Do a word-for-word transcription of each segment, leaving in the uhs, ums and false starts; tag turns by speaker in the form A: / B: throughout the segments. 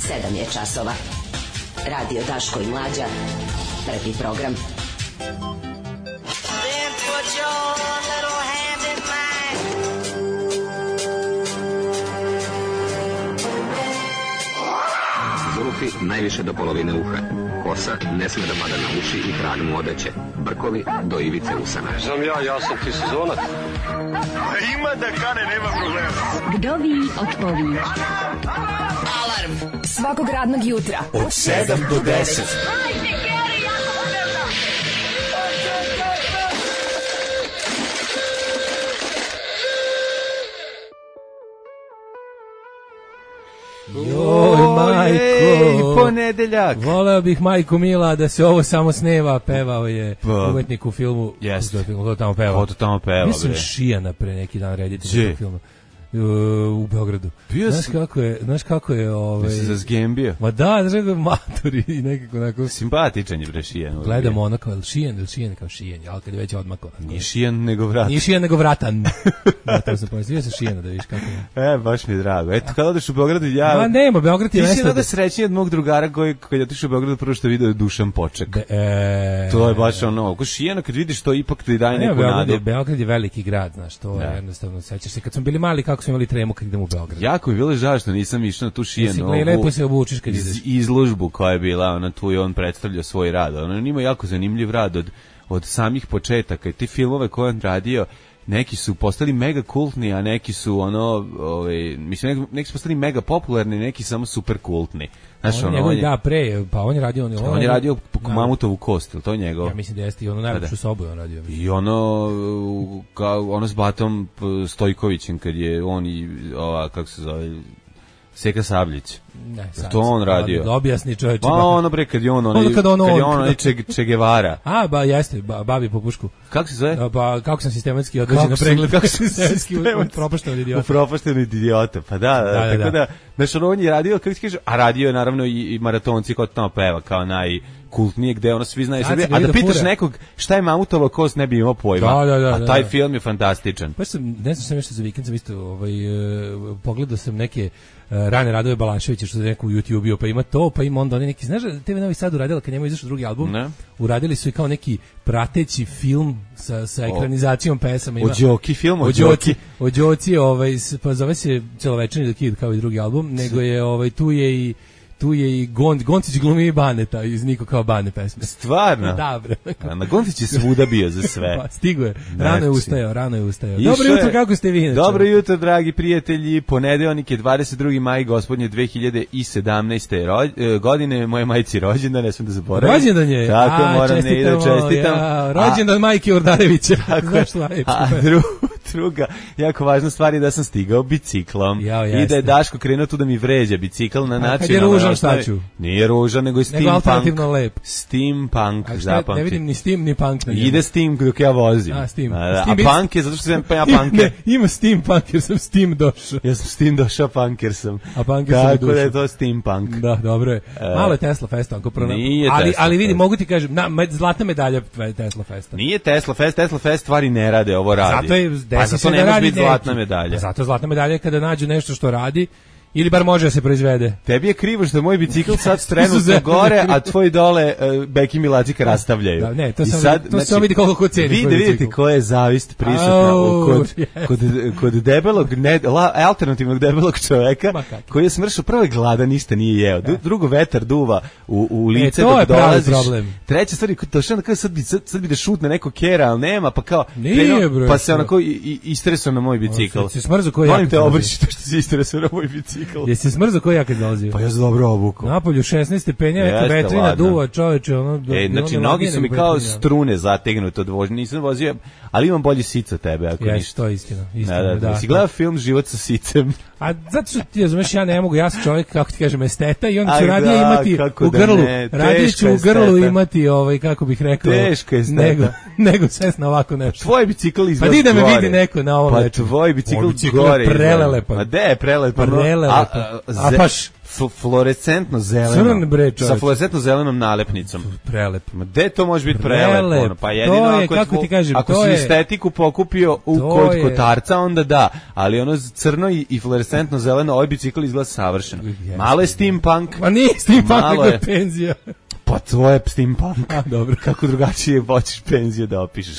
A: sedam je časova. Radio Daško i Mlađa. Prvi program.
B: Then put your little hand in mine.
C: Zulufi najviše do polovine uha. Kosa ne sme da pada na uši i krag mu odeće. Brkovi do ivice usana.
D: Znam ja, ja sam ti sezonac.
E: Ima da kane, nema problema.
F: Kdovi odpovi.
A: Alarm
F: Svakog radnog jutra
E: Od sedam do deset.
G: Joj, majko,
H: ponedeljak.
G: Voleo bih, majko mila, da se ovo samo sneva. Pevao je
H: Pa.
G: umetnik u filmu.
H: Jeste.
G: U filmu, to tamo pevao.
H: Ko to tamo peva,
G: Mislim
H: bre?
G: Šijana pre neki dan reditelj
H: Gdje?
G: tog filma. U, u Beogradu.
H: Bio
G: Znaš
H: si-
G: kako je, znaš kako je, ovaj...
H: Da se zazgembio.
G: Ma da, znaš kako je maturi i nekako onako...
H: Simpatičan je bre Šijan.
G: Gledamo ono kao, Šijan ili Šijan kao Šijan, ali kad je već odmako.
H: Nije Šijan nego vrat.
G: Nije Šijan nego vratan. Da, to sam pomislio sa Šijana da vidiš kako je.
H: E, baš mi je drago. Eto, kada odeš u Beogradu, ja...
G: Ma nema, Beograd je
H: Ti si
G: mesto...
H: da srećniji od mog drugara koji, kad je otišao u Beogradu, prvo što je video je Dušan Poček.
G: Be, e...
H: To je baš ono, ko Šijana kad vidiš to ipak ti daje
G: Ne,
H: neku
G: Beograd je,
H: nadu.
G: Beograd je veliki grad, znaš, to
H: Da.
G: je jednostavno, sećaš se, kad smo bili mali, kako smo imali tremu kad idemo u Beograd.
H: Jako mi je bilo žao što nisam išao na tu
G: Mislim,
H: Šijanu
G: le- lepo se obučiš kad
H: iz-
G: ideš.
H: izložbu koja je bila, ona tu je on predstavljao svoj rad. On ima jako zanimljiv rad od, od samih početaka i ti filmove koje on radio, neki su postali mega kultni, a neki su ono, ovaj, mislim, neki, neki su postali mega popularni, neki samo super kultni. Znaš,
G: On,
H: ono,
G: njegov,
H: on je,
G: da, pre, pa on je radio... On,
H: on je radio
G: da.
H: Mamutovu kost, ili to je njegov?
G: Ja mislim da jeste i ono najlepšu sobu je on radio.
H: I ono, u- kao, ono s Batom p- Stojkovićem, kad je on i, ova, kako se zove, Seka Sabljić.
G: Ne,
H: To on radio.
G: Da objasni čovječe.
H: Pa ono bre, kad je on, onaj,
G: Ono kad ono-
H: kad je on, onaj Che, Che Guevara.
G: A, ba, jeste, ba, babi po pušku.
H: Kako se zove?
G: A, Pa, kako sam sistematski odvođen
H: Kako
G: na
H: sam-
G: pregled.
H: kako sam
G: sistematski
H: sistematski-
G: propašten od
H: U
G: idiota.
H: propaštenu idiota, pa da, da,
G: Da, da,
H: tako
G: da.
H: da, znaš, ono, on je radio, kako ti kažeš, a radio je naravno i, i maratonci ko tamo peva, kao najkultnije, gde ono svi znaju
G: Sad
H: Srbije,
G: se
H: a
G: vidi
H: da
G: da
H: pitaš
G: fura.
H: nekog šta je Mamutova kost, ne bi imao pojma,
G: Da, da, da,
H: a
G: da,
H: taj
G: da.
H: film je fantastičan.
G: Pa sam, ne znam sam nešto za vikend, sam isto ovaj, e, pogledao sam neke e, rane radove Balaševića što je neko u YouTube-u, pa ima to, pa ima onda oni neki, znaš da te ve Novi Sad uradila kad njemu izašao drugi album,
H: Ne.
G: uradili su i kao neki prateći film sa, sa ekranizacijom pesama.
H: O Đoki film, o
G: O
H: Đoki.
G: Đoci, o Đoci, ovaj, s- pa zove se Celovečerni The Kid kao i drugi album, nego je, ovaj, tu je i tu je i Gon, Goncić glumi i Baneta iz Niko kao Bane pesme.
H: Stvarno?
G: Da, bre.
H: A na Goncić je svuda bio za sve.
G: Pa, stigo je. Rano je
H: Znači.
G: ustajao, rano je ustajao.
H: Išao
G: Dobro jutro,
H: je-
G: kako ste vi? inače?
H: Dobro jutro, dragi prijatelji. Ponedeljak je dvadeset drugi maj gospodnje dve hiljade sedamnaeste ro- e, godine. Moje majci rođendan, ne smijem da zaboravim.
G: Rođendan je.
H: Tako,
G: A,
H: moram ne i da
G: čestitamo,
H: čestitam.
G: ja, rođendan majke Urdarevića. Znaš šta je?
H: A dru, druga, jako važna stvar je da sam stigao biciklom.
G: Jao,
H: I da je
G: jeste.
H: Daško krenuo tu da mi vređa bicikl na
G: kad je
H: nacionalnoj
G: ružan,
H: osnovi.
G: šta ću?
H: Nije ružan, nego je
G: Nego alternativno
H: steampunk.
G: lep.
H: Steampunk,
G: A šta, ne
H: zapamti.
G: vidim ni Steam ni Punk na njemu.
H: Ide Steam dok ja vozim.
G: A, Steam.
H: A, da,
G: Steam
H: a
G: is-
H: punk je zato što sam pa ja punk.
G: Ne, ima Steam Punk jer sam Steam došao.
H: Ja sam s tim došao, punker sam.
G: A punker sam i
H: Tako da je
G: došao.
H: to steampunk.
G: Da, dobro je. Malo je Tesla Festa, ako prona...
H: Nije
G: ali,
H: Tesla
G: ali vidi,
H: Fest.
G: mogu ti kažem, na, med- zlatna medalja Tesla Festa.
H: Nije Tesla Fest, Tesla Fest stvari ne rade, ovo radi.
G: Zato je,
H: pa
G: desi
H: zato
G: se
H: ne
G: da
H: može
G: radi
H: biti
G: neki.
H: zlatna medalja.
G: Pa zato zlatna medalja je kada nađu nešto što radi, ili bar može da se proizvede.
H: Tebi je krivo što moj bicikl sad trenutno
G: Izuzetno
H: gore,
G: krivo.
H: a tvoji dole uh, Beki Milacika rastavljaju.
G: Da, ne, to
H: I
G: samo-
H: sad,
G: to samo vidi koliko ko ceni
H: Vi da
G: tvoj
H: vidite
G: bicikl.
H: koja je zavist prisutna u-
G: Au,
H: kod,
G: yes.
H: kod, kod debelog, ne, la, alternativnog debelog čoveka,
G: Ma kakvi.
H: koji je smršao, prvo je gladan, ništa nije jeo. Du- Drugo, vetar duva u, u lice
G: to
H: dok
G: je pravi
H: dolaziš.
G: problem.
H: Treća stvar je, kod došao na kao sad bi, sad, sad bi da šutne neko kera, ali nema, pa kao,
G: Nije,
H: krenuo,
G: bre,
H: pa se
G: što?
H: onako i, i, istresao na moj bicikl.
G: Jesi smrzo koji
H: Molim
G: ja
H: te,
G: kad
H: obriši to što si istresao na moj bicikl.
G: Jesi smrzo koji ja kad dolazio?
H: Pa ja sam dobro obuku.
G: Napolju šesnaest stepenja, neka
H: Jeste,
G: vetrina
H: ladno.
G: duva, čoveče, ono...
H: E,
G: bilo
H: znači,
G: mi
H: noge
G: ladnije
H: su mi
G: nego
H: kao
G: vetrina.
H: strune zategnute od vožnje, nisam vozio, ali imam bolji sic od tebe, ako
G: Jesi,
H: ništa.
G: to je istina. istina
H: Da, da, da. Si gledao film Život sa sicem?
G: A zato što ti razumeš, ja ne mogu, ja sam čovjek, kako ti kažem, esteta i onda ću
H: Aj,
G: radije
H: da,
G: imati
H: kako
G: u
H: da
G: grlu,
H: ne,
G: radije ću
H: teška
G: u grlu
H: esteta.
G: imati, ovaj, kako bih rekao,
H: Teška esteta.
G: nego, nego sest na ovako nešto.
H: Tvoj bicikl
G: Pa
H: izgleda
G: di da me
H: gore.
G: vidi neko na ovom
H: Pa
G: večeru.
H: tvoj bicikl
G: Moj bicikl je
H: gore. izgleda.
G: prelelepan.
H: Ma de je prelelepan?
G: Prelelepan.
H: A, a,
G: A
H: ze-
G: baš
H: F- fluorescentno zeleno.
G: Crn, bre, čoveče.
H: Sa fluorescentno zelenom nalepnicom.
G: Prelep.
H: Ma gde to može biti prelep?
G: Prelep.
H: Ono? Pa jedino
G: To je,
H: ako,
G: kako ti kažem,
H: ako
G: to
H: si
G: je-
H: estetiku pokupio u
G: To
H: kod
G: je-
H: kotarca, onda da. Ali ono crno i, i fluorescentno zeleno, ovaj bicikl izgleda savršeno.
G: Jeste.
H: Malo je steampunk.
G: Ma nije steampunk,
H: Malo
G: nego
H: je.
G: je penzija.
H: Pa tvoje steampunk.
G: A, dobro.
H: Kako drugačije hoćeš penziju da opišeš.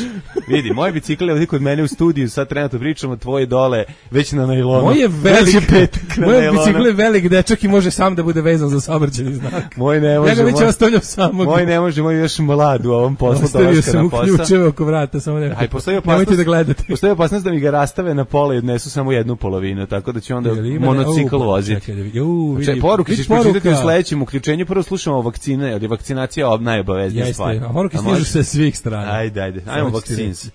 H: Vidi, moj bicikl je ovdje kod mene u studiju, sad trenutno pričamo, tvoje dole, već na nailonu.
G: Moj je velik,
H: Već je petak na
G: moj
H: nailonu.
G: bicikl je velik dečak i može sam da bude vezan za saobraćajni znak.
H: Moj ne može.
G: Ja ga već
H: moj-
G: ostavljam samog.
H: Moj ne može, moj je još mlad u ovom poslu.
G: Ostavio
H: dolaska
G: sam
H: na
G: u
H: posao.
G: ključeve oko vrata, samo ne.
H: Aj, postoji
G: Nemojte
H: opasnost,
G: da gledate.
H: postoji opasnost da mi ga rastave na pola i odnesu samo jednu polovinu, tako da ću onda
G: Jel ima-
H: monocikl
G: Au,
H: voziti.
G: čekaj da vidi. Ju, vidi.
H: Znači, poruke
G: Vidi
H: ćeš pročitati u
G: poruka.
H: sledećem uključenju. Prvo slušamo o vakcine, jer je vakcinacija ob najobaveznija
G: Jeste,
H: stvar.
G: a poruke
H: A
G: stižu
H: može?
G: sa svih strana.
H: Ajde, ajde. Ajmo
G: Samo ću ti
H: vakcins.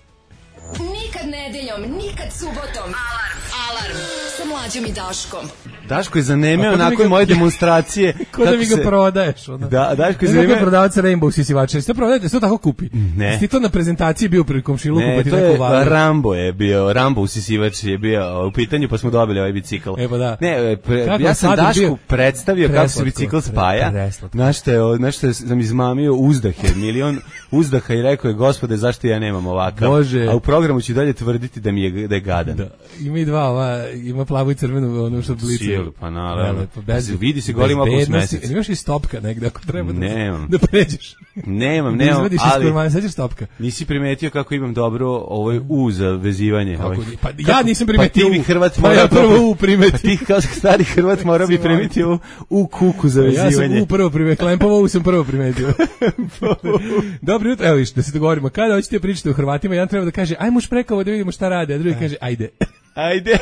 A: Nikad nedeljom, nikad subotom. Alarm. Alarm. Sa Mlađom i Daškom.
H: Daško je zanemeo
G: A ko da mi
H: nakon
G: ga-
H: moje demonstracije.
G: Ko da
H: kako
G: mi ga
H: se-
G: prodaješ, ono.
H: Da, Daško je
G: Ne, kako je
H: zanemeo.
G: prodavac Rainbow sisivača. Jeste prodajete, jeste to tako kupi?
H: Ne.
G: Jeste ti to na prezentaciji bio pri komšiluku, pa
H: Ne,
G: ti
H: to
G: neko
H: je
G: uvalio?
H: Rambo je bio, Rambo usisivač je bio u pitanju, pa smo dobili ovaj bicikl.
G: E, pa da.
H: Ne, pre,
G: Kako
H: ja
G: je
H: sam
G: sladak
H: Dašku
G: bio?
H: predstavio kako se
G: Preslatko,
H: bicikl
G: pre-
H: spaja.
G: preslatko.
H: Znaš što je, znaš što je, sam izmamio uzdahe, milion uzdaha i rekao je, gospode, zašto ja nemam ovakav?
G: Bože.
H: A u programu ću dalje tvrditi da mi je, da je gadan.
G: Da. Ima i dva, ova, ima plavu i crvenu, ono što blice.
H: Sjelu, pa naravno.
G: Lepo, bez-
H: Vidi se golim oko
G: bezbednosti.
H: mesec.
G: Imaš i stopka negde ako treba da,
H: Nemam.
G: da pređeš.
H: Nemam,
G: Da
H: nemam,
G: izvadiš iz
H: ali
G: kurmana, sećaš stopka?
H: nisi primetio kako imam dobro ovaj U za vezivanje.
G: Kako
H: ovaj.
G: ni- pa ja
H: Kako-
G: nisam primetio
H: Pa ti bi
G: U.
H: Hrvat
G: Pa
H: morao
G: ja prvo
H: dobro-
G: U primetio.
H: Pa ti kao stari Hrvat morao bi primetio u, u kuku za
G: Ja sam
H: vezivanje.
G: u prvo primetio, Klempovo U sam prvo primetio. Dobro jutro, evo viš, da se dogovorimo. Kada hoćete pričati o Hrvatima, jedan treba da kaže, ajmo už prekovo da vidimo šta rade, a drugi kaže, ajde.
H: Ajde.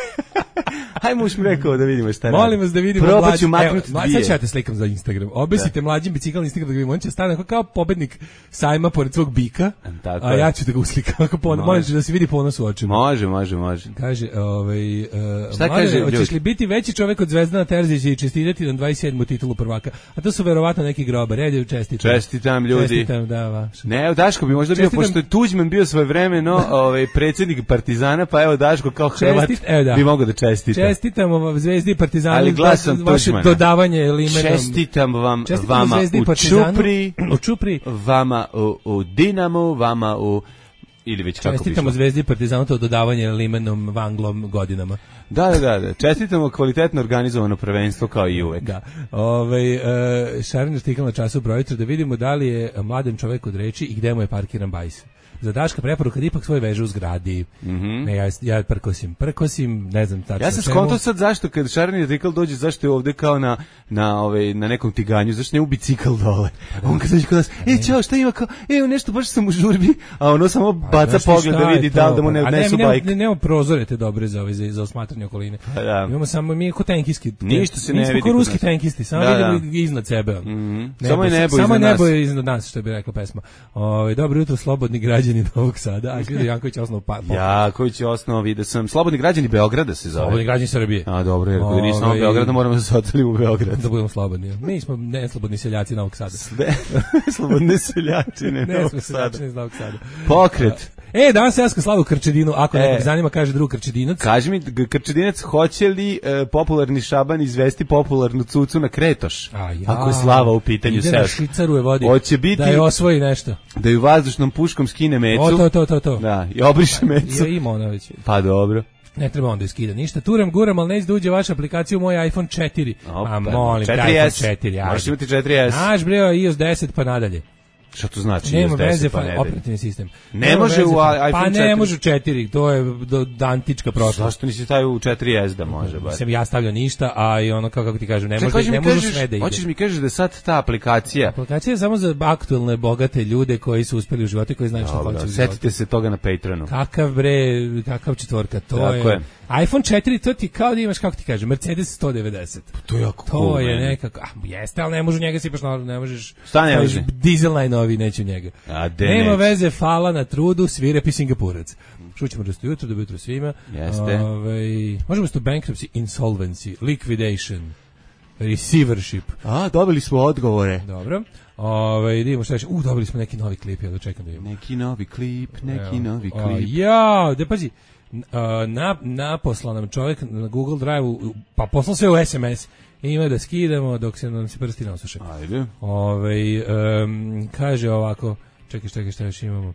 H: Hajmo už rekao da vidimo šta radi.
G: Molim vas da vidimo
H: Probat
G: mlađi.
H: ću maknuti
G: Evo,
H: dvije.
G: sad ću ja te slikam za Instagram. Obesite mlađim bicikl na Instagram da ga vidimo. On će stane kao- kao pobednik sajma pored svog bika,
H: Tako
G: a
H: je.
G: ja ću da ga uslikam. Ako pon-
H: Može.
G: Molim te da se vidi ponos u očima.
H: Može, može, može.
G: Kaže, ovaj, uh,
H: Šta
G: Mladene,
H: kaže,
G: hoćeš
H: ljudi?
G: li biti veći čovek od Zvezdana Terzića i čestitati na dvadeset sedmu titulu prvaka? A to su verovatno neki grobar. Red je čestitam.
H: Čestitam, ljudi.
G: Čestitam, da, vaš.
H: Ne, evo Daško bi možda bio,
G: Čestitam-
H: pošto je Tuđman bio svojevremeno ovaj, predsjednik Partizana, pa evo Daško kao Hrvat
G: Čestit- evo da.
H: bi mogao da čestita.
G: Čestitamo vam Zvezdi i Partizanu.
H: Ali glasom
G: vaše
H: Tuđmana.
G: dodavanje limenom.
H: Čestitam vam,
G: Čestitamo
H: vama
G: Zvezdi i
H: u
G: Partizanu.
H: Čupri,
G: U Čupri.
H: vama u, u Dinamu, vama u... Ili već kako
G: Čestitamo
H: piše.
G: Zvezdi i Partizanu to dodavanje limenom vanglom godinama.
H: Da, da, da, da. Čestitamo kvalitetno organizovano prvenstvo kao i uvek.
G: Da. Ovaj e, šareni artikl na času projutro da vidimo da li je mladen čovjek od reči i gde mu je parkiran bajs. Za Daška preporuka da ipak svoje veže u zgradi.
H: Mhm.
G: Ne, ja, ja prkosim, prkosim, ne znam tačno
H: Ja sam
G: čemu.
H: skontao sad zašto kad šareni artikl dođe, zašto je ovde kao na na ovaj na nekom tiganju, zašto ne u bicikl dole. On kad dođe kod nas, e čao, šta ima kao, e nešto baš sam u žurbi, a ono samo baca
G: Znaš ti
H: pogled
G: šta
H: da
G: je
H: vidi
G: to?
H: da li da mu ne
G: A
H: odnesu
G: mi
H: bajk.
G: Ne, nemamo prozore te dobre za, ove, za, za osmatranje okoline.
H: Pa da.
G: Imamo samo, mi je ko tenkiski.
H: Ništa se
G: mi
H: ne
G: smo
H: vidi
G: ko
H: kod
G: ruski
H: nas.
G: tenkisti, samo
H: Da,
G: vidimo iznad sebe.
H: Mhm.
G: Nebo,
H: Samo je nebo
G: samo
H: iznad
G: nebo
H: nas.
G: je iznad nas, što bi rekla pesma. Ovaj dobro jutro, slobodni građani Novog Sada. A gledaj Janković osnovno pa. pa-
H: Jaković je osnovno, vidio sam, Slobodni građani Beograda se zove.
G: Slobodni građani Srbije.
H: A dobro, jer ako nisam
G: Ovaj,
H: u Beogradu, moramo da se oteli u Beograd.
G: Da budemo slobodni. Mi smo neslobodni seljaci Novog Sada.
H: Sve, slobodne seljačine.
G: Ne
H: Novog
G: smo
H: Sada.
G: seljaci iz Novog Sada.
H: Pokret.
G: E, danas se jaska slavu Krčedinu, ako
H: E.
G: nekog zanima, kaže drug Krčedinac.
H: Kaži mi, G- Krčedinac, hoće li e, popularni Šaban izvesti popularnu cucu na Kretoš?
G: A ja.
H: Ako je Slava u pitanju
G: Ide na
H: seoska.
G: Švicaru je vodi.
H: Hoće biti-
G: Da je osvoji nešto.
H: Da ju vazdušnom puškom skine mecu.
G: O, to, to, to, to.
H: Da, i obriše mecu.
G: I ima ona već.
H: Pa dobro.
G: Ne treba onda iskida ništa. Turam, guram, ali ne izduđe vaša aplikacija u moj iPhone četiri.
H: Opa,
G: A molim, te
H: četiri
G: iPhone
H: S.
G: četiri. ajde.
H: Možeš imati četiri S.
G: Naš bre, i o es deset pa nadalje.
H: Šta to znači?
G: Nema
H: iOS deset
G: veze,
H: pa
G: pa,
H: ne ide?
G: operativni sistem.
H: Ne
G: Nema
H: može
G: veze,
H: u
G: pa-
H: iPhone
G: Pa ne
H: četiri.
G: može u četiri, to je do, do antička prošlost.
H: Zašto nisi stavio u četiri S da može? Bar?
G: Nisam ja stavljao ništa, a i ono, kako ti kažem, ne
H: Čekaj,
G: može,
H: hoćeš
G: ne
H: mi
G: može
H: kažeš-
G: sve da ide.
H: Hoćeš mi kažeš da je sad ta aplikacija.
G: Aplikacija je samo za aktuelne, bogate ljude koji su uspeli u životu i koji znaju što
H: Dobro,
G: hoće u životu.
H: setite se toga na Patronu.
G: Kakav bre, kakav četvorka, to
H: Tako
G: je.
H: je.
G: iPhone četiri, to ti kao da imaš, kako ti kažem, Mercedes sto devedeset.
H: To je jako
G: To
H: cool,
G: je
H: meni.
G: nekako, a, jeste, ali ne može u njega sipaš, na- ne možeš,
H: Šta ne
G: staviš
H: može?
G: dizel najnoviji, neće u njega.
H: A, de
G: Nema
H: neće.
G: veze, fala na trudu, svirepi Singapurac. Čućemo da ste jutro, dobro jutro svima.
H: Jeste.
G: Ovaj, možemo sto bankruptcy, insolvency, liquidation, receivership.
H: A, dobili smo odgovore.
G: Dobro. Ovaj, vidimo šta još. U, dobili smo neki novi klip, ja da čekam da vidimo.
H: Neki novi klip, neki
G: Evo.
H: novi
G: A,
H: klip.
G: ja, da pazi, n- a, na, naposlao nam čovjek na Google Drive-u, pa poslao sve u es em es ima da skidamo dok se nam se prsti ne osuše.
H: Ajde.
G: Ovaj um, kaže ovako, čekaj, čekaj, šta još imamo.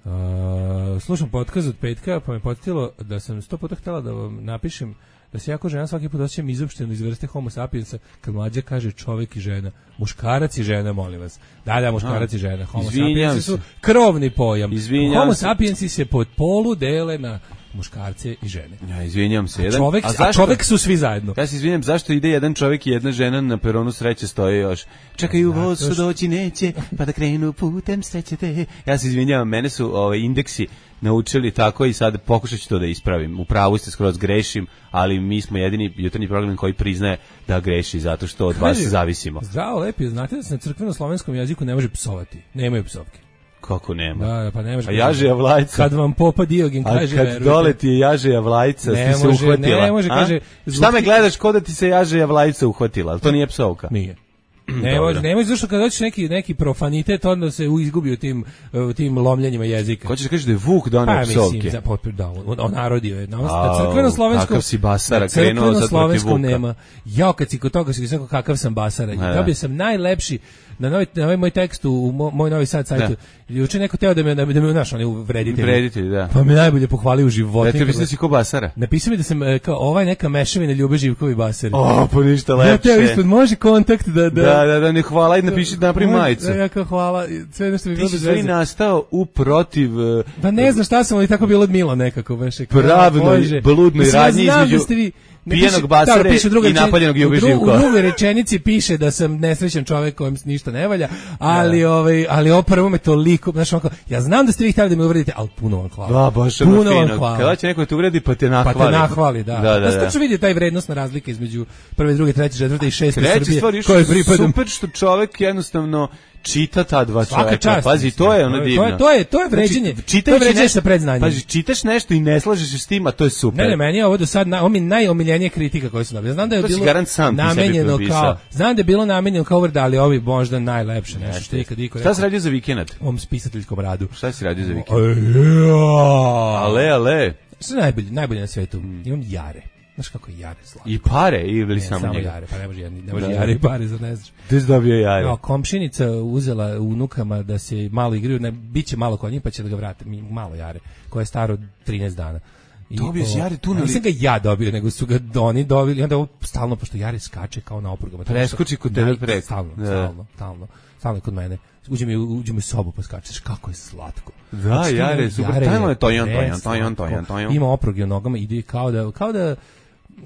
G: Uh, slušam podcast od petka, pa me podsjetilo da sam sto puta htjela da vam napišem da se jako žena svaki put osjećam izopšteno iz vrste homo sapiensa kad mlađa kaže čovjek i žena. Muškarac i žena, molim vas. Da, da, muškarac i žena. Homo sapiensi su krovni pojam.
H: Izvinjam
G: homo
H: se.
G: sapiensi se pod polu dele na muškarce i žene.
H: Ja izvinjam se.
G: A
H: Jedan,
G: čovjek,
H: a,
G: a čovjek su svi zajedno.
H: Ja se izvinjam, zašto ide jedan čovjek i jedna žena na peronu sreće stoje još. Čekaju voz što doći neće, pa da krenu putem sreće te. Ja se izvinjam, mene su ovaj, indeksi naučili tako i sad pokušat ću to da ispravim. U pravu ste, skroz grešim, ali mi smo jedini jutarnji program koji priznaje da greši, zato što od vas zavisimo.
G: Zdravo, lepi, znate da se na crkveno-slovenskom jeziku ne može psovati. Nemaju psovke.
H: Kako nema?
G: Da, pa ne može.
H: A Jažeja Vlajca.
G: Kad vam popa Diogen kaže,
H: a kad
G: verujte.
H: dole ti je Jažeja Vlajca,
G: ne
H: ti se
G: može,
H: uhvatila.
G: Ne može, kaže.
H: Šta me gledaš ko da ti se Jažeja Vlajca uhvatila? To nije psovka.
G: Nije. Ne može, ne može, zašto kad dođeš neki, neki profanitet, onda se izgubi u tim, u tim lomljenjima jezika.
H: Ko ćeš da kažeš da je Vuk doneo
G: pa,
H: psovke?
G: Mislim, za, da, on narodio je. Na, na crkveno-slovenskom...
H: Kakav si basara, krenuo sad protiv Vuka. Nema.
G: Jao, kad si kod toga si rekao kakav sam basara. I dobio sam najlepši, na novi, na ovaj moj tekst u mo, moj Novi Sad sajtu, juče neko teo da me, da me, da me naš, on je uvreditelj.
H: Vreditelj, da.
G: Pa me najbolje pohvalio u životu.
H: Ja te mislim da si ko basara.
G: Napisao mi da sam, kao, ovaj neka mešavina Ljube Živkovi basari.
H: O, pa ništa lepše.
G: Ja te ispod, može kontakt da...
H: Da, da, da, da ne hvala i napiši da napravi majicu.
G: Da, ja kao hvala, sve nešto mi bilo bez veze.
H: Ti si nastao u protiv...
G: Pa ne znam šta sam, ali tako bilo od Milo nekako. Baš,
H: pravnoj, bludnoj radnji između... pijenog basare i napaljenog Ljube Živkova.
G: U drugoj rečenici piše da sam nesrećan čovjek kojem ništa ne valja, ali ja. ovaj ali ovo prvo me toliko, znači onako, ja znam da ste vi htjeli da me uvredite, al puno vam hvala.
H: Da, baš
G: puno
H: fino.
G: vam hvala.
H: Kada će neko te uvredi pa te nahvali.
G: Pa te nahvali, da.
H: Da, da, da.
G: Da se vidi taj vrednosna razlika između prve, druge, treće, četvrte i šeste Srbije.
H: Koje pripadam. Super što čovjek jednostavno čita ta dva čoveka. Pazi, to je ono divno.
G: To je to je to je vređenje.
H: Znači,
G: to je vređenje sa predznanjem.
H: Pazi, čitaš nešto i ne slažeš se s tim, a to je super.
G: Ne, ne, meni je ovo do sad na, ovo mi najomiljenije kritika koju sam dobio. Znam da je
H: to
G: bilo namenjeno kao, znam da je bilo namenjeno kao uvreda, ali ovi možda najlepše nešto što je ikad iko rekao.
H: Šta si radio za vikend?
G: Ovom spisateljskom radu.
H: Šta si radio za vikend? Ale, ale.
G: Što je najbolje, najbolje na svetu? Imam jare. Znaš kako je jare slatko.
H: I pare ili
G: ne,
H: samo,
G: samo
H: njega?
G: Jare, pa ne može, ne može jare i pare, zar ne znaš.
H: Gde si dobio jare?
G: No, komšinica uzela unukama da se malo igraju, ne, bit će malo kod njih pa će da ga vrate, malo jare, koje je staro trinaest dana.
H: Dobio si jare tu?
G: Nisam ga ja dobio, nego su ga oni dobili, i onda ovo stalno, pošto jare skače kao na oprugama.
H: Preskoči kod tebe preko.
G: Stalno, stalno, stalno, stalno kod mene. Uđe mi, uđe mi u sobu pa skačeš, kako je slatko.
H: Da,
G: znači,
H: jare, super, tajmo je tojan, tojan, tojan, tojan, tojan.
G: Ima opruge u nogama, ide kao da, kao da,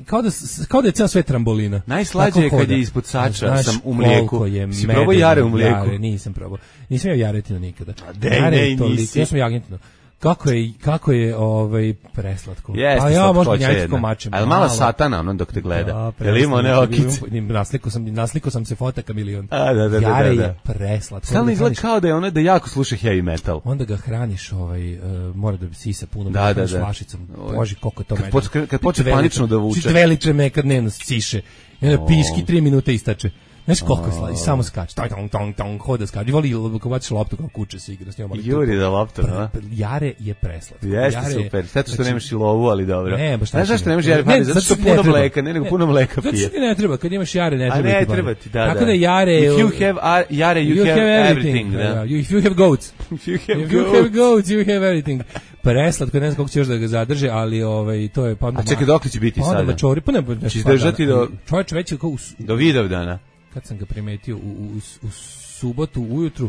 G: kao da, kao da je ceo sve trambolina.
H: Najslađe je kad je ispod sača, sam u mlijeku. Si probao jare u mlijeku?
G: Jare, nisam probao. Nisam jeo jaretinu nikada.
H: A de, ne, nisi.
G: Ja sam jagentino. Kako je, kako je ovaj preslatko.
H: Jeste,
G: a ja možda njačko mačem.
H: Ali mala satana ono dok te gleda. Jel ima one okice?
G: Nasliko sam, nasliko sam se fotaka milion.
H: A, da, da, da,
G: jare
H: da, da.
G: je preslatko.
H: Stalno izgleda kao da je ono da jako sluša heavy metal.
G: Onda ga hraniš, ovaj, uh, mora da sisa puno,
H: da, da, da.
G: flašicom. Boži, koliko to
H: kad meni. Poč, kad počne panično da vuče.
G: Dve litre meka dnevno siše. I onda piški tri minute istače. Znaš koliko je slađe, samo skače, tong, tong, tong, hoda skače, i voli ako baciš loptu kao kuće se igra s njom.
H: Juri da loptu, no?
G: Jare je preslatko.
H: Jeste, jare, super, sve to što nemaš i lovu, ali dobro.
G: Ne, baš
H: ne, zašto nemaš jare, ne, zato što puno mleka, ne, nego puno mleka pije.
G: Zato što ti ne treba, kad imaš jare ne treba.
H: A ne treba ti, da, da.
G: Tako da jare...
H: If you have jare, you have everything, da.
G: If you have goats.
H: If you have
G: goats, you have everything. Preslatko, ne znam kako ćeš da ga zadrže, ali ovaj, to je...
H: A čekaj, dok li će biti sada?
G: Onda mačori, pa ne...
H: Će izdržati do...
G: Čovječe već je kao...
H: Do Vidovdana.
G: Kad sam ga primetio u, u, u subotu ujutru,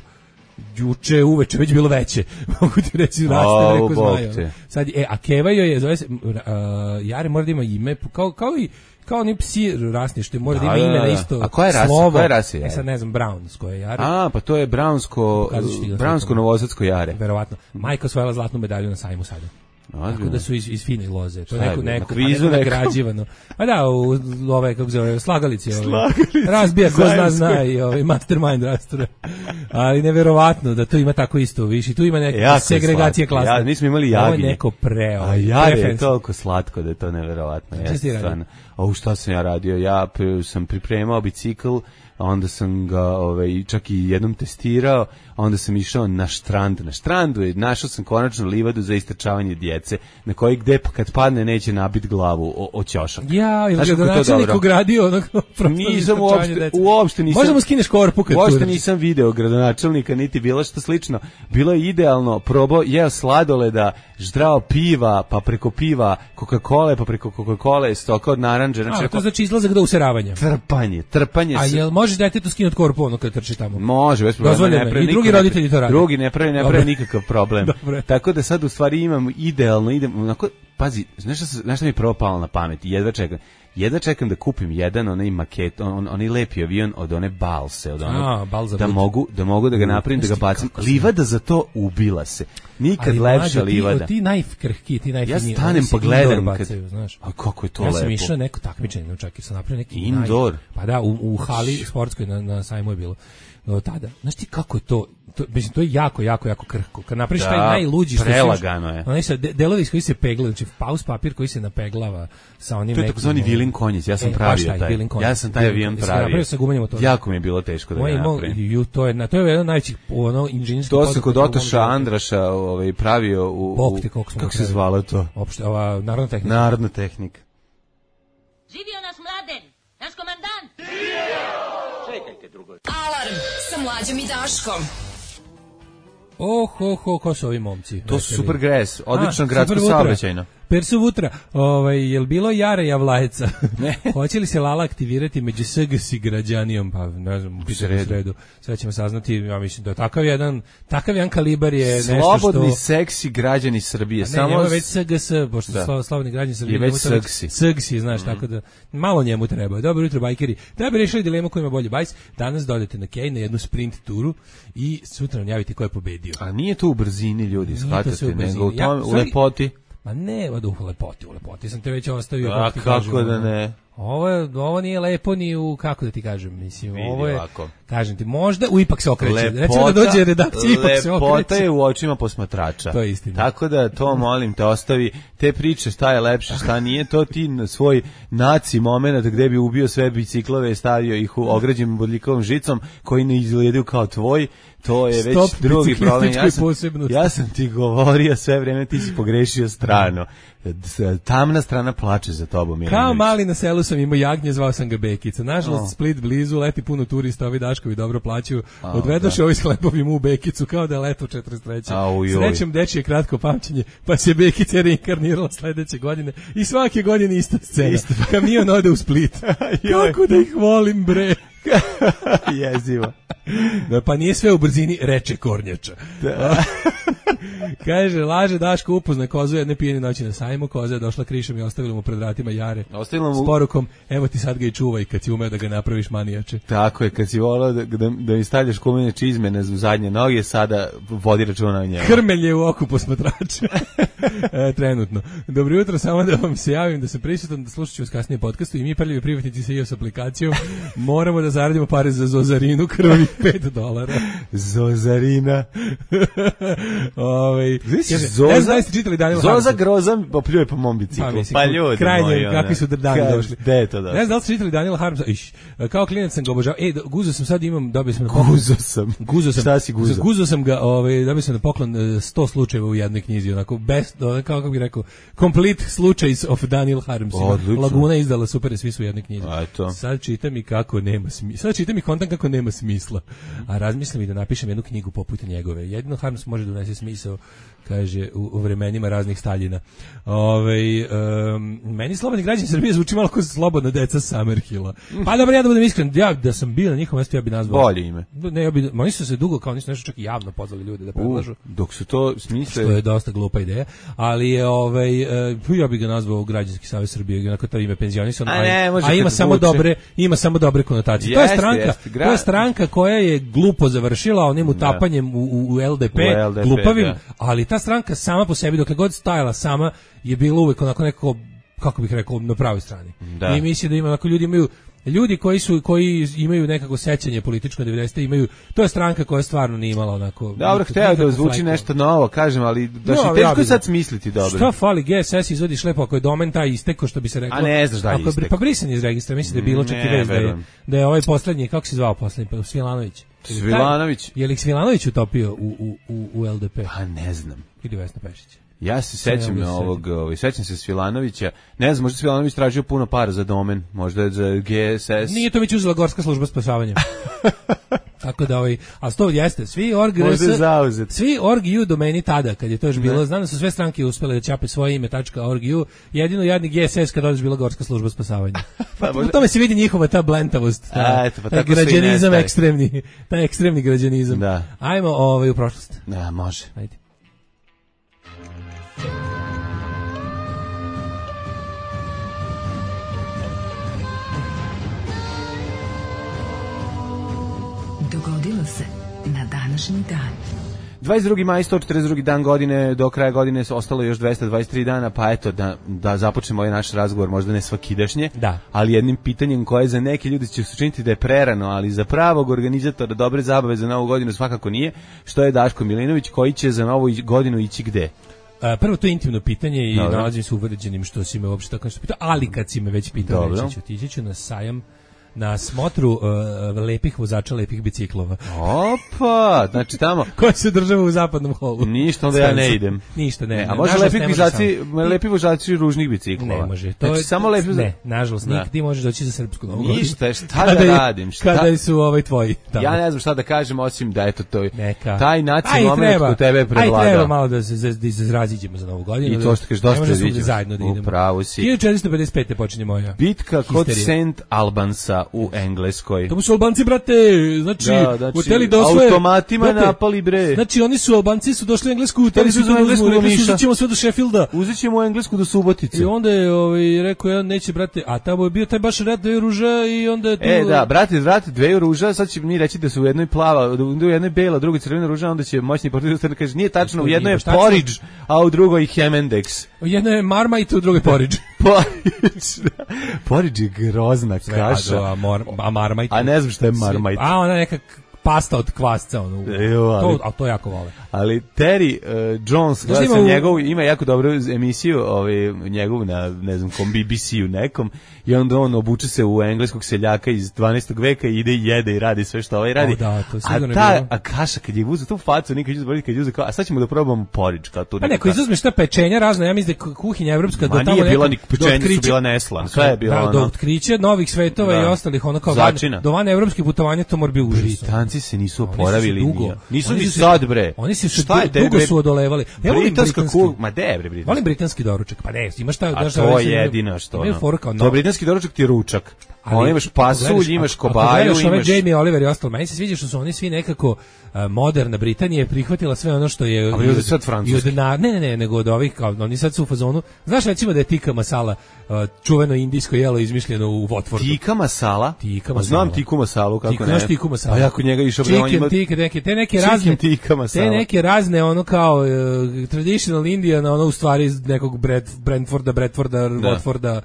G: juče uveče već bilo veće. Mogu ti reći, raste reko zmaja. Sad, e, a Keva joj je, zove se, uh, Jare mora da ima ime, kao, kao i kao oni psi rasni, što mora da ima ime na isto slovo.
H: A koja je rasa? Koja je rasa je?
G: E sad ne znam, Brownsko je Jare.
H: A, pa to je Brownsko, Brownsko novosadsko Jare.
G: Verovatno. Majka osvojila zlatnu medalju na sajmu sada. Tako da su iz, iz fine loze. To je neko, neko,
H: kvizu
G: neko nagrađivano. A da, u ove, kako zove, slagalici. Ove, razbija ko zna zna i ovaj, mastermind rastura. Ali neverovatno da to ima tako isto, više. Tu ima neka
H: Jako
G: segregacija
H: slatko.
G: klasa.
H: Ja, mi smo imali
G: Ovo je
H: jagnje.
G: neko pre.
H: A
G: Ovaj,
H: jaje je
G: preference.
H: toliko slatko da je to neverovatno.
G: Šta si ti
H: Jeste,
G: radio?
H: stvarno. O, šta sam ja radio? Ja p- sam pripremao bicikl, a onda sam ga ovaj, čak i jednom testirao, a onda sam išao na štrand. Na štrandu je, našao sam konačno livadu za istrčavanje djece, na koji gde pa kad padne neće nabiti glavu o, o ćošak.
G: Ja, ili
H: Znaš
G: ga
H: kako je to
G: načelnik
H: dobro?
G: ugradio onog prostora
H: Nisam
G: za
H: uopšte,
G: istrčavanje dece.
H: uopšte nisam.
G: Možda mu skineš korpu kad
H: Uopšte
G: turaš.
H: nisam video gradonačelnika, niti bilo što slično. Bilo je idealno, probao, jeo sladoleda, ždrao piva, pa preko piva Coca-Cola, pa preko Coca-Cola stoka od naranđe. Znači,
G: A, to znači izlazak do useravanja.
H: trpanje, trpanje.
G: A
H: se-
G: jel može detetu skinuti korpu ono kad trči tamo?
H: Može, bez problema.
G: Dozvoljeno
H: ne
G: je.
H: pravi
G: I drugi
H: niko-
G: roditelji to rade.
H: Drugi ne pravi, ne
G: Dobro.
H: pravi nikakav problem.
G: Dobro.
H: Tako da sad u stvari imam idealno, idem, onako, pazi, znaš šta, se- znaš šta mi je prvo palo na pamet? Jedva čekam. Jedva čekam da kupim jedan onaj maket, on, onaj lepi avion od one balse, od onog,
G: A, bal za
H: da
G: put.
H: mogu, da mogu da ga napravim, da ga
G: Znaš ti
H: bacim.
G: kako sam-
H: Livada za to ubila se. Nikad
G: Ali,
H: lepša
G: mlađo, ti-
H: livada.
G: Ti najkrhki, ti
H: Ja
G: najfiniji.
H: stanem
G: oni se
H: pa gledam
G: indoor
H: kad,
G: bacaju, znaš.
H: a kako je to
G: Ja
H: lepo.
G: sam išao neko takmičenje, no čak i sam napravio neki
H: Indoor?
G: naj- Pa da, u, u hali sportskoj na, na sajmu je bilo. No, tada. Znaš ti kako je to, to, mislim, to je jako, jako, jako krhko. Kad napraviš
H: Da,
G: taj najluđi što
H: prelagano je.
G: Onaj sa de, delovi iz koji se peglaju, znači paus papir koji se napeglava sa onim
H: To je
G: nekim,
H: takozvani
G: ono-
H: vilin konjic, ja sam
G: E, baš
H: pravio
G: taj,
H: taj.
G: vilin konjic.
H: Ja sam taj
G: Vilin
H: avion
G: konjic. Jesi
H: pravio.
G: napravio sa gumenim motorom?
H: Jako mi je bilo teško da
G: Moj
H: ga
G: je imao-
H: napravim.
G: ju, to je, na, to je jedan od najvećih ono, inženjerskih
H: To se
G: poduhvata
H: kod
G: u mom
H: Otoša
G: životu.
H: Andraša ovaj, pravio u,
G: Bog
H: u
G: te koliko smo
H: kako
G: ga
H: se
G: pravili.
H: zvalo to?
G: Opšte, ova narodna tehnika.
H: Narodna tehnika.
I: Živio naš Mladen, naš komandant!
A: Alarm sa mlađom i Daškom.
G: Oh, ho, ho, ko su ovi momci?
H: To su super gres, odlično
G: A,
H: gradsko
G: super vutra.
H: saobraćajno.
G: Persu Vutra, ovaj, je li bilo Jara Javlajeca?
H: Ne.
G: Hoće li se Lala aktivirati među S G S građanijom? Pa ne znam, u pitanju
H: sredu.
G: sredu. Sve ćemo saznati, ja mislim da takav jedan, takav jedan kalibar je nešto
H: Slobodni,
G: što...
H: seksi građani Srbije.
G: Ne,
H: Samo
G: njemu je već S G S, pošto
H: Da.
G: su slobodni građani Srbije.
H: Je već
G: njemu to
H: seksi.
G: Seksi, znaš, tako da malo njemu treba. Dobro jutro, bajkeri. Da bi rešili dilemu ko ima bolji bajs, danas dodajte na Kej na jednu sprint turu i sutra nam javite ko je pobedio.
H: A nije to u brzini, ljudi,
G: Nije to sve
H: shvatate,
G: u
H: nego
G: brzini.
H: u,
G: Ja,
H: tome, u
G: stvari-
H: lepoti.
G: Ma ne, od u lepoti, u lepoti sam te već ostavio.
H: A
G: ti
H: kako
G: kažem,
H: da
G: ono.
H: ne?
G: Ovo, je, ovo nije lepo ni u, kako da ti kažem, mislim,
H: Vidi
G: ovo je,
H: ovako.
G: kažem ti, možda u ipak se okreće. Recimo da dođe redakcija, ipak se
H: lepota
G: okreće.
H: je u očima posmatrača.
G: To je istina.
H: Tako da to molim te ostavi te priče šta je lepše, šta nije, to ti na svoj naci moment gde bi ubio sve biciklove i stavio ih u ograđenim bodljikovom žicom koji ne izgledaju kao tvoj. To je već
G: Stop
H: drugi problem. Ja
G: biciklističkoj
H: sam,
G: posebnosti.
H: ja sam ti govorio sve vreme, ti si pogrešio stranu. Tamna strana plače za tobom.
G: Kao
H: Milinović.
G: mali na selu sam imao jagnje, zvao sam ga Bekica. Nažalost,
H: O.
G: Split blizu, leti puno turista, ovi Daškovi dobro plaćaju.
H: A,
G: Odvedoše
H: da.
G: ovi sklepovi mu u Bekicu, kao da je leto četrdeset treće
H: Au, joj.
G: Srećem dečije kratko pamćenje, pa se Bekica reinkarnirala sledeće godine i svake godine ista scena.
H: Isto.
G: Kamion ode u Split.
H: Joj.
G: Kako da ih volim, bre.
H: Jezivo.
G: Da, pa nije sve u brzini, reče Kornjača. Kaže, laže Daško upozna kozu jedne pijene noći na sajmu, koza je došla krišom i ostavila mu pred vratima Jare.
H: Ostavila mu-
G: S porukom, evo ti sad ga i čuvaj kad si umeo da ga napraviš manijače.
H: Tako je, kad si volao da, da, da mi stavljaš kumene čizme na zadnje noge, sada vodi računa o njemu.
G: Krmelj je u oku posmatrača. e, trenutno. Dobro jutro, samo da vam se javim da sam prisutan, da slušat ću vas kasnije podcastu i mi prljivi privatnici sa iOS aplikacijom moramo da zaradimo pare za Zozarinu krvih pet dolara.
H: Zozarina.
G: Ovaj,
H: Znaš,
G: kaže,
H: Zoza,
G: ne znam da ste čitali Daniel
H: Zoza
G: Harmsa.
H: Groza popljuje po mom biciklu.
G: Pa,
H: Pa,
G: mislim,
H: ljudi
G: krajnje,
H: moji, ona.
G: kakvi su dani
H: Kaže,
G: došli.
H: gde je to da?
G: Ne znam da li ste čitali Daniela Harmsa. Iš, kao klinac sam ga obožavao. E, guzo sam sad imam, dobio sam na poklon.
H: Guzo sam.
G: Guzo sam.
H: Šta si guzo?
G: Guzo sam ga, ovaj, dobio sam na poklon e, sto slučajeva u jednoj knjizi, onako best, ono, kako bih rekao, complete slučajs of Daniel Harms.
H: Odlično.
G: Laguna je izdala super, svi su u jednoj knjizi.
H: A, eto.
G: Sad čitam i kako nema smisla. Sad čitam i kontam kako nema smisla. A razmislim i da napišem jednu knjigu poput njegove. Jedino Harms može da unese smisao, kaže, u, u vremenima raznih Staljina. Ove, um, meni slobodni građani Srbije zvuči malo kao slobodna deca Summerhilla. Pa dobro, ja da budem iskren, ja da sam bio na njihovom mjestu, ja bi nazvao.
H: Bolje ime.
G: Ne, ja bi, oni su se dugo, kao nisu nešto čak i javno pozvali ljude da predlažu.
H: U, dok su to smisle...
G: Što je dosta glupa ideja, ali je ovaj e, ja bih ga nazvao Građanski savez Srbije, onako to ime penzionisano,
H: A ne, može
G: a ima
H: kad
G: samo
H: zvuči.
G: dobre, ima samo dobre konotacije. to je
H: Jeste,
G: stranka,
H: jeste, gra-
G: to je stranka koja je glupo završila onim utapanjem u, u, u L D P,
H: U L D P,
G: glupavim,
H: da.
G: ali ta stranka sama po sebi dokle god stajala sama je bila uvek onako neko, kako bih rekao, na pravoj strani.
H: Da.
G: I mislim da ima onako ljudi imaju ljudi koji su koji imaju nekako sećanje političko devedesete imaju, to je stranka koja stvarno nije imala onako.
H: Dobro, hteo da zvuči flajko. Nešto novo, kažem, ali da no, teško ja sad smisliti dobro.
G: Šta fali, G S S izvodi lepo ako je domen taj isteko, što bi se reklo.
H: A ne znaš da je istek.
G: Pa brisan iz registra, mislim da je bilo čak i vez da je, da je ovaj poslednji, kako se zvao poslednji, pa Svilanović.
H: Svilanović.
G: Je li Svilanović utopio u, u, u, u L D P?
H: Pa ne znam.
G: Ili Vesna Pešić?
H: Ja se sećam na ovog, ovaj sećam se Svilanovića. Ne znam, možda Svilanović tražio puno para za domen, možda za G S S.
G: Nije to već uzela Gorska služba spasavanja. Tako da ovaj, a sto jeste, svi org svi org.u domeni tada kad je to još bilo, znam da su sve stranke uspele da ćape svoje ime .org.u, jedino jadni G S S kad dođe bila Gorska služba spasavanja. Pa u tome se vidi njihova ta blentavost, ta,
H: eto, pa
G: taj građanizam ekstremni, taj ekstremni građanizam.
H: Da.
G: Ajmo ovaj u prošlost.
H: Da, može.
G: Ajde.
F: Dogodilo se na današnji dan.
H: dvadeset drugi maj, sto četrdeset drugi dan godine, do kraja godine ostalo još dvesta dvadeset tri dana, pa eto da, da započnemo ovaj naš razgovor, možda ne svakidašnje,
G: da.
H: Ali jednim pitanjem koje za neke ljudi će se učiniti da je prerano, ali za pravog organizatora dobre zabave za novu godinu svakako nije, što je Daško Milinović, koji će za novu godinu ići gde?
G: Prvo, to je intimno pitanje i
H: Dobro.
G: nalazim se uvređenim što si me uopšte tako nešto pitao, ali kad si me već pitao, reći ću, tići ću na sajam, na smotru uh, lepih vozača lepih biciklova.
H: Opa, znači tamo
G: koja se država u zapadnom holu.
H: Ništa, onda ja ne idem.
G: Ništa, ne. ne.
H: A može lepi vozači, lepi vozači ružnih biciklova.
G: Ne može.
H: To znači, je samo lepi.
G: Ne, nažalost, nikad ti možeš doći za srpsku novu godinu.
H: Ništa, šta da radim? Šta?
G: Kada su ovaj tvoji tamo.
H: Ja ne znam šta da kažem osim da eto to.
G: Neka.
H: Taj naci moment kod tebe prevlada.
G: Aj treba malo da se da se razraziđemo za novu godinu.
H: I to što kažeš dosta da vidimo.
G: Zajedno da idemo.
H: Upravo si.
G: hiljadu četiristo pedeset pete počinje moja.
H: Bitka kod Saint Albansa u Engleskoj.
G: To su Albanci, brate, znači,
H: da, znači
G: uteli da osvoje,
H: automatima brate, napali, bre.
G: Znači, oni su, Albanci su došli u Englesku, uteli su u Englesku do Niša. Uzet ćemo sve do Sheffielda.
H: Uzet ćemo u Englesku do Subotice.
G: I onda je ovaj, rekao, ja neće, brate, a tamo je bio taj baš rat dve ruža i onda je tu...
H: E, da, brate, brate, dve ruža, sad će mi reći da su u jednoj plava, u jednoj bela, u drugoj crvena ruža, onda će moćni portugalski da kaže, nije tačno, u jednoj je porridge, a u drugoj Hemendex.
G: U jednoj je Marmite, u drugoj porridge.
H: Porridge, porridge je grozna kaša.
G: A, a Marmite?
H: A ne znam šta je Marmite.
G: A ona neka pasta od kvasca, ono.
H: Evo, ali,
G: to, a to jako vole.
H: Ali Terry uh, Jones, gleda sam u... njegov, ima jako dobru emisiju, ovaj, njegov na, ne znam, kom B B C-u nekom, i onda on obuče se u engleskog seljaka iz dvanaestog veka i ide i jede i radi sve što ovaj radi.
G: O, da, to
H: a ta a kaša, kad je uze tu facu, nikad ću zaboraviti, kad je uze kao, a sad ćemo da probamo porridge, kao tu.
G: Pa neko, izuzmeš ta pečenja razna, ja mislim da je kuhinja evropska do tamo
H: nije bila ni pečenja, su bila neslan, sve je bilo
G: da,
H: ono.
G: Do otkrića novih svetova da. I ostalih, ono kao van, do van evropskih putovanja, to mora biti užasno.
H: Britanci se nisu oporavili, nisu ni sad, bre.
G: Oni se dugo su odolevali.
H: Ja volim britanski, ma de bre britanski.
G: Volim britanski doručak. Pa ne, imaš šta,
H: daš to je jedino što. Ono. To britanski doručak ti je ručak. Ali imaš pasulj, imaš kobaju, imaš
G: Jamie Oliver i ostalo. Meni se sviđa što su oni svi nekako uh, moderna Britanija je prihvatila sve ono što je.
H: Ali od sad francuski.
G: Ne, ne, ne, nego od ovih kao oni sad su u fazonu. Znaš recimo da je tikka masala uh, čuveno indijsko jelo izmišljeno u Watfordu.
H: Tikka masala?
G: Tikka masala.
H: Znam tikku masalu kako
G: Tikka,
H: ne.
G: Znaš tikku masala.
H: Pa jako njega išao
G: bre on ima. Tikka, neke, te neke razne
H: tikka masala.
G: Te neke razne ono kao uh, traditional Indian, ono u stvari iz nekog Brad, Brentforda, Bradforda, Watforda.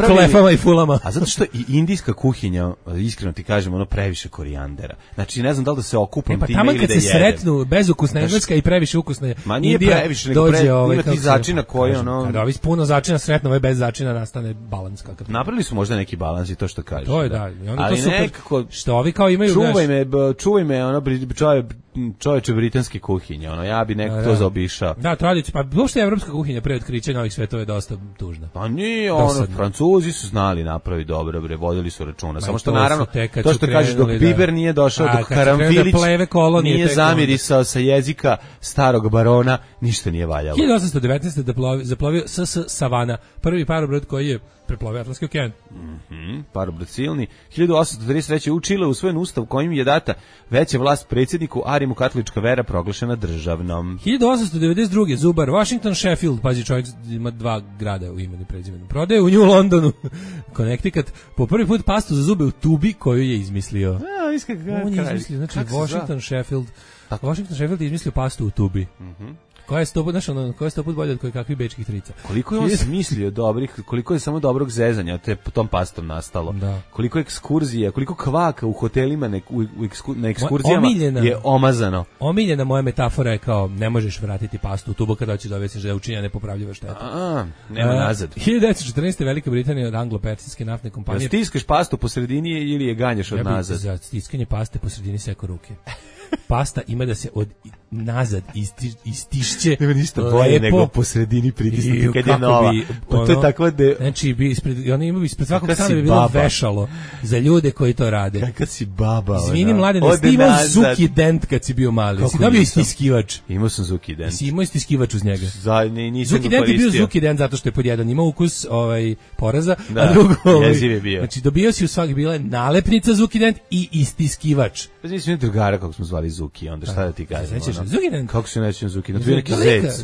G: Klefama i fulama.
H: A zato što i indijska kuhinja, iskreno ti kažem, ono previše korijandera. Znači ne znam da li da se okupam
G: e, pa
H: time ili da jedem.
G: Kad se sretnu bezukusna engleska i previše ukusna
H: ma nije
G: Indija,
H: previše, nego
G: dođe
H: pre,
G: ovaj,
H: ima ti začina koji ono...
G: Kada ovi puno začina sretno, ovaj bez začina nastane balans. Kakav.
H: Napravili su možda neki balans i to što kažeš.
G: To je da. I onda
H: ali
G: to super,
H: nekako...
G: Što ovi kao imaju...
H: Čuvaj me, čuvaj me, ono, čovje, čovječe britanske kuhinje, ono, ja bi neko
G: da,
H: to zaobišao.
G: Da, tradicija, pa uopšte evropska kuhinja pre otkrića novih svetova je dosta tužna.
H: Pa nije, ono, Francuzi su znali napravi dobro, bre, vodili su računa. Ma samo što naravno, to što kažeš, dok Biber da, nije došao, a, dok Karamfilić da nije zamirisao sa jezika starog barona, ništa nije valjalo.
G: hiljadu osamsto devetnaeste. zaplovio S S Savana, prvi parobrod koji je preplovio Atlantski okean.
H: Mhm, parobrod silni. hiljadu osamsto trideset treće. u Čile usvojen ustav kojim je data veća vlast predsjedniku, a Rimu katolička vera proglašena državnom.
G: hiljadu osamsto devedeset druge. Zubar, Washington, Sheffield, pazi čovjek ima dva grada u imenu i prezimenu. Prodaje u New Londonu, Connecticut, po prvi put pastu za zube u tubi koju je izmislio.
H: A, iskak,
G: on je izmislio, znači Washington, Sheffield. Tako. Washington, Sheffield je izmislio pastu u tubi.
H: Mhm.
G: koja je sto put, znaš, ono, koja je sto put bolje od koje kakvih bečkih trica.
H: Koliko je on smislio dobrih, koliko je samo dobrog zezanja te tom pastom nastalo.
G: Da.
H: Koliko ekskurzija, koliko kvaka u hotelima ne, u, u eksku, na ekskurzijama
G: omiljena,
H: je omazano.
G: Omiljena moja metafora je kao ne možeš vratiti pastu u tubo kada hoćeš da objasniš da je učinjena nepopravljiva šteta.
H: A, nema nazad.
G: hiljadu devetsto četrnaeste. Velika Britanija od anglo-persijske naftne kompanije.
H: Ja stiskaš pastu po sredini ili je ganjaš od
G: ja
H: nazad?
G: Za stiskanje paste po sredini seko ruke. Pasta ima da se od nazad isti, istišće.
H: Nema ništa bolje nego po sredini pritisnuti kad je nova. Bi, pa to je tako da...
G: Znači, bi ispred, oni imaju ispred svakog strana bi bilo baba. Vešalo za ljude koji to rade.
H: Kakav si baba.
G: Izvini, mlade, da si imao Zuki Dent kad si bio mali. Si dobio istiskivač.
H: Imao sam Zuki Dent.
G: Si imao istiskivač uz njega.
H: Za, ne, nisam
G: Zuki Dent je bio Zuki Dent zato što je pod jedan imao ukus ovaj, poraza,
H: da,
G: a drugo... Ovaj,
H: je bio.
G: Znači, dobio si u svaki bila nalepnica Zuki Dent i istiskivač.
H: Pa znači, mi drugara kako smo zvali Zuki, onda šta da ti kažem?
G: Zuki Dent.
H: Kako se nećem Zuki? To je neki zec.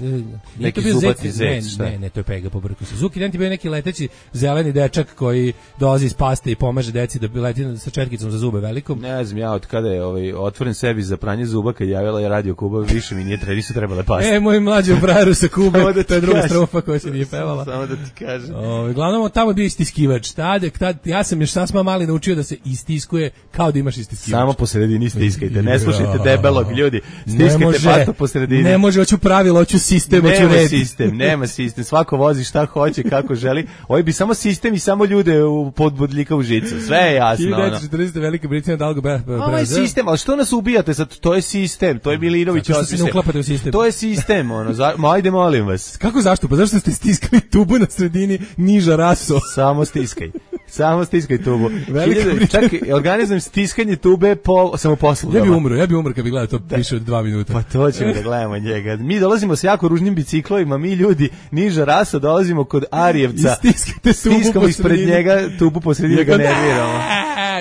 H: Neki zubati zec, šta?
G: Ne, ne, to je pega, pobrko se. Zuki Dent je bio neki leteći zeleni dečak koji dolazi iz paste i pomaže deci da leti sa četkicom za zube velikom.
H: Ne znam, ja od kada je ovaj, otvoren sebi za pranje zuba, kad javila je Radio Kuba, više mi nije, nisu trebale paste.
G: E, moj mlađi u frajeru sa Kube,
H: da
G: to je druga strofa koja se nije pevala.
H: Samo da ti kažem.
G: O, glavnom, tamo je bio istiskivač. Tad, tad, ja sam još sasma mali naučio da se istiskuje kao da imaš istiskivač.
H: Samo po sredini stiskajte, ne slušajte debelog ljudi. Stiskajte pasto po sredini.
G: Ne može, hoću pravilo, hoću sistem, hoću red.
H: Nema sistem, nema sistem. Svako vozi šta hoće, kako želi. Ovo bi samo sistem i samo ljude u podbodljika u žicu. Sve je jasno.
G: hiljadu devetsto četrnaeste. Velika Britanija dalgo be, be,
H: ovo je sistem, ali što nas ubijate sad? To je sistem, to je Milinović.
G: Zato što se ne uklapate u sistem.
H: To je sistem, ono, za, ma ajde molim vas.
G: Kako zašto? Pa zašto ste stiskali tubu na sredini niža raso?
H: Samo stiskaj. Samo stiskaj tubu.
G: Hiljada,
H: čak organizujem stiskanje tube po samoposlugama.
G: Ja bi umro, ja bi umro kad bi gledao to da. Više od dva minuta.
H: Pa to ćemo da gledamo njega. Mi dolazimo sa jako ružnim biciklovima, mi ljudi niža rasa dolazimo kod Arijevca.
G: Stiskate tubu
H: stiskamo ispred njega tubu po sredini ga nerviramo.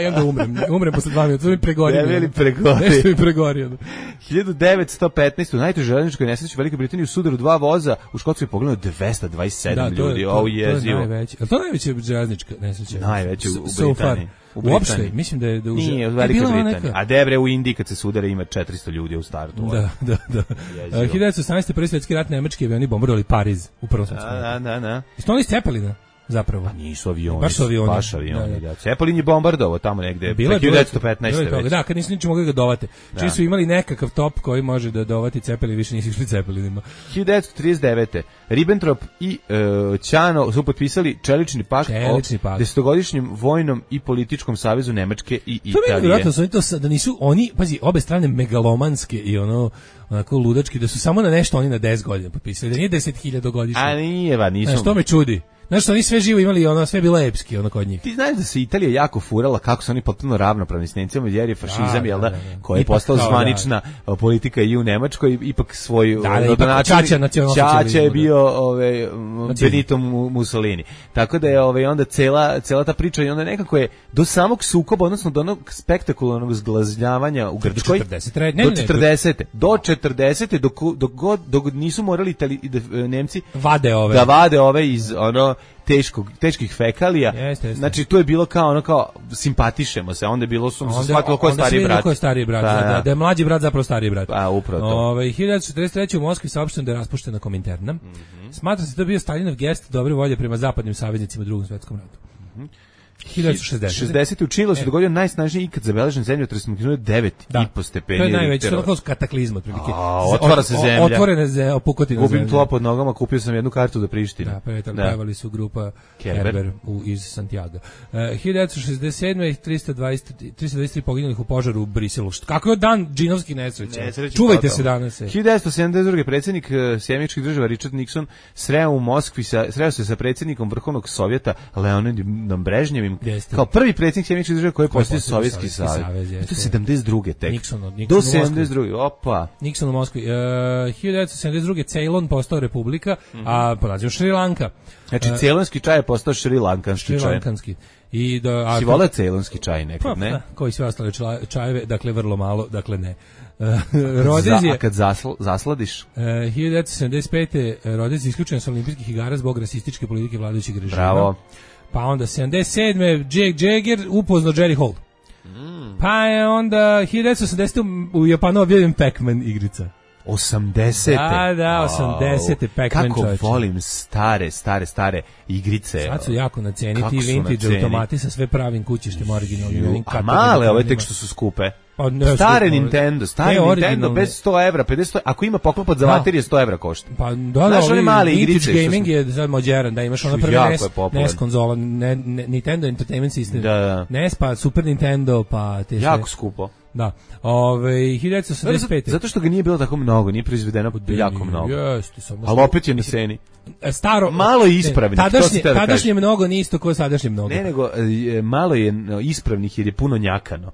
G: I onda umrem, umrem posle dva minuta, to mi pregorio.
H: Ne bili pregorio.
G: Nešto mi pregorio.
H: hiljadu devetsto petnaeste. U najtežoj železničkoj nesreći u Velikoj Britaniji u sudaru dva voza u Škotskoj pogledano dvesta dvadeset sedam
G: da,
H: ljudi. Ovo je jezivo.
G: Najveće. Je to najveća železnička nesreća?
H: Najveće u, u
G: so
H: Britaniji.
G: U Uopšte, mislim da je da
H: uže. Nije, u Velikoj Britaniji. A Debre u Indiji kad se sudara ima četiristo ljudi u startu.
G: Da, da, da. hiljadu devetsto osamnaeste. prvi svetski rat nemački avioni bombardovali Pariz u prvom svetskom ratu.
H: Da, da, da.
G: Jesu oni Cepelina? Zapravo.
H: Pa nisu avioni.
G: Baš su avioni.
H: Baš avioni, da. da. Cepelin je bombardovao tamo negde.
G: Bilo
H: hiljadu devetsto petnaeste.
G: Bilo je da, kad nisu ničemu mogli ga dovate. Da. Čiji su imali nekakav top koji može da dovati Cepelin, više nisu išli Cepelinima.
H: hiljadu devetsto trideset devete. Ribbentrop i uh, Ćano su potpisali čelični pakt
G: čelični
H: o
G: pakt.
H: desetogodišnjem vojnom i političkom savezu Nemačke i Italije.
G: To mi je vjerojatno, oni to da nisu, oni, pazi, obe strane megalomanske i ono, onako ludački, da su samo na nešto oni na deset godina potpisali, da nije deset hiljada godišnje.
H: A nije, va, nisu.
G: Znaš, to me čudi. Znaš što, oni sve živo imali, ono, sve bilo epski, ono, kod njih.
H: Ti znaš da se Italija jako furala kako su oni potpuno ravnopravni s Nemcima, jer je fašizam,
G: da,
H: jel da,
G: da, da.
H: koja je postala zvanična da. politika i u Nemačkoj, ipak svoju
G: da, da, ipak Čača nacionalsocijalizmu.
H: Čača je bio ove, Benito Mussolini. Tako da je ove, onda cela, cela ta priča i onda nekako je do samog sukoba, odnosno do onog spektakularnog zglazljavanja u Grčkoj,
G: četrdeset Ne,
H: do
G: ne,
H: četrdesete Do četrdesete Dok, dok, god, dok nisu morali Itali, Nemci
G: vade ove.
H: da vade ove iz ono teškog teških fekalija.
G: Jeste, jeste.
H: Znači to je bilo kao ono kao simpatišemo se, onda je bilo su se shvatilo ko je stariji brat.
G: Ko je stariji brat,
H: pa,
G: da, da je mlađi brat zapravo stariji brat.
H: Pa upravo to.
G: Ove, hiljadu devetsto četrdeset treće. u Moskvi saopšteno da je raspuštena Kominterna. Mm -hmm. Smatra se da je bio Staljinov gest dobre volje prema zapadnim saveznicima u Drugom svetskom ratu. Mm -hmm. hiljadu devetsto šezdesete.
H: šezdesete u Čilu se dogodio najsnažniji ikad zabeležen zemljotres magnitude devet i po stepeni.
G: To je najveći, to je kataklizma otprilike.
H: Otvara se zemlja.
G: Otvorene zemlje, pukotine zemlje.
H: Gubim tlo pod nogama, kupio sam jednu kartu za Prištinu.
G: Da, pevali su grupa Kerber, Kerber u, iz Santiago. Uh, hiljadu devetsto šezdeset sedme. tristo dvadeset tri poginulih u požaru u Briselu. Kako je dan džinovskih nesreća? Čuvajte se danas.
H: hiljadu devetsto sedamdeset druge. predsjednik uh, Sjedinjenih Država Richard Nixon sreo u Moskvi sa, sreo se sa predsjednikom Vrhovnog sovjeta Leonidom Brežnjevim kao prvi predsjednik Sjedinjenih Država koji je postao Sovjetski savez. To je sedamdeset druge tek.
G: Nixon, Nixon
H: do sedamdeset druge. Opa.
G: Nixon u Moskvi. Uh, hiljadu devetsto sedamdeset druge. Ceylon postao republika, mm -hmm. a po nazivu Šri Lanka.
H: Znači uh, ceylonski čaj je postao šrilankanski čaj.
G: Šrilankanski. I do a
H: si voleo ceylonski čaj nekad,
G: pa,
H: ne?
G: Da, koji sve ostale čajeve, dakle vrlo malo, dakle ne. Uh, Rodez je,
H: a kad zasl, zasladiš?
G: Uh, hiljadu devetsto sedamdeset pete. Rodez je isključen sa olimpijskih igara zbog rasističke politike vladajućeg režima.
H: Bravo.
G: Pa onda sedamdeset sedme. Jake Jagger upoznao Jerry Hall. Mm. Pa je onda hiljadu devetsto osamdesete. u Japanu objavljen Pac-Man igrica.
H: osamdesete
G: Da, da, osamdesete Pac-Man,
H: kako
G: čoveče.
H: volim stare, stare, stare igrice.
G: Sad su jako na ceni
H: Kako
G: ti
H: su na
G: vintage
H: ceni?
G: automati sa sve pravim kućištem originalnim.
H: A male ove tek što su skupe.
G: Pa ne,
H: Stare
G: skupo,
H: Nintendo, stari
G: ne,
H: Nintendo
G: originalne.
H: bez sto evra, pedeset, ako ima poklopac za
G: Da.
H: baterije sto evra košta.
G: Pa da, da,
H: Znaš, one
G: ovi
H: male
G: vintage
H: igrice što
G: gaming
H: su-
G: je sad moderan, da imaš ono
H: Su
G: prvi
H: jako
G: N E S,
H: je popularan.
G: N E S konzola, ne, ne, Nintendo Entertainment System,
H: Da, da.
G: N E S, pa Super Nintendo, pa te sve.
H: Jako skupo.
G: Da. Ove, hiljadu devetsto osamdeset
H: Zato,
G: pete.
H: zato što ga nije bilo tako mnogo, nije proizvedeno jako mnogo.
G: Jeste, samo
H: Ali opet je na ceni.
G: staro
H: Malo je ispravnih,
G: ne,
H: to
G: Tadašnje,
H: si teo da
G: tadašnje
H: kažeš.
G: mnogo nije isto kao sadašnje mnogo.
H: Ne, nego e, malo je no, ispravnih jer je puno njakano.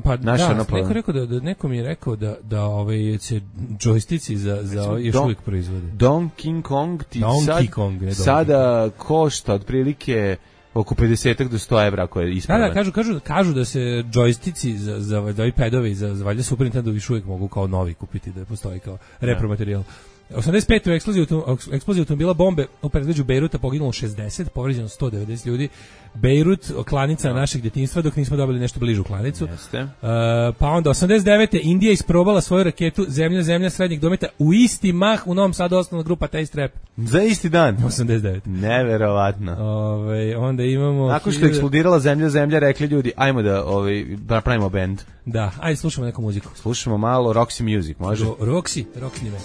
G: Pa
H: Znaš,
G: da,
H: ono, pa-
G: neko, rekao da, da, neko mi je rekao da, da ovaj, se džojstici za, za ovaj još
H: Don-
G: uvijek proizvode.
H: Donkey Kong ti
G: Donkey
H: sad,
G: Kong, ne Donkey
H: sada košta otprilike oko pedeset do sto evra ako je
G: Da,
H: ispravan.
G: da, kažu, kažu, kažu da se džojstici za, za, za ovi padovi, za, za valjda Super Nintendo još uvijek mogu kao novi kupiti, da postoji kao repromaterijal. osamdeset pete u eksploziji, autom- eksploziji automobila bombe u predgrađu Bejruta poginulo šezdeset, povređeno sto devedeset ljudi. Bejrut, klanica našeg djetinjstva, dok nismo dobili nešto bližu klanicu.
H: Jeste.
G: Uh, pa onda osamdeset devete Indija isprobala svoju raketu zemlja zemlja srednjeg dometa u isti mah u Novom Sadu osnovna grupa Taste Rap.
H: Za isti dan.
G: osamdeset devete
H: Neverovatno.
G: Ove, onda imamo
H: Nakon što je
G: hiljadu-
H: eksplodirala zemlja, zemlja, rekli ljudi, ajmo da ovaj, napravimo bend.
G: Da, ajde slušamo neku muziku.
H: Slušamo malo Roxy Music, može?
G: Ro- Roxy, Roxy me.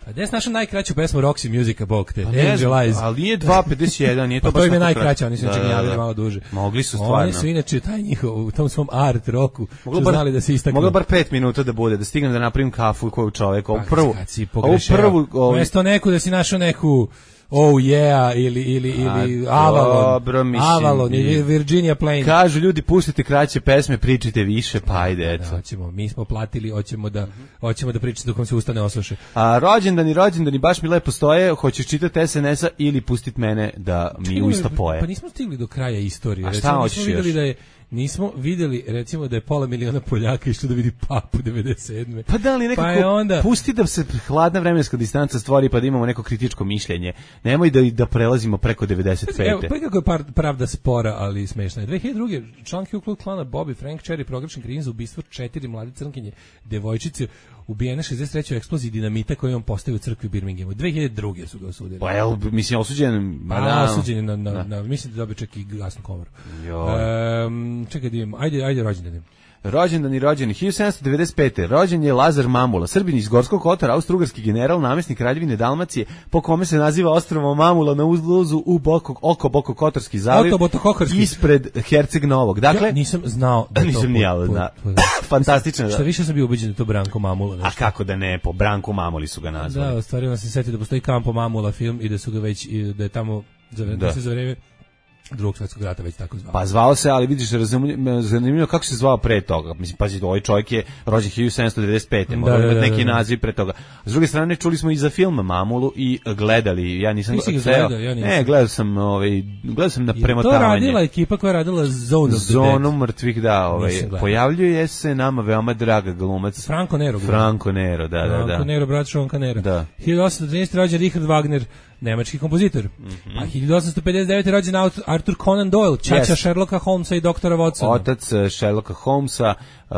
G: A gde je naša najkraća pesma Roxy Musica, bog te?
H: Pa ne znam,
G: Angel Eyes.
H: ali nije dva pedeset jedan, nije to
G: Pa
H: baš
G: to im je
H: tako
G: najkraća,
H: kratko.
G: oni su
H: Da,
G: čak
H: da,
G: javili
H: da.
G: malo duže.
H: Mogli su stvarno.
G: Oni su inače taj njihov, u tom svom art roku,
H: Moglo
G: su
H: bar,
G: znali da se istaknu.
H: moglo bar pet minuta da bude, da stignem da napravim kafu koju čovek, ovu
G: Pa,
H: prvu,
G: kad si
H: ovu
G: pogrešio.
H: prvu, ovu,
G: Umesto neku da si našao neku Oh yeah ili ili ili
H: A,
G: Avalon.
H: dobro, mislim,
G: Avalon ili
H: i-
G: Virginia Plain.
H: kažu ljudi, pustite kraće pesme, pričajte više, pa ajde,
G: Da,
H: eto.
G: hoćemo, mi smo platili, hoćemo da hoćemo da pričate dok vam se ustane osluše.
H: A rođendani, rođendani, baš mi lepo stoje, hoćeš čitati es en es-a ili pustit mene da mi
G: Čekaj,
H: uista poje.
G: Pa nismo stigli do kraja istorije.
H: A šta
G: Recimo,
H: hoćeš
G: nismo videli
H: još?
G: da je nismo videli recimo da je pola miliona Poljaka išlo da vidi Papu devedeset sedme.
H: Pa da li nekako,
G: Pa je onda
H: pusti da se hladna vremenska distanca stvori pa da imamo neko kritičko mišljenje. Nemoj da da prelazimo preko devedeset pete.
G: Evo, pa kako je par, pravda spora, ali smešna je. dve hiljade druge član Ku Klux Klana Bobby Frank Cherry proglašen krivim za ubistvo četiri mlade crnkinje devojčice ubijene šezdeset treće u eksploziji dinamita koju on postavio u crkvi u Birminghamu. dve hiljade druge su ga osudili.
H: Pa jel, mislim, osuđen... ma
G: Pa
H: da,
G: osuđen je na, na,
H: da.
G: na, mislim da dobio čak i gasnu komoru.
H: Joj.
G: Um, čekaj da imam, ajde, ajde rođendan.
H: Rođendani, rođeni hiljadu sedamsto devedeset pete. Rođen je Lazar Mamula, Srbin iz Gorskog Kotara, austrougarski general, namjesnik Kraljevine Dalmacije, po kome se naziva ostrvo Mamula na uzluzu u Boko, oko Boko Kotorski zaliv,
G: Oto Botokokarski.
H: ispred Herceg Novog. Dakle,
G: Ja nisam znao da je to
H: nisam ni ja,
G: po- po-
H: zna.
G: po-
H: Fantastično.
G: Šta
H: Da.
G: više sam bio ubeđen da je to Branko Mamula.
H: A
G: Nešto.
H: kako da ne, po Branku Mamuli su ga nazvali.
G: Da, stvarno sam se setio da postoji Kampo Mamula film i da su ga već, i da je tamo, za, da.
H: Da.
G: se za vreme drugog svjetskog rata već tako zvao.
H: Pa zvao se, ali vidiš, razumljivo, zanimljivo kako se zvao pre toga. Mislim, pazi, ovaj čovjek je rođen hiljadu sedamsto devedeset pete. Mora
G: Da, da,
H: imati
G: da,
H: neki
G: da.
H: naziv pre toga. S druge strane, čuli smo i za film Mamulu i gledali. Ja nisam
G: Nisi ga
H: ceo-
G: gledao, ja nisam.
H: Ne, gledao sam, ovaj, gledao sam na
G: Je to
H: premotavanje.
G: radila ekipa koja je radila Zone of the
H: Zonu
G: Dead.
H: mrtvih, da, ovaj,
G: Nisam gledao.
H: pojavljuje se nama veoma draga glumac.
G: Franco Nero.
H: Franco Nero, da, da,
G: Franco
H: da.
G: Nero, brat Šonka Nera.
H: Da.
G: hiljadu osamsto trinaeste rođen Richard Wagner, nemački kompozitor.
H: Mhm.
G: A hiljadu osamsto pedeset devete rođen Aut- Arthur Conan Doyle, čača
H: Yes.
G: Sherlocka Holmesa i doktora Watsona.
H: Otac uh, Sherlocka Holmesa, uh,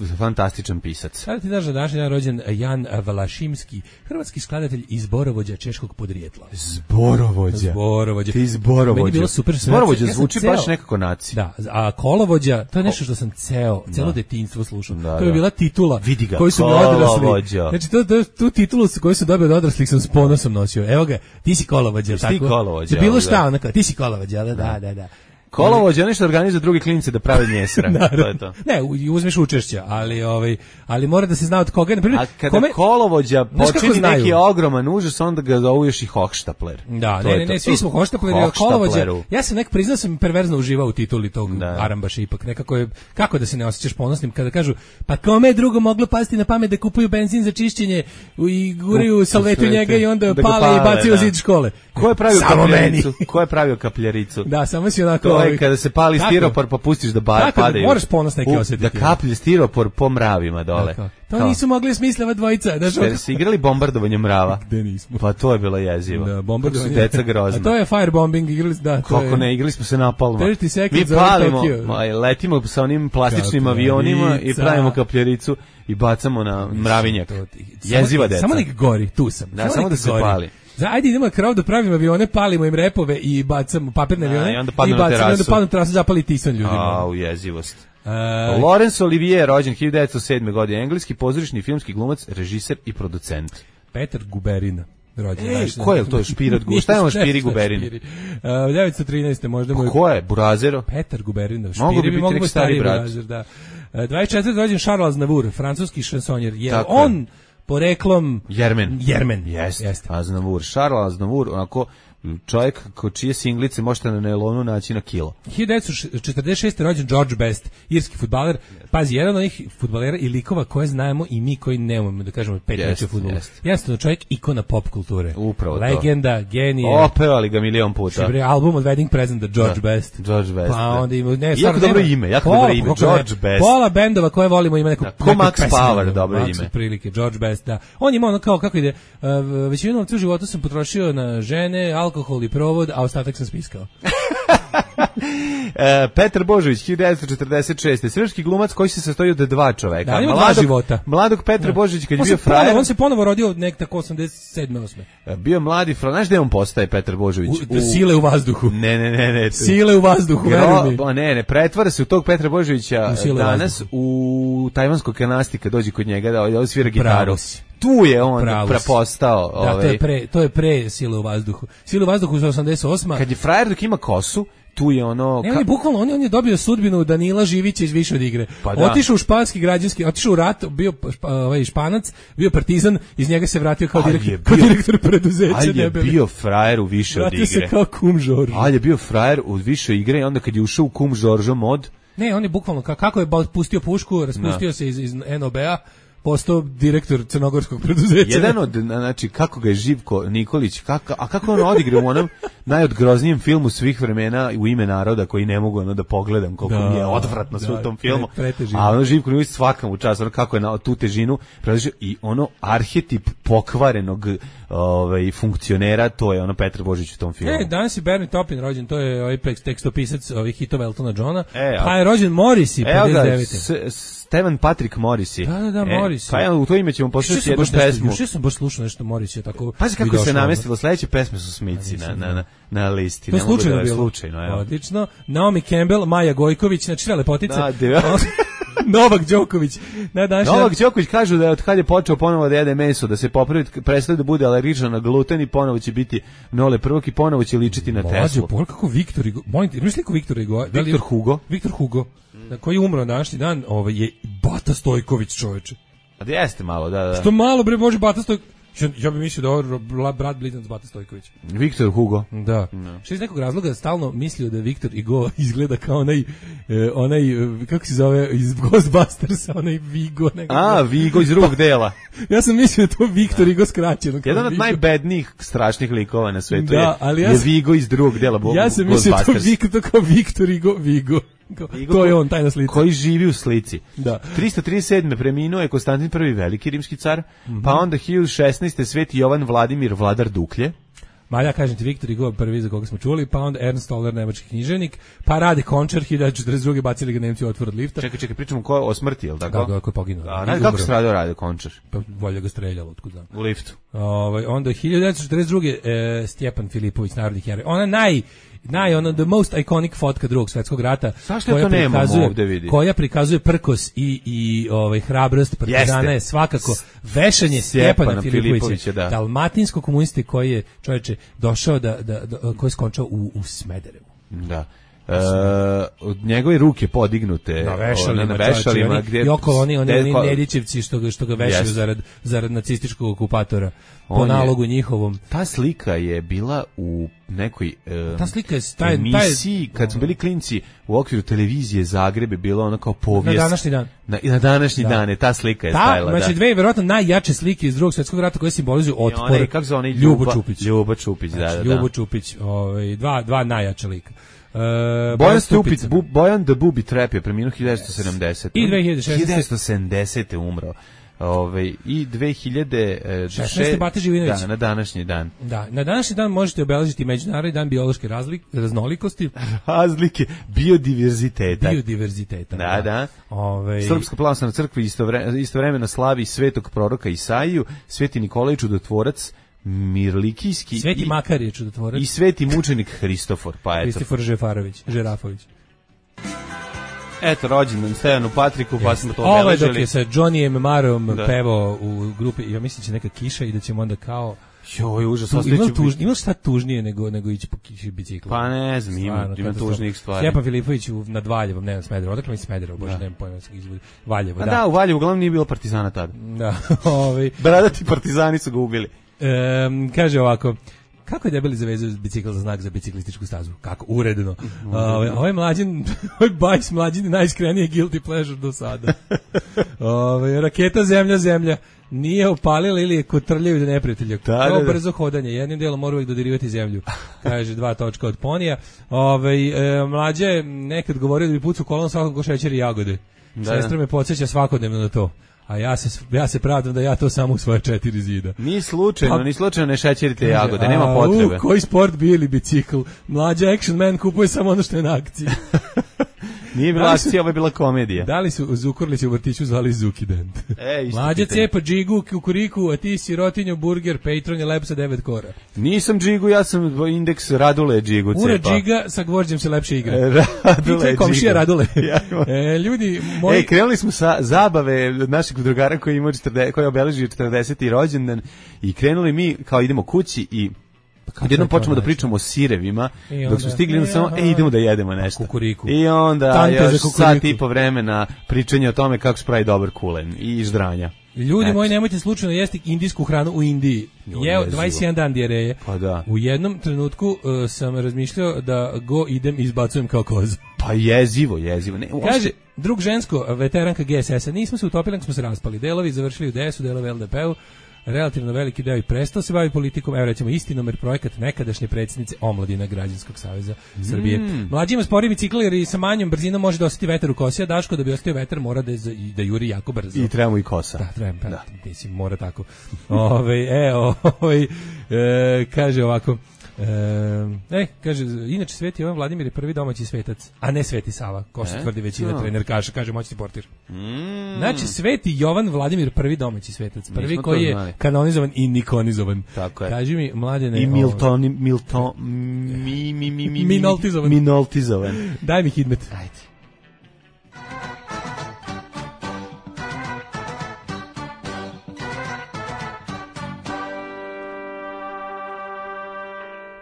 H: f- fantastičan pisac.
G: Sada ti daš da današnji dan rođen Jan Valašimski, hrvatski skladatelj i zborovođa češkog podrijetla.
H: Zborovođa.
G: Zborovođa.
H: Ti zborovođa.
G: Meni je bilo super.
H: Zborovođa
G: Ja sam
H: zvuči
G: ceo-
H: baš nekako naci.
G: Da, a kolovođa, to je nešto što sam ceo, celo detinjstvo slušao.
H: Da,
G: to je
H: da.
G: bila titula
H: Vidi ga,
G: koju su mi odrasli.
H: kolovođa.
G: Znači, to, to, tu titulu su- koju su dobili od odraslih sam s ponosom nosio. Evo ga, ti si kolovođa.
H: Jesi ti
G: tako?
H: kolovođa,
G: Za bilo
H: da.
G: šta, onako, ti si kolovođa, da, da, da. da.
H: Kolovođa, nešto organizuje drugi klinice da prave njesra. To je to.
G: Ne, u- uzmeš učešća, ali ovaj ali mora da se zna od koga, na primjer,
H: A kada
G: kome
H: kolovođa
G: Znaš kako
H: počini
G: znaju?
H: neki ogroman užas, onda ga zovu još i Hochstapler.
G: Da,
H: To
G: ne,
H: je
G: ne,
H: to.
G: ne, svi smo hoštapleri, ali
H: Hochstapleru.
G: kolovođa. Ja sam nek priznao sam perverzno uživao u tituli tog
H: Da.
G: Arambaša ipak. Nekako je, kako da se ne osjećaš ponosnim kada kažu, pa kome je drugo moglo pasti na pamet da kupuju benzin za čišćenje i guraju
H: U-
G: salvetu
H: u
G: njega i onda
H: da ga
G: pale i
H: pale,
G: bacaju
H: da.
G: zid škole.
H: Ko je pravio
G: Samo meni.
H: kapljaricu? Ko je pravio kapljaricu?
G: Da, samo si onako
H: To je
G: ovih-
H: kada se pali
G: Tako.
H: stiropor pa pustiš da ba,
G: Tako da
H: padaju.
G: moraš ponos neki
H: U,
G: osjetiti.
H: Da kaplje stiropor po mravima dole.
G: Tako. To
H: Kao,
G: nisu mogli smisliti dvojica. Znaš,
H: Ste se igrali bombardovanje mrava?
G: Gde nismo?
H: Pa to je bilo jezivo.
G: Da, bombardovanje.
H: Kako su deca grozna.
G: A to je firebombing, igrali, da. To
H: Kako
G: je,
H: ne, igrali smo se napalma.
G: trideset seconds
H: Mi
G: over
H: palimo,
G: Tokyo.
H: ma, letimo sa onim plastičnim avionima i
G: Kapljarica.
H: pravimo kapljericu i bacamo na mravinjak.
G: To ti-
H: Jeziva
G: samo,
H: deca.
G: Samo nek gori, tu sam.
H: Da, samo
G: nek
H: da se
G: gori.
H: pali.
G: Za, ajde idemo na krov da pravimo avione, palimo im repove i bacamo papirne
H: Da,
G: avione
H: i onda padnu na
G: bacamo i onda
H: terasu.
G: padnu na terasu, zapali tisan ljudima.
H: A, u jezivost.
G: E,
H: Laurence Olivier, rođen hiljadu devetsto sedme. godine, engleski pozorišni i filmski glumac, režiser i producent.
G: Petar Guberina. Rođen,
H: Ej,
G: znaš,
H: ko je to špirat Gu- šta je on špiri Guberin?
G: Špiri. Uh, devetsto trinaeste možda mu
H: Pa
G: je
H: ko je? Burazero?
G: Petar Guberin.
H: Mogu bi
G: Špiri bi
H: biti
G: mogu
H: neki
G: biti
H: stari
G: stariji
H: brat.
G: Burazer, da. Uh, dvadeset četvrte rođen Charles Aznavour, francuski šansonjer. Je
H: Tako je.
G: on poreklom
H: Jermen.
G: Jermen.
H: Jeste.
G: Jeste.
H: Aznavour. Charles Aznavour, onako čovjek ko čije singlice možete na nelonu naći na kilo.
G: hiljadu devetsto četrdeset šeste rođen George Best, irski fudbaler. Pazi, jedan od onih fudbalera i likova koje znamo i mi koji ne umemo da kažemo pet
H: Jest,
G: reči o fudbalu.
H: jest.
G: Jednostavno čovjek ikona pop kulture.
H: Upravo to.
G: Legenda, genije.
H: Opevali ga milion puta.
G: Bre, album od Wedding Presenta George
H: Da.
G: Best.
H: George Best,
G: Pa
H: da.
G: onda ima ne,
H: Jako
G: stvarno
H: dobro
G: nema-
H: ime, jako
G: Pola,
H: dobro ime,
G: kako ne,
H: George Best.
G: Pola bendova koje volimo ima neku
H: Da, ko
G: neku
H: Max
G: pesmu,
H: Power, dobro
G: Max
H: ime.
G: Otprilike, George Best, da. On ima ono kao kako ide, uh, većinu novca u životu sam potrošio na žene, alkohol i provod, a ostatak sam spiskao.
H: E, Petar Božović, hiljadu devetsto četrdeset šeste. Srpski glumac koji se sastoji od dva čoveka.
G: Da, on ima dva
H: Mladog-
G: života.
H: Mladog Petra Božovića kad je
G: On
H: bio
G: se ponovo,
H: frajer.
G: on se ponovo rodio nek tako osamdeset sedme osme.
H: Bio mladi frajer. Znaš gde on postaje Petar Božović?
G: U, sile u vazduhu.
H: Ne, ne, ne, ne.
G: Sile u vazduhu, veruj mi.
H: Gro... Ne, ne, pretvara se u tog Petra Božovića
G: U sile
H: danas
G: vazduhu.
H: u tajvanskog kanasti kad dođe kod njega da, da svira gitaru.
G: Pravo si.
H: Tu je on
G: Pravo si.
H: prepostao.
G: Da, to
H: ovaj,
G: je pre, to je pre sile u vazduhu. Sile u vazduhu za osamdeset osma.
H: Kad je frajer dok ima kosu, tu je ono...
G: Ne, on je bukvalno, on je, on je dobio sudbinu Danila Živića iz Više od igre.
H: Pa da.
G: Otišao u španski građanski, otišao u rat, bio špa, ovaj Španac, bio partizan, iz njega se vratio kao,
H: Ali
G: direkt,
H: je
G: kao
H: bio-
G: direktor preduzeća.
H: Ali je
G: debeli.
H: bio frajer u Više od
G: Vratio se
H: igre.
G: kao kum Žorž.
H: Ali je bio frajer u Više igre i onda kad je ušao u kum Žoržo mod,
G: Ne, on je bukvalno, ka- kako je ba- pustio pušku, raspustio se iz, iz N O B-a, postao direktor crnogorskog preduzeća.
H: jedan od, znači, kako ga je Živko Nikolić, kako, a kako on odigra u onom najodgroznijem filmu svih vremena U ime naroda koji ne mogu ono da pogledam koliko
G: Da,
H: mi je odvratno sve
G: da,
H: u tom filmu.
G: pre- pretežino.
H: A ono Živko Nikolić svaka mu čast, ono kako je na tu težinu predložio i ono arhetip pokvarenog ovaj, funkcionera, to je ono Petar Božić u tom filmu.
G: E, danas je Bernie Taupin rođen, to je ovaj pek- tekstopisac ovih hitova Eltona Johna.
H: E, a-
G: pa je rođen Morrissey,
H: Evo ga,
G: pedeset devete.
H: S- Stevan Patrick Morrissey.
G: Da, da, da,
H: E,
G: Morrissey.
H: Pa ja, u to ime ćemo
G: Juče
H: poslušati
G: sam
H: jednu
G: baš nešto,
H: pesmu.
G: juče sam baš slušao nešto Morrissey tako.
H: Pazi kako
G: mi
H: se
G: došlo,
H: namestilo, sledeće pesme su Smici na, na, na, na listi.
G: To je
H: Ne mogu
G: slučajno
H: da-
G: bilo.
H: Slučajno, evo.
G: Odlično. Naomi Campbell, Maja Gojković, znači sve lepotice.
H: Da, de-
G: Novak Đoković. Na današnji dan-
H: Novak Đoković kažu da je od kad je počeo ponovo da jede meso, da se popravi, prestaje da bude alergičan na gluten i ponovo će biti Nole prvog i ponovo će ličiti na
G: Mlađe,
H: Teslu.
G: pogledaj kako Viktor Hugo, molim te, imaš sliku Viktora Hugo? Da li je-
H: Viktor Hugo.
G: Viktor Hugo, na koji je umro na današnji dan, ovaj je Bata Stojković, čoveče.
H: A jeste malo, da, da.
G: Što malo bre može Bata Stojković. Ja, ja bih mislio da je ovo bla- brat blizanac Bata Stojković.
H: Viktor Hugo.
G: Da. Što iz nekog razloga stalno mislio da Viktor Hugo izgleda kao onaj, e, onaj, e, kako se zove, iz Ghostbustersa, onaj Vigo. Nekako.
H: A, Vigo iz drugog dela.
G: Ja sam mislio da je to Viktor Hugo skraćeno. kao
H: Jedan od
G: Vigo.
H: najbednijih strašnih likova na svetu
G: Da,
H: je,
G: ali ja
H: je
G: sam-
H: Vigo iz drugog dela. Bo-
G: Ja sam mislio da to
H: Ghostbusters.
G: Viktor, to kao Viktor Hugo, Vigo. Kao,
H: Vigo
G: to je
H: ko-
G: on, taj na slici.
H: Koji živi u slici.
G: Da.
H: tristo trideset sedme preminuo je Konstantin prvi veliki rimski car,
G: Mhm.
H: pa onda hiljadu šesnaeste Sveti Jovan Vladimir vladar Duklje.
G: Ma ja kažem ti Viktor Hugo prvi za koga smo čuli, pa onda Ernst Toller, nemački književnik, pa Rade Končar, hiljadu četrdeset druge bacili ga Nemci u otvor od lifta.
H: Čekaj, čekaj, pričamo ko, o smrti, jel tako?
G: Da, da, ko je poginuo.
H: A,
G: I
H: ne, kako
G: umro.
H: se radio Rade Končar?
G: Pa volja ga streljalo, otkud znam.
H: U liftu.
G: Ovaj onda hiljadu devetsto četrdeset druge E, Stjepan Filipović, narodni heroj. Ona naj naj ono the most iconic fotka Drugog svjetskog rata.
H: Zašto ja to nemamo ovde, vidi?
G: Koja prikazuje prkos i i ovaj hrabrost partizana
H: Jeste.
G: je svakako vešanje
H: Stjepana
G: Stjepana Filipovića,
H: Filipovića, da.
G: dalmatinsko komuniste koji je čovječe došao da da, da koji je skončao u u Smederevu.
H: Da. E, od njegove ruke podignute
G: Na vešalima,
H: na vešalima
G: čovječe,
H: gdje
G: i okolo oni oni,
H: gdje-
G: oni
H: ko-
G: Nedićevci što ga što ga vešaju
H: Jeste.
G: zarad zarad nacističkog okupatora po
H: On je-
G: nalogu njihovom.
H: Ta slika je bila u nekoj e,
G: Ta slika je taj taj
H: emisiji, kad smo bili klinci u okviru televizije Zagreb je bila ona kao povijest.
G: na današnji dan.
H: Na, i na današnji
G: Da.
H: dan je ta slika je
G: Ta,
H: stajala.
G: znači
H: da.
G: dve verovatno najjače slike iz Drugog svjetskog rata koje simbolizuju
H: I
G: otpor.
H: onaj, kako se onaj
G: Ljubo
H: Ljuba
G: Čupić.
H: Ljubo Čupić, da,
G: Znači,
H: da, da.
G: Ljubo Čupić, ovaj dva dva najjača lika. Uh,
H: Bojan Stupic, bu, Bojan the Booby Trap je preminuo hiljadu devetsto sedamdesete.
G: I dve hiljade šesnaeste.
H: hiljadu devetsto sedamdesete umro. Ove, i dve hiljade šesnaeste.
G: Bata Živinović.
H: Da, na današnji dan.
G: Da, na današnji dan možete obeležiti Međunarodni dan biološke razlik, raznolikosti.
H: Razlike biodiverziteta.
G: Biodiverziteta.
H: Da, da.
G: Ove...
H: Srpska pravoslavna crkva istovre, istovremeno slavi svetog proroka Isaiju, Sveti Nikolaj čudotvorac, Mirlikijski
G: Sveti
H: i,
G: Makar je čudotvorac.
H: I sveti mučenik Hristofor. Pa eto.
G: Hristofor Žefarović, Žerafović.
H: Eto, rođendan Stojanu Patriku, pa smo to
G: obeležili. Ovo je
H: obeležili.
G: dok je sa Johnnyjem Marom da. pevao u grupi, ja mislim će neka kiša i da ćemo onda kao...
H: Joj, užas,
G: tu,
H: ostaje će
G: tužni, imaš šta tužnije nego, nego ići po kiši biciklu?
H: Pa ne znam, ima, ima tužnijih stvari.
G: Stjepan Filipović nad Valjevom, ne znam, Smederevo, odakle mi Smederevo, bože, nemam pojma se izvodi. Valjevo,
H: A
G: da.
H: da, u Valjevu uglavnom nije bilo partizana tada.
G: Da, ovaj...
H: Bradati partizani su ga ubili.
G: Um, kaže ovako, kako je debeli zavezao bicikl za znak za biciklističku stazu? Kako? Uredno. Uh, ovaj mlađin, ovaj bajs mlađin je najiskrenije guilty pleasure do sada. Ove, raketa zemlja, zemlja. Nije opalila ili je kotrljaju do neprijatelja. Kao brzo hodanje. Jednim delom mora uvijek dodirivati zemlju. Kaže dva točka od ponija. Ove, e, mlađa je nekad govorio da bi pucao kolon svakog ko šećeri jagode. Da. Sestra me podsjeća svakodnevno na to. A ja se ja se pravdam da ja to samo u svoje četiri zida.
H: Ni slučajno, pa, ni slučajno ne šećerite jagode, nema potrebe.
G: U, koji sport bio ili bicikl? Mlađa action man kupuje samo ono što je na akciji.
H: Nije bila akcija, ovo je bila komedija.
G: Da li su Zukorlića u vrtiću zvali Zukident?
H: E,
G: Mlađa cepa džigu, kukuriku, a ti sirotinju, burger, Patron je lep sa devet kora.
H: Nisam džigu, ja sam indeks Radule džigu cepa.
G: Ura džiga, sa gvožđem se lepše igra.
H: Radule
G: džiga. Komšija Radule. e, ljudi, moji...
H: Ej, krenuli smo sa zabave našeg drugara koji ima četrdeset, koji je obeležio četrdeseti rođendan i krenuli mi kao idemo kući i Pa jednom počnemo da pričamo o sirevima, onda, dok smo stigli na samo, e, idemo da jedemo nešto.
G: Kukuriku.
H: I onda Tante još sat i po vremena pričanje o tome kako se pravi dobar kulen i ždranja.
G: Ljudi moji, nemojte slučajno jesti indijsku hranu u Indiji. Jeo dvadeset jedan dan dijareje.
H: Pa da.
G: U jednom trenutku uh, sam razmišljao da go idem i izbacujem kao koz.
H: Pa jezivo, jezivo. Ne,
G: kaže, drug žensko, veteranka G S S-a, nismo se utopili, smo se raspali. Delovi završili u D S-u, delovi L D P-u. Relativno veliki deo i prestao se bavi politikom, evo recimo Istinomer projekat nekadašnje predsjednice Omladina Građanskog saveza mm. Srbije. Mlađi ima spori bicikl jer i sa manjom brzinom može da osjeti vetar u kosi, a Daško da bi ostio vetar mora da, da juri jako brzo.
H: I treba mu i kosa.
G: Da, treba, pa, da. Mislim, mora tako. Ove, e, ove, e, kaže ovako, E, e, kaže, inače Sveti Jovan Vladimir je prvi domaći svetac, a ne Sveti Sava, ko što e? tvrdi većina no. trenerkaša, kaže moćni portir. Mm. Znači, Sveti Jovan Vladimir prvi domaći svetac, prvi Nismo koji je znali. Kanonizovan i nikonizovan. Tako je. Kaži mi, mladene...
H: I Milton, Milton, mi, mi, mi, mi,
G: minoltizovan.
H: Minoltizovan.
G: Daj mi hidmet.
H: Ajde.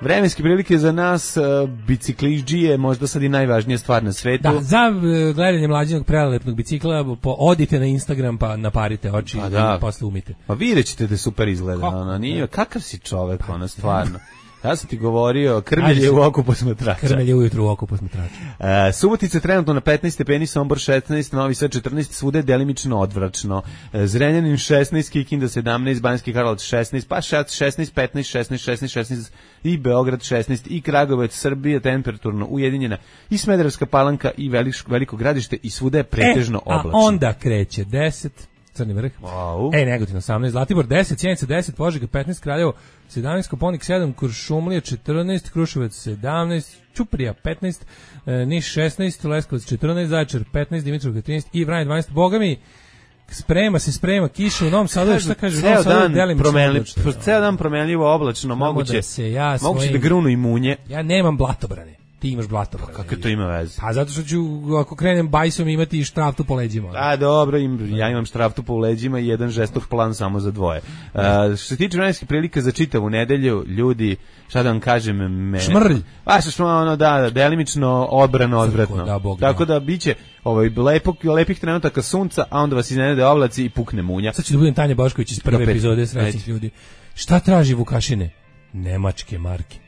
H: Vremenske prilike za nas, uh, bicikliđije, možda sad i najvažnija stvar na svetu.
G: Da, za uh, gledanje mlađenog prelelepnog bicikla, po, odite na Instagram pa naparite oči pa da. I posle umite.
H: Pa vidjet ćete da super izgleda. Ono, nije, kakav si čovek, pa, ono, stvarno. Ja sam ti govorio, krmelje u oku posmatrača.
G: Krmelje ujutru u oku posmatrača.
H: Uh, Subotica trenutno na petnaest stepeni, Sombor šesnaest, Novi Sad četrnaest, svude delimično odvračno. Uh, Zrenjanin šesnaest, Kikinda sedamnaest, Banjski Karlovac šesnaest, pa šesnaest, petnaest, šesnaest, šesnaest, šesnaest i Beograd šesnaest i Kragujevac, Srbija temperaturno ujedinjena i Smederevska Palanka i Veliko, Veliko Gradište i svude je pretežno e, oblačno.
G: A onda kreće deset, Crni vrh.
H: Wow.
G: E, Negotin osamnaest, Zlatibor deset, Sjenica deset, Požega petnaest, Kraljevo sedamnaest, Koponik sedam, Kuršumlija četrnaest, Kruševac sedamnaest, Ćuprija petnaest, Niš šesnaest, Leskovac četrnaest, Zaječar petnaest, Dimitrovgrad trinaest i Vranje dvanaest. Boga mi, sprema se, sprema kiša u Novom Sadu, šta kaže, u Novom Sadu delimično oblačno.
H: Ceo dan promenljivo oblačno, moguće da, se ja svojim, moguće da grunu i munje.
G: Ja nemam blatobrane. Ti imaš blatobrane.
H: Kako to ima veze?
G: Pa zato što ću, ako krenem bajsom, imati i štraftu po leđima.
H: A dobro, im, ja imam štraftu po leđima i jedan žestok plan samo za dvoje. Uh, što se tiče vremenskih prilika za čitavu nedelju, ljudi, šta da vam kažem, me...
G: Šmrlj.
H: Pa što ono, da, da, delimično odbrano, odvratno. Da, Bog, tako da, da biće ovaj, lepog, lepih trenutaka sunca, a onda vas iznenade oblaci i pukne munja.
G: Sad ću da budem Tanja Bošković iz prve epizode Srećnih ljudi. Šta traži Vukašine? Nemačke marke.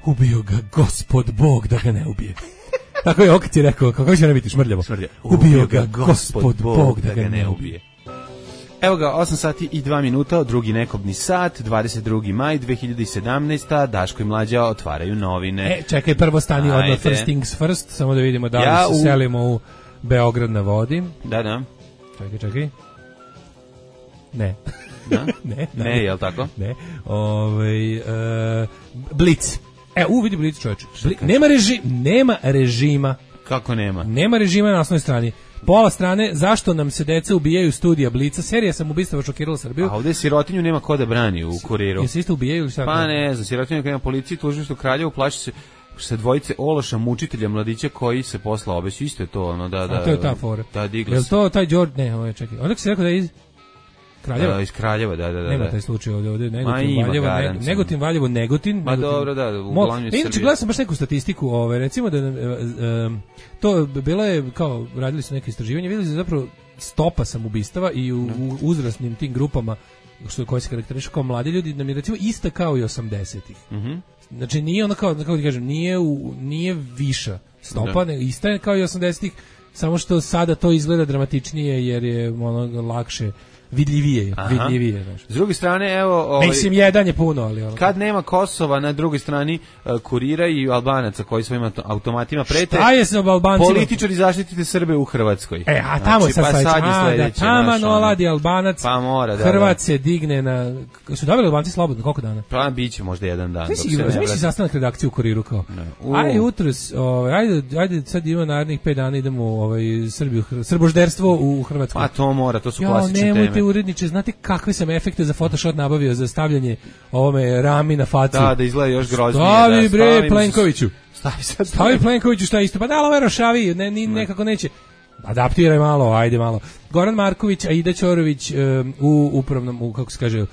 G: Ubio ga Gospod Bog da ga ne ubije. Tako je Okac je rekao, kako će ne biti šmrljavo?
H: Šmrlja.
G: Ubio ga Gospod Bog da ga ne ubije.
H: Evo ga, osam sati i dva minuta, drugi nekobni sat, dvadeset drugi maj dve hiljade sedamnaeste. Daško i Mlađa otvaraju novine.
G: E, čekaj, prvo stani odmah, first things first, samo da vidimo da li ja, se u... selimo u Beograd na vodi.
H: Da, da.
G: Čekaj, čekaj. Ne.
H: Da?
G: ne,
H: ne, ne, je li tako?
G: Ne. Ovaj uh, Blic. E, u vidi Blic, čoveče. Bli, nema reži, nema režima.
H: Kako nema?
G: Nema režima na osnovnoj strani. Pola strane, zašto nam se deca ubijaju studija Blica, serija sam ubistava šokirala Srbiju.
H: A ovde sirotinju nema ko da brani u Kuriru.
G: Jesi isto ubijaju ili šta?
H: Pa ne znam, sirotinju nema policiji, tužilaštvo Kraljevo, plaši se sa dvojice ološa mučitelja mladića koji se posla obeću, isto je to ono da da.
G: A to je ta fora.
H: Da, digla.
G: Jel to taj Đorđe, ne, ovo je čekaj. Onda se rekao da je iz Kraljeva?
H: Da, iz Kraljeva, da, da, da.
G: Nema taj slučaj ovde, ovde Negotin, Valjevo, ne, Negotin, Valjevo, Negotin.
H: Ma dobro, da, uglavnom je
G: Srbija. Inače, gledao sam baš neku statistiku, ove, recimo da um, to bilo je, kao, radili su neke istraživanje, videli su zapravo stopa samobistava i u, u uzrasnim tim grupama, što koji se karakterišu kao mladi ljudi, nam je recimo ista kao i osamdesetih.
H: Mhm.
G: Znači nije ono kao, kako ti kažem, nije, u, nije viša stopa, ne, ista je kao i osamdesetih, samo što sada to izgleda dramatičnije jer je ono lakše, vidljivije, Aha. vidljivije. Znači.
H: S druge strane, evo... Ovaj,
G: Mislim, jedan je puno, ali... Ono.
H: Kad nema Kosova, na drugoj strani uh, Kurira i Albanaca koji svojim automatima prete...
G: Šta je se ob Albancima?
H: Političari zaštitite Srbe u Hrvatskoj.
G: E, a tamo znači,
H: sad,
G: pa
H: sad, sad je sledeće.
G: Da, tamo noladi Albanac,
H: pa mora, da,
G: Hrvat
H: da.
G: se digne na... Su dobili Albanci slobodno, koliko dana?
H: Pa biće možda jedan dan.
G: Znaš si sastanak redakcije u Kuriru kao? Uh. Ajde jutros, ovaj, ajde, ajde sad ima narednih pet dana idemo ovaj, Srbiju, srbožderstvo u Hrvatsku.
H: A to mora, to su klasične teme.
G: Jo, nemojte uredniče, znate kakve sam efekte za Photoshop nabavio za stavljanje ovome rami na facu.
H: Da, da izgleda još groznije.
G: Stavi
H: da,
G: bre Plenkoviću.
H: Stavi sad.
G: Stavi Plenkoviću šta isto. Pa da, ovo je rošavi, ne, ni, nekako neće. Adaptiraj malo, ajde malo. Goran Marković, Aida Ćorović um, u upravnom, u, kako se kaže, uh,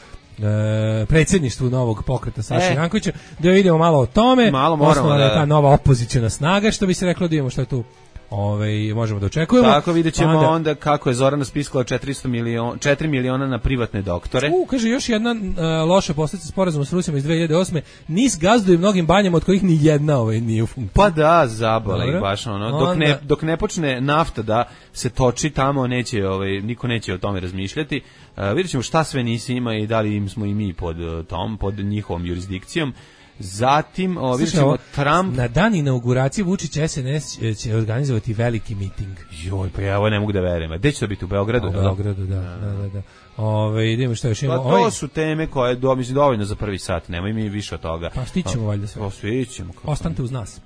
G: predsjedništvu novog pokreta Saša e. Jankovića. Da vidimo malo o tome.
H: Malo moramo, da,
G: da. Ta nova opoziciona snaga, što bi se reklo, da vidimo šta je tu. Ove, možemo da očekujemo.
H: Tako vidjet ćemo onda, onda kako je Zorana spiskala četiristo miliona, četiri miliona na privatne doktore.
G: U, kaže, još jedna uh, loša posljedica sporazuma s Rusima iz dve hiljade osme. NIS gazduje mnogim banjama od kojih ni jedna ovaj nije u funkciji.
H: Pa da, zabala ih baš ono. Dok ne, dok ne počne nafta da se toči tamo, neće, ovaj, niko neće o tome razmišljati. Uh, vidjet ćemo šta sve NIS ima i da li im smo i mi pod uh, tom, pod njihovom jurisdikcijom. Zatim, o, vidjet ćemo Trump...
G: Na dan inauguracije Vučić S N S će organizovati veliki miting.
H: Joj, pa ja ovo ne mogu da verujem. Gde će to biti, u Beogradu?
G: U Beogradu, da. da, da, da. Ove, idemo što još imamo.
H: Pa to ovaj... su teme koje do, mislim, dovoljno za prvi sat. Nemoj mi više od toga.
G: Pa stićemo valjda sve.
H: Pa stićemo.
G: Ostanite uz nas.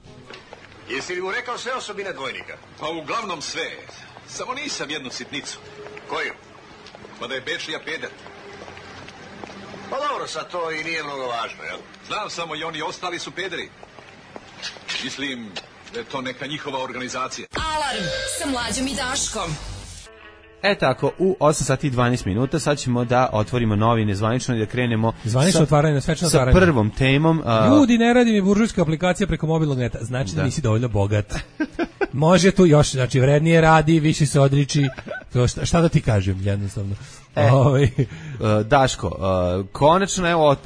E: Jesi li mu rekao sve osobine dvojnika?
J: Pa uglavnom sve. Samo nisam jednu sitnicu.
E: Koju?
J: Pa da je Bečija peder.
E: Pa dobro, sad to i nije mnogo važno, jel?
J: Znam samo i oni ostali su pederi. Mislim da je to neka njihova organizacija.
A: Alarm sa Mlađom i Daškom.
H: E tako, u osam sati i dvanaest minuta sad ćemo da otvorimo novine zvanično i da krenemo
G: zvanično otvaranje, svečno
H: sa
G: otvaranje.
H: prvom temom.
G: A... Ljudi, ne radi mi buržujska aplikacija preko mobilnog neta. Znači da, da nisi dovoljno bogat. Može tu još, znači vrednije radi, više se odriči. To šta, šta da ti kažem, jednostavno.
H: E, Ove. Daško, konačno evo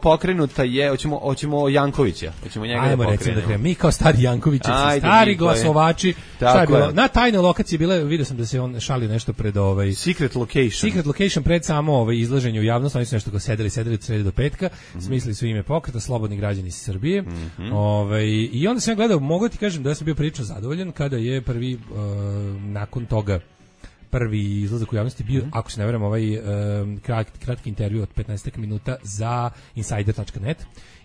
H: pokrenuta je, hoćemo hoćemo Jankovića, hoćemo njega
G: Ajmo
H: da
G: recimo da krenemo. Mi kao stari Jankovići, stari glasovači, šta je bilo? Na tajnoj lokaciji bile, vidio sam da se on šalio nešto pred ovaj
H: Secret Location.
G: Secret Location pred samo ovaj izlaženje u javnost, oni su nešto kao sedeli, sedeli od srede do petka, mm-hmm. smislili su ime pokreta Slobodni građani Srbije. Mm-hmm. Ovaj i onda sam ja gledao, mogu ti kažem da sam bio prilično zadovoljan kada je prvi uh, nakon toga prvi izlazak u javnosti bio, mm-hmm. ako se ne varam, ovaj um, kratki, kratki intervju od petnaest minuta za insider tačka net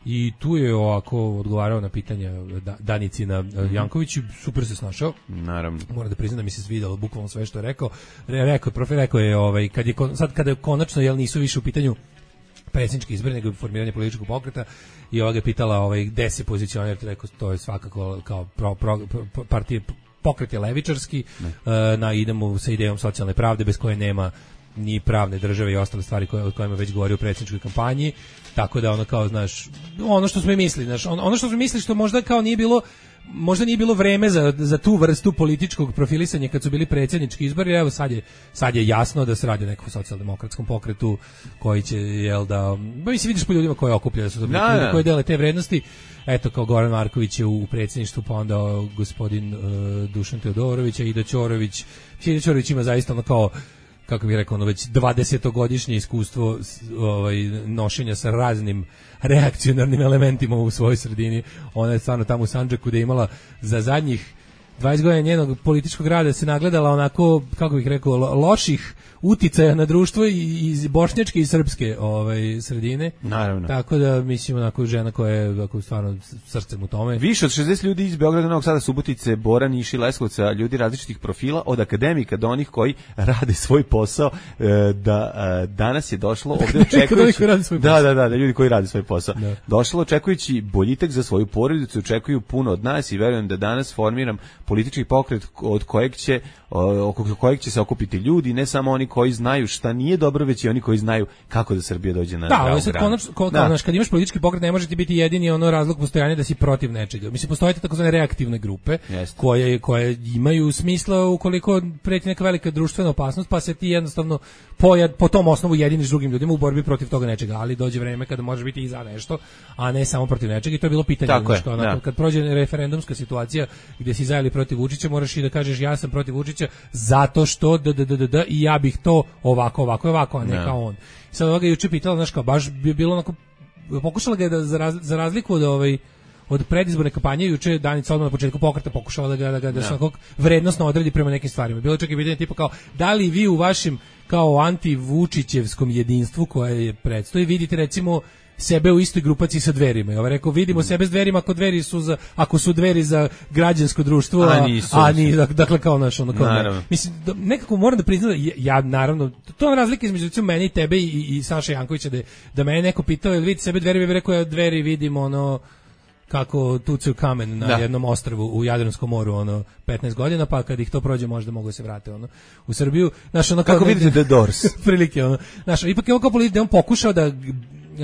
G: i tu je ovako odgovarao na pitanja da, Danicina mm-hmm. Janković, super se snašao.
H: Naravno.
G: Moram da priznam da mi se svidelo bukvalno sve što je rekao. Re, rekao je, profe, rekao je, ovaj, kad je, sad kada je konačno, jel nisu više u pitanju predsjednički izbori, nego formiranje političkog pokreta i ova ga je pitala ovaj, gde se pozicionira, rekao, to je svakako kao pro, pro, pro, partije pokret je levičarski, uh, na idemo sa idejom socijalne pravde bez koje nema ni pravne države i ostale stvari koje, o kojima već govori u predsjedničkoj kampanji, tako da ono kao, znaš, ono što smo i mislili, znaš, ono što smo mislili što možda kao nije bilo možda nije bilo vreme za, za tu vrstu političkog profilisanja kad su bili predsjednički izbori, evo sad je, sad je jasno da se radi o nekom socijaldemokratskom pokretu koji će, jel da, ba mi se vidiš po ljudima koje okuplja, da su to ljudi koji dele te vrednosti, eto kao Goran Marković je u predsjedništvu, pa onda gospodin uh, Dušan Teodorović, Aida Ćorović, Aida Ćorović ima zaista ono kao kako bih rekao, ono već dvadesetogodišnje iskustvo ovaj, nošenja sa raznim reakcionarnim elementima u svojoj sredini. Ona je stvarno tamo u Sandžaku da je imala za zadnjih dvadeset godina njenog političkog rada se nagledala onako, kako bih rekao, loših uticaja na društvo iz bošnjačke i srpske ovaj, sredine.
H: Naravno.
G: Tako da, mislim, onako žena koja je ako, stvarno srcem u tome.
H: Više od šezdeset ljudi iz Beograda, Novog Sada, Subotice, Bora, Niša i Leskovca, ljudi različitih profila, od akademika do onih koji rade svoj posao, da danas je došlo ovdje očekujući... da, da, da, da, ljudi koji rade svoj posao. Da. Došlo očekujući boljitak za svoju porodicu, očekuju puno od nas i verujem da danas formiram politički pokret od kojeg će oko kojeg će se okupiti ljudi, ne samo oni koji znaju šta nije dobro, već i oni koji znaju kako da Srbija dođe na pravu
G: granu. Da, kao, znaš, kad imaš politički pokret ne može ti biti jedini ono razlog postojanja da si protiv nečega. Mislim, postoje takozvane reaktivne grupe koje, koje imaju smisla ukoliko preti neka velika društvena opasnost, pa se ti jednostavno po, po tom osnovu jediniš drugim ljudima u borbi protiv toga nečega, ali dođe vreme kada može biti i za nešto, a ne samo protiv nečega i to je bilo pitanje.
H: Tako
G: što,
H: je,
G: onako,
H: da.
G: Kad prođe referendumska situacija gdje si za ili protiv Vučića, moraš i da kažeš ja sam protiv Vučića zato što d, d, d, d, d, i ja bih to ovako, ovako, ovako, a ne no. kao on. I sad ovoga juče pitala, znaš kao, baš bi bilo onako, pokušala ga je da za, raz, za razliku od ovaj, od predizborne kampanje, juče Danica odmah na početku pokreta pokušala da ga, da ga, da se onako vrednosno odredi prema nekim stvarima. Bilo čak i pitanje tipa kao, da li vi u vašim kao anti-Vučićevskom jedinstvu koje je predstoji, vidite recimo sebe u istoj grupaciji sa Dverima. Ja ovaj rekao, vidimo mm. sebe s Dverima ako Dveri su za, ako su Dveri za građansko društvo, a, a nisu. A ni, dakle kao naš ono kao. Ne. Mislim da, nekako moram da priznam da ja, ja naravno to je razlika između recimo mene i tebe i, i Saše Jankovića da da me neko pitao jel vidite sebe Dveri, ja bih rekao ja Dveri vidimo ono kako tucaju kamen na da. jednom ostrvu u Jadranskom moru ono petnaest godina, pa kad ih to prođe možda mogu se vratiti ono u Srbiju. Naš ono
H: kako vidite The Doors
G: prilike ono. Naš ipak je on kao politik da on pokušao da Uh,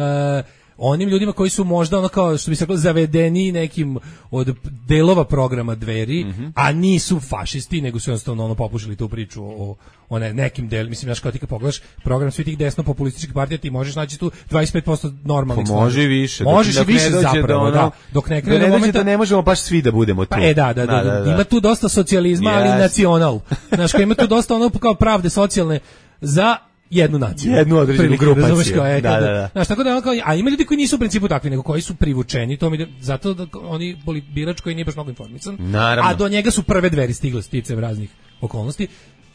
G: onim ljudima koji su možda ono kao što bi se reklo zavedeni nekim od delova programa Dveri, mm-hmm. a nisu fašisti, nego su jednostavno ono popušili tu priču o, o ne, nekim del, mislim znaš kao ti kad pogledaš program svih tih desno populističkih partija ti možeš naći tu dvadeset pet posto normalnih
H: stvari. Može više.
G: Možeš
H: dok,
G: i više zapravo,
H: ono,
G: da. Dok ne krene
H: da,
G: momenta,
H: da ne možemo baš svi da budemo tu.
G: Pa, e da, da, da, da, da, ima tu dosta socijalizma, yes. ali nacional. Znaš kao ima tu dosta ono kao pravde socijalne za jednu naciju.
H: Jednu određenu grupaciju.
G: Kao, e,
H: da, da, da.
G: Znaš, tako da ono kao, a ima ljudi koji nisu u principu takvi, nego koji su privučeni, to mi da, zato da oni birač koji nije baš mnogo informisan,
H: naravno.
G: A do njega su prve Dveri stigle sticajem raznih okolnosti,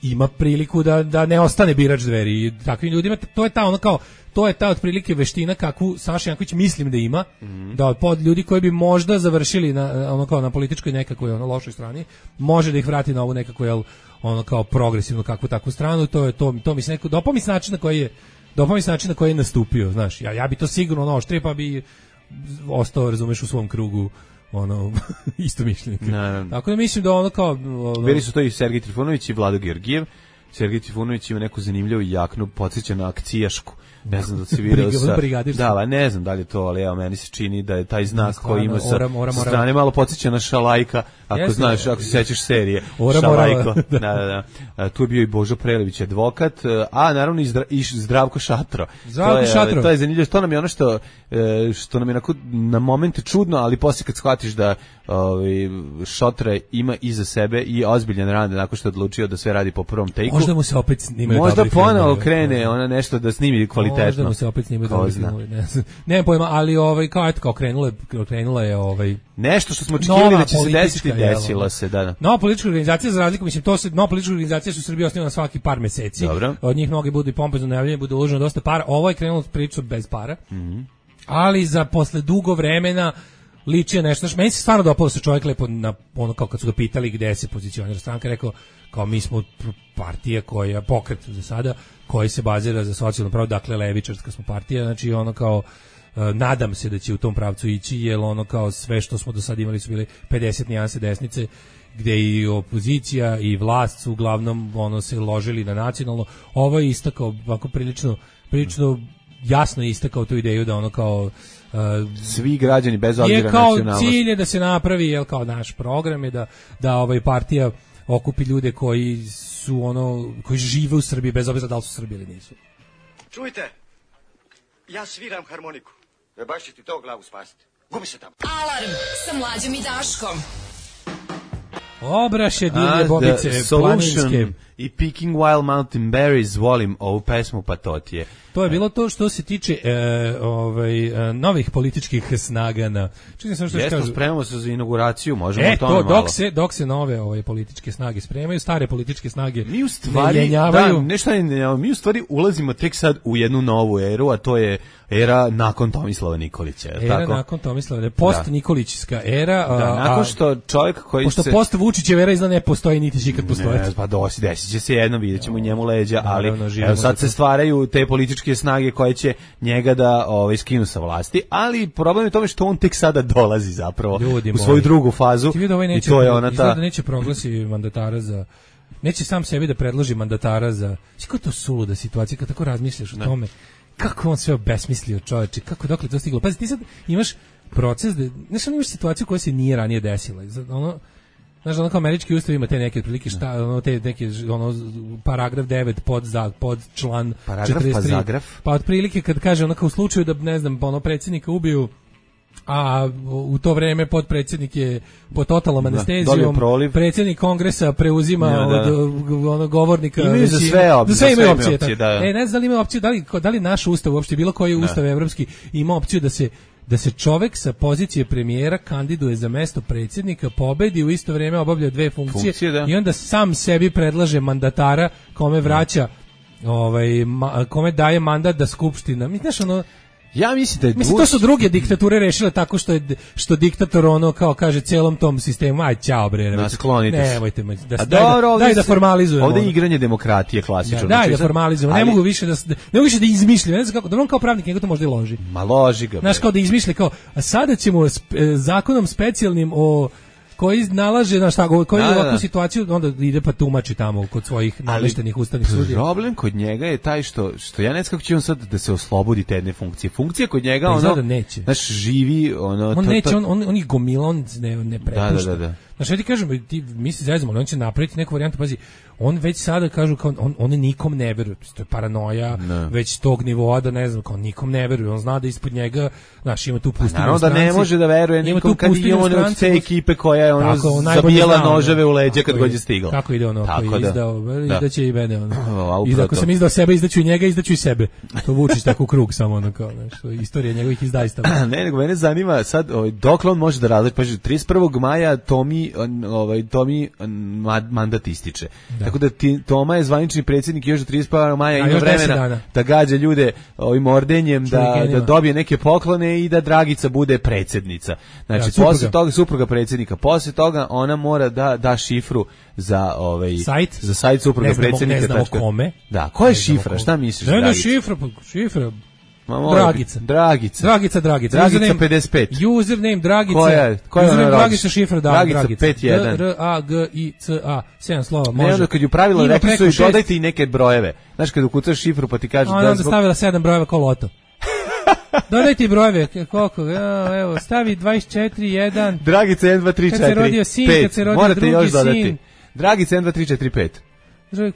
G: ima priliku da, da ne ostane birač Dveri i takvim ljudima, to je ta ono kao, to je ta otprilike veština kakvu Saša Janković mislim da ima, mm-hmm. da od ljudi koji bi možda završili na, ono kao na političkoj nekakvoj ono lošoj strani, može da ih vrati na ovu nekakvu, jel, ono kao progresivnu kakvu takvu stranu, to je to to mi se neko dopao mi se način na koji je dopao mi se način na koji je nastupio, znaš. Ja ja bi to sigurno ono oštrije pa bi ostao, razumeš, u svom krugu ono istomišljenika. Tako da mislim da ono kao ono,
H: bili su to i Sergej Trifunović i Vlado Georgijev. Sergej Trifunović ima neku zanimljivu jaknu, podsjeća na akcijašku. Ne znam da se video sa... Da, ne znam da li je to, ali evo, meni se čini da je taj znak stvarno, koji ima sa ora, ora, strane malo podsjeća na Šalajka, ako Jeste, znaš, ako se sećaš serije.
G: Ora,
H: Šalajko.
G: Ora,
H: da, da, da. Tu je bio i Božo Prelević, advokat, a naravno i, Zdra, i Zdravko Šatro.
G: Zdravko
H: to je,
G: Šatro.
H: To je zanimljivo, to nam je ono što, što nam je na moment čudno, ali poslije kad shvatiš da ovaj Šotra ima iza sebe i ozbiljan rad nakon što je odlučio da sve radi po prvom tejku.
G: Možda mu se opet snimaju
H: Možda ponovo krene ona nešto da snimi kvalitetno.
G: Možda mu se opet snimaju dobri filmovi, ne znam. Nemam pojma, ali ovaj kao eto kao krenula je krenula je ovaj
H: nešto što smo očekivali da će se desiti, desilo se, da, da.
G: Nova politička organizacija, za razliku, mislim, to se nova politička organizacija su u Srbiji osnovana svaki par meseci.
H: Dobro.
G: Od njih mnogi budu i pompezno najavljeni, budu uloženo dosta para. Ovo je krenulo priču bez para.
H: Mm-hmm.
G: Ali za posle dugo vremena liči nešto. Meni se stvarno dopalo se čovjek lepo na ono kao kad su ga pitali gde se pozicionira stranka, rekao kao mi smo partija koja pokret za sada koji se bazira za socijalno pravo, dakle levičarska smo partija, znači ono kao nadam se da će u tom pravcu ići, jer ono kao sve što smo do sada imali su bili pedeset nijanse desnice, gde i opozicija i vlast su uglavnom ono se ložili na nacionalno. Ovo je istakao ovako prilično prilično jasno je istakao tu ideju da ono kao uh,
H: svi građani bez obzira na nacionalnost.
G: Je kao cilj je da se napravi, jel, kao naš program je da da ovaj partija okupi ljude koji su ono koji žive u Srbiji bez obzira da li su Srbi ili nisu.
E: Čujte, ja sviram harmoniku. E baš će ti to glavu spasiti. Gubi se tamo.
A: Alarm sa Mlađom i Daškom.
G: Obraše divlje bobice planinske.
H: I Picking Wild Mountain Berries, volim ovu pesmu Patotije.
G: To je bilo to što se tiče e, ovaj, e, novih političkih snaga na... Čekaj sam što
H: Jesmo,
G: kažu.
H: spremamo se za inauguraciju, možemo
G: e,
H: o tome
G: to,
H: malo.
G: Dok se, dok se nove ovaj, političke snage spremaju, stare političke snage
H: mi u stvari,
G: ne jenjavaju.
H: Da, nešto ne, mi u stvari ulazimo tek sad u jednu novu eru, a to je era nakon Tomislava Nikolića.
G: Era
H: tako?
G: nakon Tomislava, post Nikolićska era.
H: Da,
G: a,
H: nakon što čovjek koji
G: pošto
H: se...
G: Pošto post Vučićeva era izgleda ne postoji, niti će ikad postoji.
H: Ne, pa dosi, desit će se jedno, vidjet ćemo njemu leđa, ali
G: naravno,
H: evo, sad se stvaraju te političke snage koje će njega da ovaj, skinu sa vlasti, ali problem je tome što on tek sada dolazi zapravo
G: Ljudi
H: u svoju
G: moji.
H: drugu fazu
G: Ovaj neće,
H: i to je ona ta...
G: da neće proglasi mandatara za... Neće sam sebi da predloži mandatara za... Kako je to suluda situacija, kad tako razmišljaš o tome, kako on sve obesmislio čoveče, kako dokle to stiglo. Pazi, ti sad imaš proces, da, znaš, on imaš situaciju koja se nije ranije desila. Ono, znaš, ono kao američki ustav ima te neke otprilike šta, ono, te neke, ono, paragraf devet pod, za, pod član
H: paragraf,
G: četrdeset tri.
H: Pa zagraf.
G: Pa otprilike kad kaže, ono kao u slučaju da, ne znam, ono, predsjednika ubiju, a u to vreme potpredsjednik je pod totalnom anestezijom, predsjednik kongresa preuzima da, da. od onog govornika.
H: Imaju za sve opcije.
G: Za sve imaju opcije.
H: opcije da.
G: E, ne znam da li ima opciju, da li, da li naš ustav uopšte, bilo koji da. Ustav evropski ima opciju da se da se čovek sa pozicije premijera kandiduje za mesto predsjednika, pobedi, u isto vrijeme obavlja dve funkcije, funkcije da. I onda sam sebi predlaže mandatara kome vraća ovaj, ma, kome daje mandat da skupština. Mi znaš ono...
H: Ja mislim da je
G: Mislim, to su druge diktature rešile tako što je što diktator ono kao kaže celom tom sistemu aj ćao bre,
H: nasklonite se.
G: Nemojte da
H: A dobro,
G: daj, daj da formalizujemo.
H: Ovde je igranje demokratije klasično.
G: Da, daj da formalizujemo. Ne mogu više da ne mogu više da izmišljam. Ne znam kako, da on kao pravnik nego to možda i loži.
H: Ma loži ga.
G: Znaš, kao da izmišlja kao a sada ćemo sp, zakonom specijalnim o koji nalaže na šta koji da, ovakvu da. Situaciju onda ide pa tumači tamo kod svojih nameštenih ustavnih sudija.
H: Problem kod njega je taj što što ja ne znam kako će on sad da se oslobodi te jedne funkcije. Funkcija kod njega
G: pa
H: ono
G: da neće.
H: Znaš, živi ono
G: on
H: to,
G: neće
H: to...
G: on on on ih gomila, on ne ne prepušta.
H: Da, da, da.
G: Znaš, ja ti kažem, ti misli zezamo, on će napraviti neku varijantu, pazi, on već sada kažu kao on on nikom ne veruje, to je paranoja
H: ne.
G: Već tog nivoa da ne znam, kao nikom ne veruje, on zna da ispod njega, znaš, ima tu pustinju.
H: Naravno da ne može da veruje nikom kad je on od te ekipe koja je ono zabijala noževe u leđa kad god je stigla.
G: Kako ide ono,
H: tako
G: koji
H: da.
G: Izdao,
H: da.
G: izdaće i mene ono. I ako sam izdao sebe, izdaću i njega, izdaću i sebe. To vučiš tako u krug samo ono kao, nešto, istorija njegovih izdajstava.
H: Ne, nego mene zanima sad, ovaj, dokle on može da različi, pa trideset prvog maja Tomi, ovaj, Tomi mandat ističe. Da. Tako da ti, Toma je zvanični predsjednik još do trideset prvog maja ima vremena da gađa ljude ovim ordenjem, da, da dobije neke poklone i da Dragica bude predsjednica. Znači, ja, posle toga, supruga predsjednika, posle toga ona mora da da šifru za ovaj
G: sajt,
H: za sajt supruga
G: ne znamo,
H: predsjednika.
G: Ne znamo kome.
H: Da, koja je šifra? Šta misliš?
G: Ne, ne, šifra, šifra.
H: Dragica. Dragica.
G: Dragica, Dragica.
H: Dragica pedeset pet.
G: Username Dragica.
H: Koja, koja
G: username Dragica, šifra da,
H: Dragica.
G: Dragica.
H: pet jedan.
G: R A G I C A. sedam slova, može.
H: Ne, onda kad ju pravilo rekli su i dodajte i neke brojeve. Znaš, kad ukucaš šifru pa ti kaže
G: da... Onda stavila sedam brojeva kao loto. Dodajte brojeve, koliko, evo, stavi dvadeset četiri, jedan.
H: Dragica jedan, dva, tri, četiri, pet.
G: Kad se rodio sin, kad se rodio
H: morate
G: drugi
H: još dodati.
G: sin.
H: Dragica jedan, dva, tri, četiri, pet.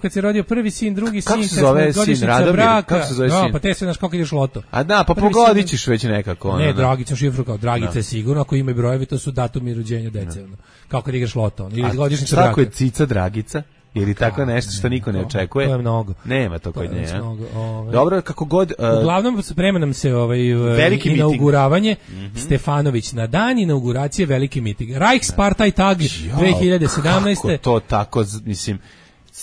G: Kad se rodio prvi sin, drugi sin,
H: kako se zove sin, Radomir? Kako se zove sin?
G: No, pa te se znaš kako ideš loto.
H: A da, pa pogodit ćeš već nekako. Ono,
G: ne, Dragica šifru kao Dragica no. je sigurno, ako ima i brojevi, to su datumi rođenja dece. No. Kako kad igraš loto. Ono. Ili godišnjica braka.
H: Tako je cica Dragica? Ili tako nešto što niko ne očekuje?
G: To je mnogo.
H: Nema to kod nje.
G: Ovaj.
H: Dobro, kako god... Uh,
G: Uglavnom, sprema nam se ovaj, inauguravanje. Mm -hmm. Stefanović na dan inauguracije veliki miting. Reichsparteitag dve hiljade sedamnaeste.
H: Kako to tako, mislim...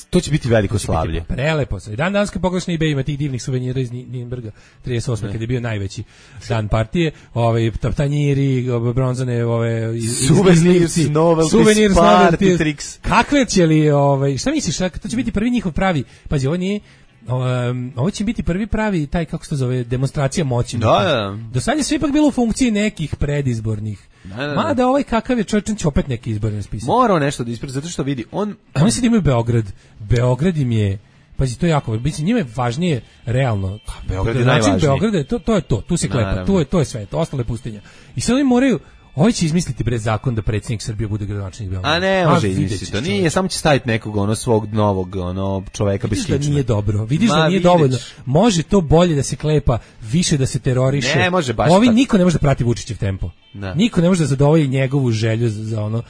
H: To će biti veliko slavlje.
G: Prelepo. I dan danske poglašne eBay ima tih divnih suvenira iz Nürnberga trideset osme kad je bio najveći dan partije. Ovaj tanjiri, bronzane, ove
H: suvenir, novel, suvenir, party tricks.
G: Kakve će li, ovaj, šta misliš, to će biti prvi njihov pravi. Pazi, ovo nije Um, ovo će biti prvi pravi taj, kako se to zove, demonstracija moći.
H: Da, da.
G: Do sad je sve ipak bilo u funkciji nekih predizbornih. Da, da, da. Mada ovaj kakav je čovječan će opet neki izborni spisak.
H: Morao nešto da ispredi, zato što vidi, on...
G: A oni sad imaju Beograd. Beograd im je, pazi, to je jako, mislim, njima je važnije realno.
H: Beograd je najvažnije.
G: Beograda, to, to je to, tu se klepa, tu je, to je sve, to ostale pustinja. I sad oni moraju, ovaj će izmisliti bre zakon da predsjednik Srbije bude gradonačelnik Beograda.
H: A ne, može izmisliti to. Nije, samo će staviti nekog ono svog novog ono čoveka bez kičme.
G: Vidiš da nije dobro. Vidiš Ma, da nije vidiš. dovoljno. Može to bolje da se klepa, više da se teroriše.
H: Ne, može baš.
G: Ovi
H: tako.
G: Niko ne može da prati Vučićev tempo.
H: Da.
G: Niko ne može da zadovolji njegovu želju za, za ono,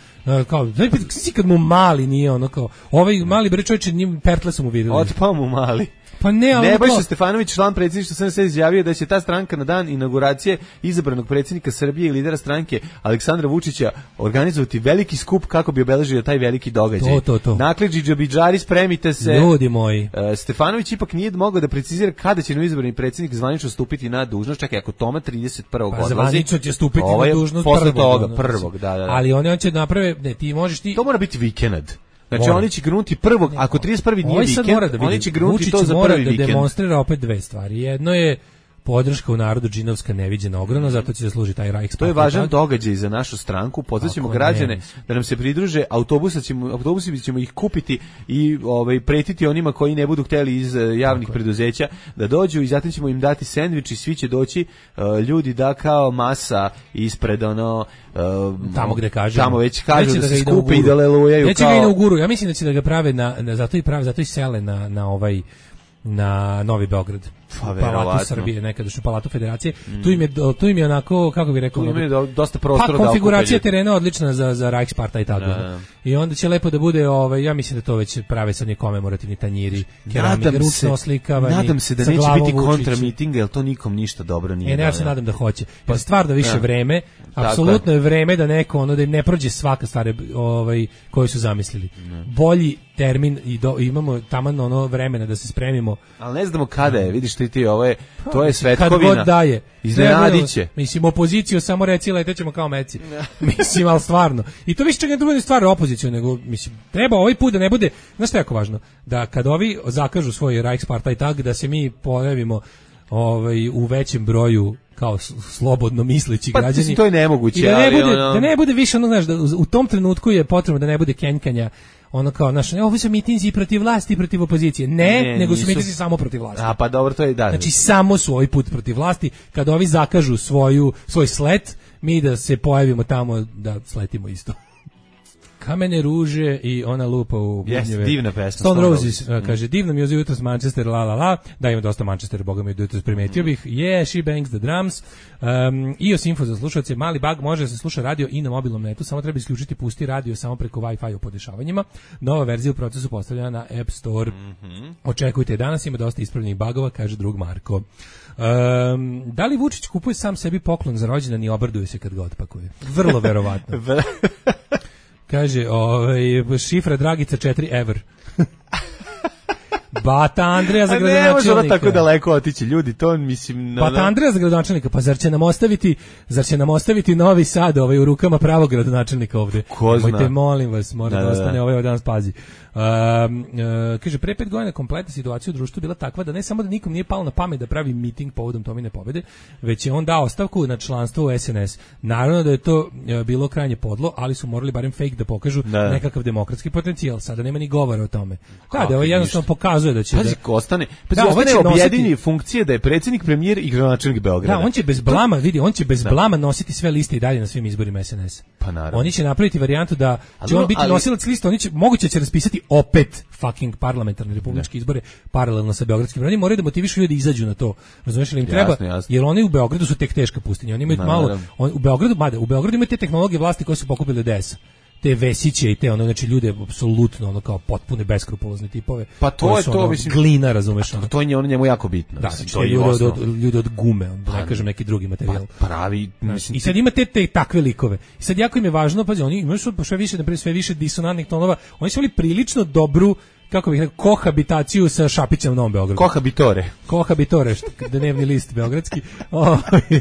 G: kao, znači kad mu mali nije ono kao, ovaj mali bre čovječe, njim pertle su mu videli.
H: Otpao mu mali.
G: Pa ne, ali
H: Nebojša Stefanović, član predsjedništva S N S izjavio da će ta stranka na dan inauguracije izabranog predsjednika Srbije i lidera stranke Aleksandra Vučića organizovati veliki skup kako bi obeležio taj veliki događaj.
G: To, to, to.
H: Dakle, džidžabidžari, spremite se.
G: Ljudi moji.
H: E, Stefanović ipak nije mogao da precizira kada će izabrani predsjednik zvanično stupiti na dužnost. Čekaj, ako Toma trideset prvog
G: Pa
H: odlazi.
G: zvanično će stupiti
H: ovaj
G: na dužnost
H: posle
G: prvog.
H: toga,
G: ono,
H: prvog, da, da, da.
G: Ali oni hoće naprave, ne, ti možeš ti...
H: To mora biti vikend. Znači
G: Mora.
H: oni će grunuti prvog, ako trideset prvi nije
G: Ovaj sad
H: vikend,
G: mora da vidi.
H: oni će grunuti
G: Vučić
H: to za
G: mora
H: prvi
G: da
H: vikend.
G: demonstrira opet dve stvari. Jedno je podrška u narodu džinovska neviđena ogromno, zato će da služi taj Reichstag.
H: To je važan događaj za našu stranku. Pozvaćemo građane da nam se pridruže, autobusa ćemo, autobusi ćemo ih kupiti i ovaj pretiti onima koji ne budu hteli iz javnih preduzeća da dođu i zatim ćemo im dati sendvič i svi će doći uh, ljudi da kao masa ispred ono uh,
G: tamo gde kaže.
H: Tamo već kažu da,
G: da
H: se skupe i da lelujaju
G: Neće
H: kao.
G: ga inauguru. Ja mislim da će da ga prave na, na zato i prave, zato i sele na na ovaj na Novi Beograd.
H: Pa,
G: Palatu Srbije, nekadašnju Palatu Federacije. Mm. Tu im je tu im je onako, kako bih rekao,
H: tu im je dosta prostora
G: pa,
H: da
G: konfiguracija terena odlična za za Reichsparta i tako.
H: Da.
G: I onda će lepo da bude, ovaj, ja mislim da to već prave sad ni komemorativni tanjiri, keramika, ručno oslikavanje.
H: Nadam se da neće biti kontra mitinga, jer to nikom ništa dobro nije.
G: E, ne, ja se nadam da hoće. Pa stvarno više da. vreme, apsolutno je vreme da neko ono da im ne prođe svaka stvar ovaj koju su zamislili. Ne. Bolji termin i do, imamo taman ono vremena da se spremimo.
H: Ali ne znamo kada je, vidiš ti ti, ovo je, to je svetkovina.
G: Kad god daje.
H: Iznenadiće.
G: Mislim, opoziciju samo reci, letećemo kao meci. Mislim, ali stvarno. I to više čak ne bude stvar opoziciju, nego, mislim, treba ovaj put da ne bude, znaš što je jako važno, da kad ovi zakažu svoj Reichspartei tag, da se mi pojavimo ovaj, u većem broju kao slobodno misleći
H: pa,
G: građani.
H: To je nemoguće.
G: I da ne,
H: ali
G: bude,
H: ono...
G: da ne bude više, ono, znaš, da u tom trenutku je potrebno da ne bude kenjkanja, ono kao, znaš, ovo su mitinzi protiv vlasti i protiv opozicije. Ne, ne nego su mitinzi samo protiv vlasti.
H: A pa dobro, to je da.
G: Znači, samo su ovaj put protiv vlasti. Kad ovi zakažu svoju, svoj slet, mi da se pojavimo tamo da sletimo isto. Kamene ruže i ona lupa u bubnjeve.
H: Yes, divna pesma.
G: Stone Roses, Roses. Uh, kaže, divno mi je jutros Manchester, la la la, da ima dosta Manchester, boga mi jutros primetio bih. Yeah, she bangs the drums. Um, I O S info za slušalce, mali bug, može da se sluša radio i na mobilnom netu, samo treba isključiti pusti radio samo preko Wi-Fi u podešavanjima. Nova verzija u procesu postavljena na App Store. Mm-hmm. Očekujte, danas ima dosta ispravljenih bugova, kaže drug Marko. Um, da li Vučić kupuje sam sebi poklon za rođendan i obraduje se kad ga otpakuje? Vrlo verovatno. Kaže, ovaj, šifra Dragica četiri ever. Bata Andreja za gradonačelnika.
H: Ne može tako daleko otići, ljudi, to mislim... No,
G: Bata Andreja za gradonačelnika, pa zar će nam ostaviti, zar će nam ostaviti Novi Sad ovaj, u rukama pravog gradonačelnika ovde?
H: Ko zna?
G: Mojte, molim vas, mora da, da ostane
H: da.
G: ovaj danas pazi. Um, uh, kaže, pre pet godina kompletna situacija u društvu bila takva da ne samo da nikom nije palo na pamet da pravi miting povodom Tomine pobede, već je on dao ostavku na članstvo u S N S. Naravno da je to uh, bilo krajnje podlo, ali su morali barem fake da pokažu da. nekakav demokratski potencijal. Sada nema ni govora o tome. Da, da ovo jednostavno pokazuje da će...
H: Pazi,
G: da,
H: ostane, pazi,
G: da,
H: ostane
G: nositi,
H: objedinjeni funkcije da je predsjednik, premijer i gradonačelnik Beograda.
G: Da, on će bez blama, vidi, on će bez da. blama nositi sve liste i dalje na svim izborima S N S.
H: Pa naravno.
G: Oni će napraviti varijantu da će ali, on biti ali, nosilac liste, oni će, moguće će raspisati opet fucking parlamentarne republičke izbore paralelno sa beogradskim. Oni moraju da motivišu ljudi da izađu na to. Razumeš li im treba?
H: Jasne, jasne.
G: Jer oni u Beogradu su tek teška pustinja. Oni imaju Ma, malo on, u Beogradu, mada, u Beogradu imaju te tehnologije vlasti koje su pokupile D S. Te Vesiće i te ono, znači ljude apsolutno ono kao potpune beskrupulozne tipove.
H: Pa to je to,
G: ono,
H: mislim,
G: glina, razumeš,
H: ono. To je ono njemu jako bitno.
G: Da, znači, to je ljude od, od, ljudi od gume, on, da ne kažem neki drugi materijal.
H: Pa pravi, mislim.
G: I sad ima te, te takve likove. I sad jako im je važno, pazi, oni imaju sve više, naprijed, sve više disonantnih tonova. Oni su imali prilično dobru, kako bih rekao, kohabitaciju sa Šapićem u Novom Beogradu.
H: Kohabitore.
G: Kohabitore, dnevni list beogradski, o,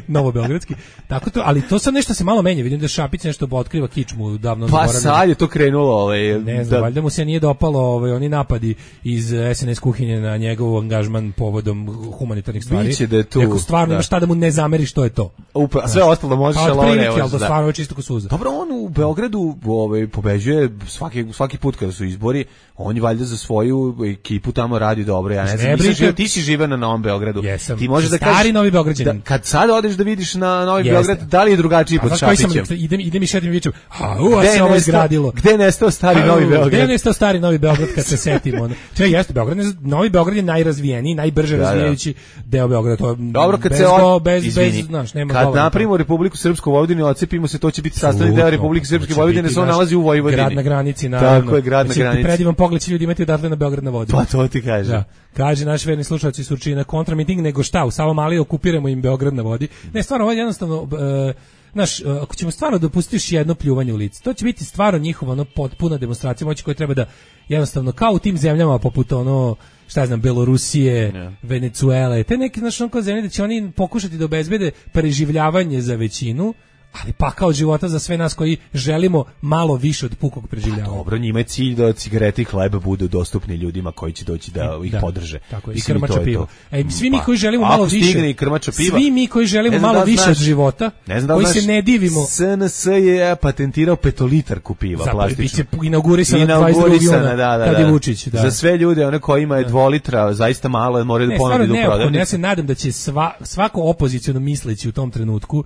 G: novo beogradski. Tako to, ali to sad nešto se malo menja. Vidim da Šapić nešto otkriva kičmu davno
H: zaboravljeno. Pa sad je to krenulo, ovaj,
G: ne znam, da... valjda mu se nije dopalo ovaj oni napadi iz S N S kuhinje na njegov angažman povodom humanitarnih stvari.
H: Biće da je tu.
G: Neko stvarno
H: da.
G: ima šta da mu ne zameri što je to.
H: Upravo, sve ostalo može
G: pa,
H: šalone.
G: Pa ali da stvarno je čisto ko suza.
H: Dobro, on u Beogradu ovaj pobeđuje svaki svaki put kada su izbori, on je valjda za svoju ekipu tamo radi dobro. Ja ne znam,
G: Ne
H: nisam
G: brinite-
H: živeo, ti si živeo na Novom Beogradu.
G: Jesam.
H: Ti možeš da
G: Stari
H: kažeš
G: Novi Beograđanin.
H: da, kad sad odeš da vidiš na Novi
G: Jeste.
H: Beograd, da li je drugačiji
G: A
H: pod
G: znaš koji sam,
H: Šapićem?
G: idem, idem i šetim i vičem, a u, a
H: Gde
G: se
H: je
G: ovo
H: nestao-
G: izgradilo.
H: Gde je nestao stari
G: Au,
H: Novi Beograd?
G: Gde je nestao stari Novi Beograd kad se setimo? Ono. Če, jeste, Beograd, ne, Novi Beograd je najrazvijeniji, najbrže
H: Da, da.
G: razvijajući deo Beograda. To je
H: Dobro, kad
G: bez,
H: se
G: go-
H: od...
G: bez,
H: Izvini,
G: bez, znaš, nema
H: kad
G: govora.
H: napravimo Republiku Srpsku Vojvodinu i odcepimo se, to će biti sastavni deo
G: Apsolutno,
H: Republike
G: to
H: Srpske
G: će
H: Vojvodine,
G: biti
H: se on
G: naš
H: nalazi u Vojvodini.
G: Grad na granici, naravno.
H: Tako je, grad na
G: Mislim,
H: granici.
G: Predivan pogled će ljudi imati odatle na Beograd na vodi.
H: Pa to ti kaže.
G: Da. Kaže naš verni slušalac iz Surčina, kontramiting nego šta, u Savamali okupiramo im Beograd na vodi. Ne, stvarno, ovo je jednostavno, e, znaš, e, ako ćemo stvarno dopustiti još jedno pljuvanje u lice, to će biti stvarno njihova ono potpuna demonstracija moći koja treba da jednostavno, kao u tim zemljama poput ono, šta ja znam, Belorusije,
H: Ne.
G: Venecuele, te neke, znaš, ono kao zemlje da će oni pokušati da obezbede preživljavanje za većinu, ali pakao od života za sve nas koji želimo malo više od pukog preživljavanja.
H: Dobro, njima je cilj da cigarete i hleb budu dostupni ljudima koji će doći da ih
G: Da,
H: podrže.
G: tako je, i
H: Mislim, to
G: krmača
H: je
G: piva.
H: to.
G: E, svi mi
H: Pa,
G: koji želimo
H: ako
G: malo više,
H: stigne i krmača piva,
G: svi mi koji želimo
H: ne znam
G: malo
H: da li
G: više
H: znaš-
G: od života,
H: ne znam da li
G: koji se
H: znaš,
G: ne divimo,
H: S N S je patentirao petolitarku piva
G: zapravo biće
H: plastičnu.
G: inaugurisana dvadeset drugog
H: Inaugurisana,
G: juna,
H: da, da,
G: kad je
H: da.
G: Vučić. Da.
H: Za sve ljude, one koji imaju dva litra, zaista malo, moraju da
G: Ne,
H: ponude
G: stvarno
H: u
G: neophodno, ja
H: prodavnicu.
G: se nadam da će sva, svako opoziciono misleći u tom trenutku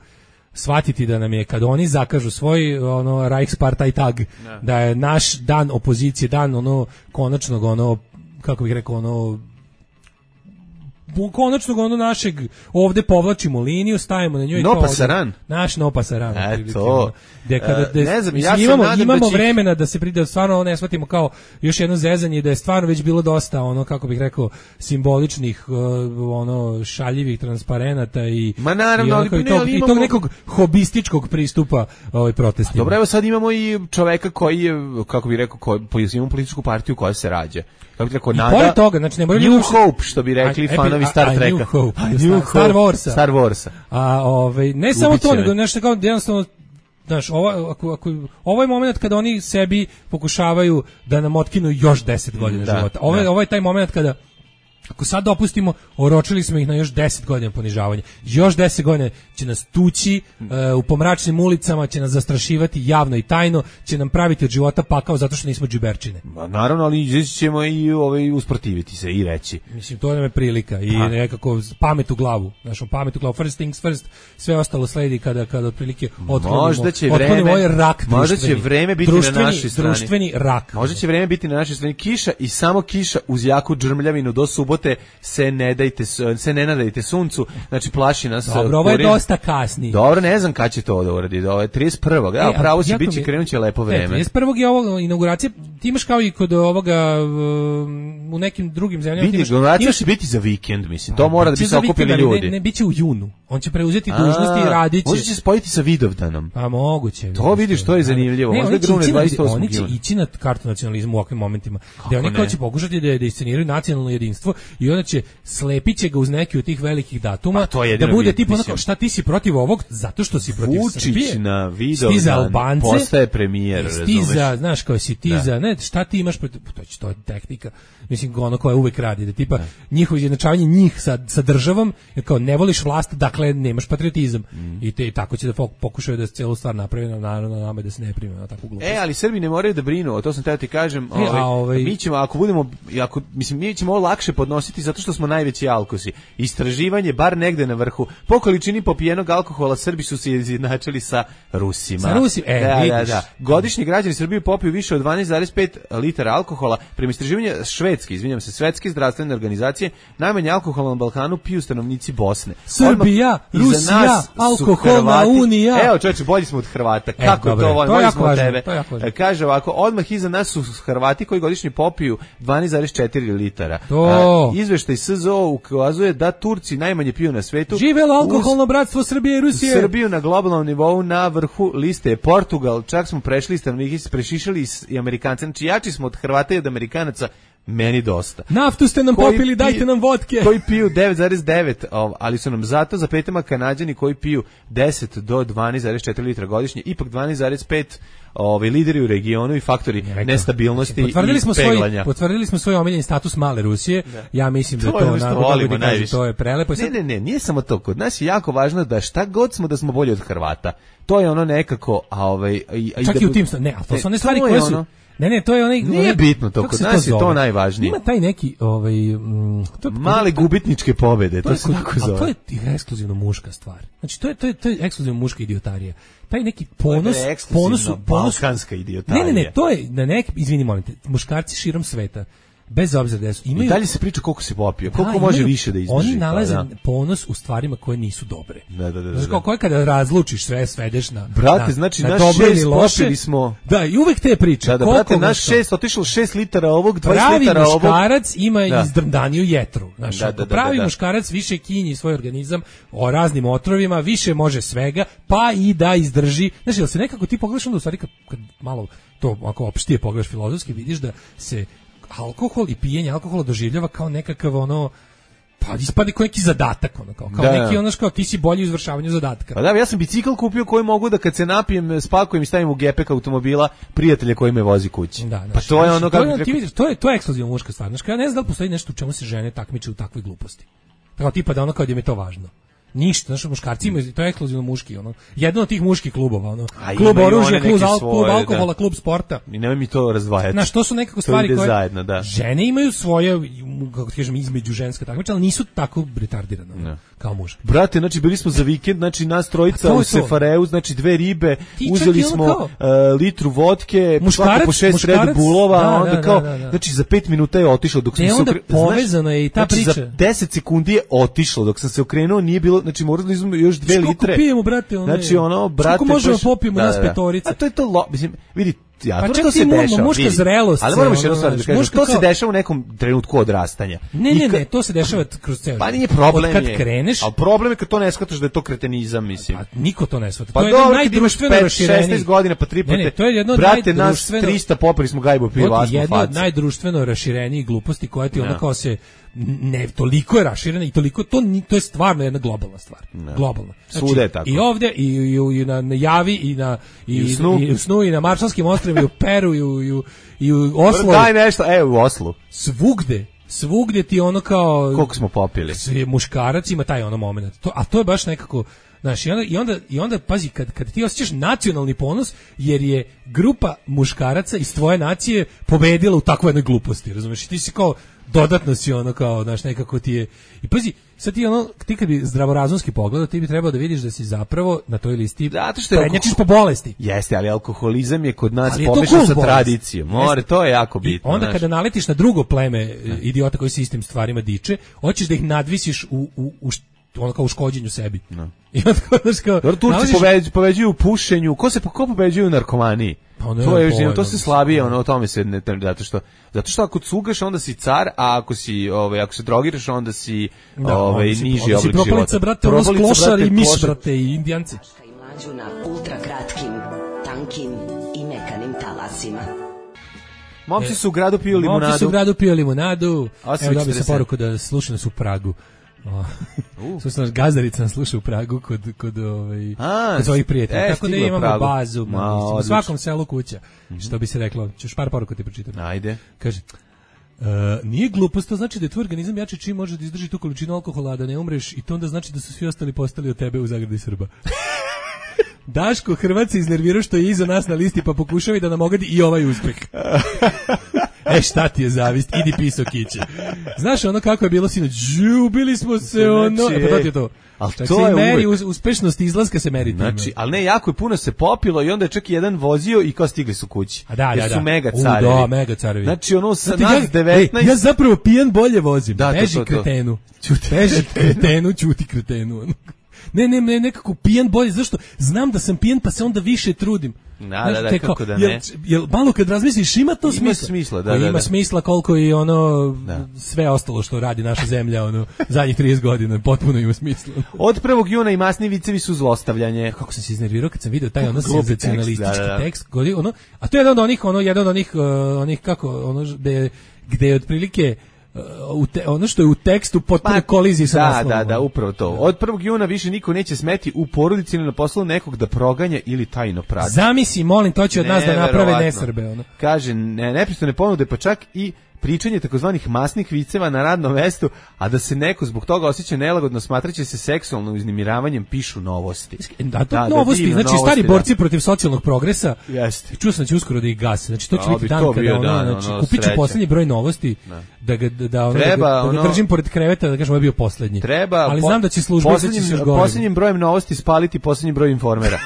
G: shvatiti da nam je kad oni zakažu svoj ono Reichspartei tag, da je naš dan opozicije, dan ono konačnog ono, kako bih rekao, ono bu- konačnog ono našeg, ovde povlačimo liniju, stavimo na njoj
H: No
G: kao
H: pasaran.
G: naš no pasaran.
H: Eto.
G: otprilike, ono. Gde kada,
H: E,
G: gde-
H: ne znam,
G: mislim,
H: ja se
G: imamo,
H: nadam da
G: imamo
H: će ih-
G: vremena da se pride, stvarno ovo ne shvatimo kao još jedno zezanje, da je stvarno već bilo dosta ono, kako bih rekao, simboličnih uh, ono šaljivih transparenata i
H: Ma naravno,
G: i,
H: ali
G: onako i,
H: ne,
G: tog,
H: ali
G: i tog
H: imamo-
G: nekog hobističkog pristupa ovaj protestima.
H: Dobro, evo sad imamo i čoveka koji je, kako bih rekao, koji, imamo političku partiju koja se rađa. Kako bih rekao,
G: I
H: nada...
G: pored toga, znači ne moraju
H: New
G: ljudi uopšte-
H: Hope, što bi rekli
G: A-
H: fanovi
G: a-
H: Star
G: a-
H: Treka.
G: New Hope,
H: A,
G: Star-
H: New
G: Star
H: Hope,
G: Warsa.
H: Star Warsa.
G: A ovaj ne samo
H: Ubit će
G: to,
H: me.
G: nego nešto kao jednostavno, znaš, ovo, ako, ako, ovo je moment kada oni sebi pokušavaju da nam otkinu još deset godina
H: Da,
G: života. Ovo je,
H: da.
G: ovo je taj moment kada ako sad dopustimo, oročili smo ih na još deset godina ponižavanja. Još deset godina će nas tući e, u pomračnim ulicama, će nas zastrašivati javno i tajno, će nam praviti od života pakao zato što nismo džuberčine.
H: Ma, naravno, ali izaći ćemo i ovaj, usprotiviti se i reći.
G: Mislim, to nam je prilika i
H: A.
G: nekako pamet u glavu. Znaš, pamet u glavu, first things first, sve ostalo sledi kada, kada otprilike otklonimo,
H: Možda će
G: otklonimo
H: vreme-
G: ovaj rak
H: možda će
G: društveni.
H: vreme biti na
G: društveni,
H: našoj strani.
G: Društveni rak.
H: Možda će vreme biti na našoj strani. Kiša i samo kiša uz jaku džrmljavinu do subote se ne dajte, se ne nadajte suncu, znači plaši nas.
G: Dobro, ovo je
H: kurir.
G: dosta kasni.
H: Dobro, ne znam kad će to da uradi. Ovo je trideset prvog Da,
G: E, a
H: pravo će
G: jako
H: biti,
G: mi-
H: krenut će lepo
G: E,
H: vreme.
G: trideset prvog je ovo inauguracija, ti imaš kao i kod ovoga um, u nekim drugim zemljama. ti
H: Vidi,
G: imaš-
H: inauguracija
G: imaš-
H: će biti za vikend, mislim. To mora da bi
G: Biće
H: se
G: za
H: okupili
G: vikend, ali
H: ljudi.
G: Ne, ne, biće u junu. On će preuzeti dužnosti i
H: A,
G: radit će.
H: Možda će se spojiti sa Vidovdanom.
G: Pa moguće.
H: To vidiš, to je zanimljivo.
G: Ne,
H: Možda
G: oni će
H: grune
G: ići na-
H: dvadeset osmog
G: Oni će
H: juna.
G: ići na kartu nacionalizmu u ovakvim momentima. Gde oni
H: ne?
G: kao će pokušati da, da isceniraju nacionalno jedinstvo i onda će slepit će ga uz neki od tih velikih datuma
H: Pa to je
G: da
H: jedino
G: bude
H: vid-
G: tipa
H: mislim.
G: onako, šta ti si protiv ovog zato što si protiv
H: Vučić
G: Srbije.
H: na
G: Si ti za
H: Vidovdan
G: Albance,
H: postaje premijer,
G: si ti
H: razumeš?
G: za, znaš, kao si ti
H: Da.
G: za, ne, šta ti imaš protiv, to, će, to je tehnika, mislim, ono koja uvek radi, da tipa njihovo izjednačavanje njih sa, sa državom, jer kao ne voliš vlast, dakle nemaš patriotizam.
H: Mm.
G: I te i tako će da fok- pokušaju da celu stvar naprave, naravno na nama je da se ne prime na takvu glupost.
H: E, ali Srbi ne moraju da brinu, o to sam teo ti kažem.
G: E, a ovaj-
H: Mi ćemo, ako budemo, ako, mislim, mi ćemo ovo lakše podnositi zato što smo najveći alkosi. Istraživanje, bar negde na vrhu, po količini popijenog alkohola Srbi su se izjednačili sa Rusima.
G: Sa Rusima, e,
H: da, da,
G: vidiš.
H: da. Godišnji građani Srbije popiju više od dvanaest zarez pet litara alkohola. Prema istraživanju švedske, izvinjam se, svetske zdravstvene organizacije, najmanje alkohola na Balkanu piju stanovnici Bosne.
G: Srbija,
H: Odmah iza
G: Rusija,
H: nas su
G: alkoholna
H: Hrvati.
G: unija.
H: Evo, čoveče, bolji smo od Hrvata.
G: E,
H: Kako
G: dobro,
H: to volim?
G: to je
H: Bolji
G: jako
H: smo od
G: važno,
H: tebe.
G: to je jako važno.
H: E, Kaže ovako, odmah iza nas su Hrvati koji godišnje popiju dvanaest zarez četiri litara.
G: To.
H: E, izveštaj S Z O ukazuje da Turci najmanje piju na svetu.
G: Živelo
H: Uz
G: alkoholno bratstvo Srbije i Rusije.
H: Srbiju na globalnom nivou na vrhu liste je Portugal, čak smo prešli stanovnike, prešišali i Amerikanci. Znači, jači smo od Hrvata i od Amerikanaca, meni dosta.
G: Naftu ste nam
H: Koji
G: popili, dajte
H: pi-
G: nam vodke.
H: Koji piju devet zarez devet, ov, ali su nam zato za petama Kanađani koji piju deset do dvanaest zarez četiri litra godišnje, ipak dvanaest zarez pet ovaj lideri u regionu i faktori
G: Rekao.
H: nestabilnosti
G: Potvrdili
H: i
G: smo svoj
H: peglanja.
G: potvrdili smo svoj omiljeni status male Rusije. Ja mislim da
H: To
G: to,
H: je ono što
G: onako, kako
H: volimo
G: ti kažem,
H: najviše.
G: to je prelepo. I
H: Ne,
G: sad-
H: ne, ne, nije samo to. Kod nas je jako važno da šta god smo da smo bolji od Hrvata. To je ono nekako, a ovaj i, i
G: Čak
H: da
G: i u
H: bu-
G: tim sta- ne, ali to
H: Ne,
G: su one stvari
H: to je
G: koje su
H: ono-
G: Ne, ne, to je onaj...
H: Nije
G: onaj,
H: bitno to, kod nas je to najvažnije.
G: Ima taj neki... Ovaj, mm, to,
H: male gubitničke pobede, to, to se tako zove.
G: A to je ekskluzivno muška stvar. Znači, to je, to je, to je ekskluzivno muška idiotarija. Taj neki ponos...
H: To je ekskluzivno balkanska idiotarija.
G: Ne, ne, ne, to je na nek... Izvini, molim te, muškarci širom sveta, bez obzira da su... Imaju,
H: i dalje se priča koliko se popio, koliko
G: da,
H: može
G: imaju,
H: više da izdrži.
G: Oni nalaze
H: pa, da.
G: ponos u stvarima koje nisu dobre.
H: Da, da, da.
G: Znači, kao koje kada razlučiš sve, svedeš na...
H: Brate,
G: na,
H: znači,
G: na
H: naš šest popili smo...
G: Da, i uvek te priče.
H: Da, da, brate, naš šest, otišlo šest litara ovog, dvadeset litara ovog.
G: Pravi muškarac ima da. izdrndaniju jetru. Znači,
H: da, da, da,
G: pravi
H: da, da.
G: muškarac više kinji svoj organizam o raznim otrovima, više može svega, pa i da izdrži. Znači, da se nekako ti pogledaš onda u stvari kad, kad malo to, ako opštije pogledaš filozofski, vidiš da se alkohol i pijenje alkohola doživljava kao nekakav ono, pa ispadi kao neki zadatak, ono, kao, kao
H: da,
G: neki ono kao ti si bolji u izvršavanju zadatka.
H: Pa da, ja sam bicikl kupio koji mogu da kad se napijem, spakujem i stavim u gepek automobila prijatelja koji me vozi kući.
G: Da,
H: pa to je ono kako...
G: To, ti vidiš, to je, to je ekskluzivna muška stvar. Znači, ja ne znam da li postoji nešto u čemu se žene takmiče u takvoj gluposti. Tako tipa da ono kao da im je to važno. Ništa, znači muškarci imaju, to je ekskluzivno muški, ono. Jedan od tih muških klubova, ono. A klub oružja, klub, al, klub alkohola, da. Klub sporta.
H: I nemoj mi to razdvajati.
G: Znaš, to su nekako stvari koje
H: zajedno, da.
G: Žene imaju svoje, kako ti kažem, između ženska takmičenja, ali nisu tako retardirane no. kao muški.
H: Brate, znači bili smo za vikend, znači nas trojica u Sefareu, znači dve ribe, ti uzeli smo kao, uh, litru vodke, svako po šest Red Bullova, da, onda da, kao, da, da, da. znači za pet minuta je otišlo dok sam
G: ne,
H: se
G: okrenuo. Povezano je i ta
H: znači,
G: priča.
H: Za deset sekundi je otišlo dok sam se okrenuo, nije bilo, znači morali smo još dve litre.
G: Koliko pijemo, brate, ono.
H: Znači ono, brate,
G: koliko možemo popijemo nas petorica.
H: A to je to, lo, mislim, vidi, ja,
G: pa
H: to se dešava.
G: Muška zrelost.
H: Ali moramo još jednu stvar da kažem, to se dešava u nekom trenutku odrastanja.
G: Ne, ne, ne, to se dešava kroz ceo.
H: Pa nije problem
G: kad kreneš.
H: Al problem je kad to ne shvataš da je to kretenizam, mislim.
G: Pa niko to ne shvata.
H: Pa
G: to je najdruštveno raširenije.
H: šesnaest godina pa tri puta.
G: Ne, ne, to je jedno od
H: brate, nas trista popili smo gajbu piva, asmo fac.
G: Jedno od najdruštveno raširenijih gluposti koja ti ono kao se ne, toliko je raširena i toliko, to, to je stvarno jedna globalna stvar. No. Globalna. Znači,
H: svuda je tako.
G: I ovdje, i, i, i na, na Javi, i na i,
H: I, u snu.
G: i u snu, i na Maršalskim ostrvima, i u Peru, i u, i u, i u Oslu.
H: Daj nešto, e, u Oslu.
G: Svugde. Svugdje ti ono kao...
H: Koliko smo popili.
G: Muškarac ima taj ono moment. To, a to je baš nekako... Znaš, i onda, i onda, i onda pazi, kad, kad ti osjećaš nacionalni ponos, jer je grupa muškaraca iz tvoje nacije pobedila u takvoj jednoj gluposti, razumiješ? I ti si kao, dodatno si ono kao, znaš, nekako ti je... I pazi, sad ti ono, ti kad bi zdravorazumski pogledao, ti bi trebao da vidiš da si zapravo na toj listi prednjačiš po bolesti.
H: Jeste, ali alkoholizam je kod nas pomešan sa tradicijom. More, to je jako bitno.
G: I onda
H: znaš.
G: Kada naletiš na drugo pleme idiota koji se istim stvarima diče, hoćeš da ih nadvisiš u, u, u ono kao u škođenju sebi. No. I onda kao, znaš kao...
H: Dobro, Turci nalaziš... pobeđuju, pobeđuju u pušenju, ko se ko pobeđuju u narkomaniji? Pa ne, to je još, to se slabije, ono, o tome se ne, zato što zato što ako cugaš onda si car, a ako si ovaj ako se drogiraš onda si da, ovaj niži oblik života.
G: Propalica, brate, ono sklošar i miš, brate, i indijanci.
K: I mlađu na ultra kratkim, tankim i mekanim talasima.
H: Momci su u gradu pio limunadu.
G: Momci su u gradu pio limunadu. Evo dobio sam poruku da slušaju nas u Pragu. Uh. Slušaj, naš Gazdarica nas sluša u Pragu kod, kod, ovaj,
H: A,
G: kod svojih prijatelja. Tako da imamo
H: Pragu.
G: bazu.
H: Ma,
G: u svakom selu kuća. Mm-hmm. Što bi se reklo. Ćeš par poruka ti pročitam.
H: Ajde.
G: Kaže, uh, nije glupost, to znači da je tvoj organizam jači čim može da izdrži tu količinu alkohola, a da ne umreš, i to onda znači da su svi ostali postali od tebe u zagradi Srba. Daško Hrvat se iznervirao što je iza nas na listi, pa pokušava da nam ogadi i ovaj uspeh. E, šta ti je zavist? Idi piso kiće. Znaš ono kako je bilo sinoć? Ubili smo se, ono... E, pa to ti je to.
H: Ali to je
G: meri, uvek. Uspešnost izlaska se meri.
H: Znači, ali ne, jako je puno se popilo i onda je čak i jedan vozio i kao stigli su kući.
G: A da, da,
H: jer su
G: da.
H: mega carevi.
G: U, da, mega carevi.
H: Znači, ono, sa
G: znači,
H: nas
G: ja,
H: devetnaest...
G: Ej, ja zapravo pijan bolje vozim. Da, Beži
H: to, to, to.
G: kretenu. Čuti. Beži kretenu, čuti kretenu. Ne, ne, ne, nekako pijan bolje, zašto? Znam da sam pijan, pa se onda više trudim.
H: Da, znaš, da, da, kako da ne.
G: Jel, jel malo kad razmisliš, ima to smisla?
H: Ima smisla, da, da, da.
G: Ima smisla koliko i ono, da. Sve ostalo što radi naša zemlja, ono, zadnjih trideset godina, potpuno ima smisla.
H: Od prvog juna i masni vicevi su zlostavljanje.
G: Kako sam se iznervirao kad sam vidio taj ono senzacionalistički da, da, da. tekst, ono, a to je jedan od onih, ono, jedan od onih, uh, onih kako, ono, gde, gde je otprilike U te, ono što je u tekstu potpuno pa, koliziji sa
H: da,
G: naslovom.
H: Da, da, upravo to. Od prvog juna više niko neće smeti u porodici ili na poslu nekog da proganja ili tajno prati.
G: Zamisli, molim, to će od nas da naprave nesrbe. Ono.
H: Kaže, ne, nepristojne ponude, pa čak i pričanje takozvanih masnih viceva na radnom mestu, a da se neko zbog toga osjeća nelagodno smatraće se seksualnim uznemiravanjem, pišu novosti.
G: Da, to da, novosti, da, znači novosti, stari da. borci protiv socijalnog progresa.
H: Jeste.
G: Čuo sam da će uskoro da ih gase. Znači to će biti dan kada ono, dan, znači ono, kupit ću poslednji broj novosti da, da ga da, da, ono, treba, da, ga, da ga držim pored kreveta da kažem ovo je bio poslednji.
H: Treba,
G: ali znam da će službe
H: poslednjim,
G: da će
H: poslednjim brojem novosti spaliti poslednji broj informera.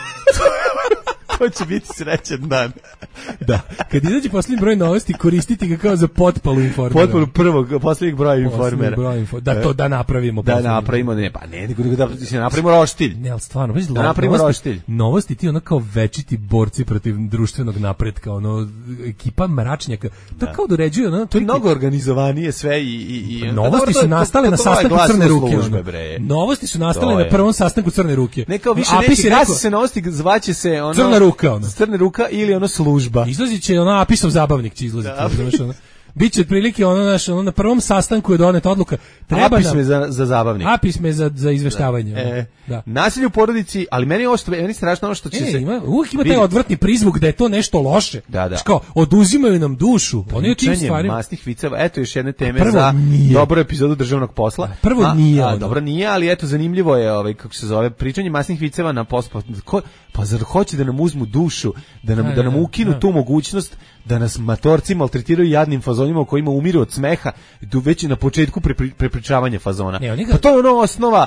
H: To će biti srećan dan.
G: Da. Kad izađe poslednji broj novosti, koristiti ga kao za potpalu informera.
H: Potpalu prvog, poslednjeg broja informera.
G: Broj info, da to da napravimo.
H: Da napravimo, ne, pa ne, nego da se napravimo roštilj.
G: Ne, al stvarno, već
H: da napravimo roštilj.
G: Novosti ti ono kao večiti borci protiv društvenog napretka, ono ekipa mračnjaka. To da. Kao da uređuje, ono.
H: To je mnogo organizovanije sve i i i
G: novosti su nastale na sastanku Crne ruke. Novosti su nastale na prvom sastanku Crne ruke.
H: Ne kao više neki gasi se novosti, zvaće se ono
G: Crna ruka, ono.
H: Crna ruka ili ono služba.
G: Izlazit će ono Apisov zabavnik će izlaziti. Da. Ono. Biće otprilike ono naš ono na prvom sastanku je doneta odluka.
H: Treba Apis me za za zabavnik.
G: Apis me za za izveštavanje.
H: Da. E, da. Nasilje u porodici, ali meni ovo što meni strašno ono što će
G: e,
H: se
G: ima, uvijek ima taj odvrtni prizvuk da je to nešto loše.
H: Da, da.
G: Kao oduzimaju nam dušu. Oni u tim stvarima
H: masnih viceva. Eto još jedne teme prvo za nije. Dobru epizodu državnog posla.
G: A, prvo a, nije.
H: A, dobro nije, ali eto zanimljivo je ovaj kako se zove pričanje masnih viceva na pospa. Pa zar hoće da nam uzmu dušu, da nam, a, da nam ukinu a. tu mogućnost da nas matorci maltretiraju jadnim fazonima u kojima umiru od smeha već na početku prepričavanja fazona.
G: Ne,
H: pa to je ono osnova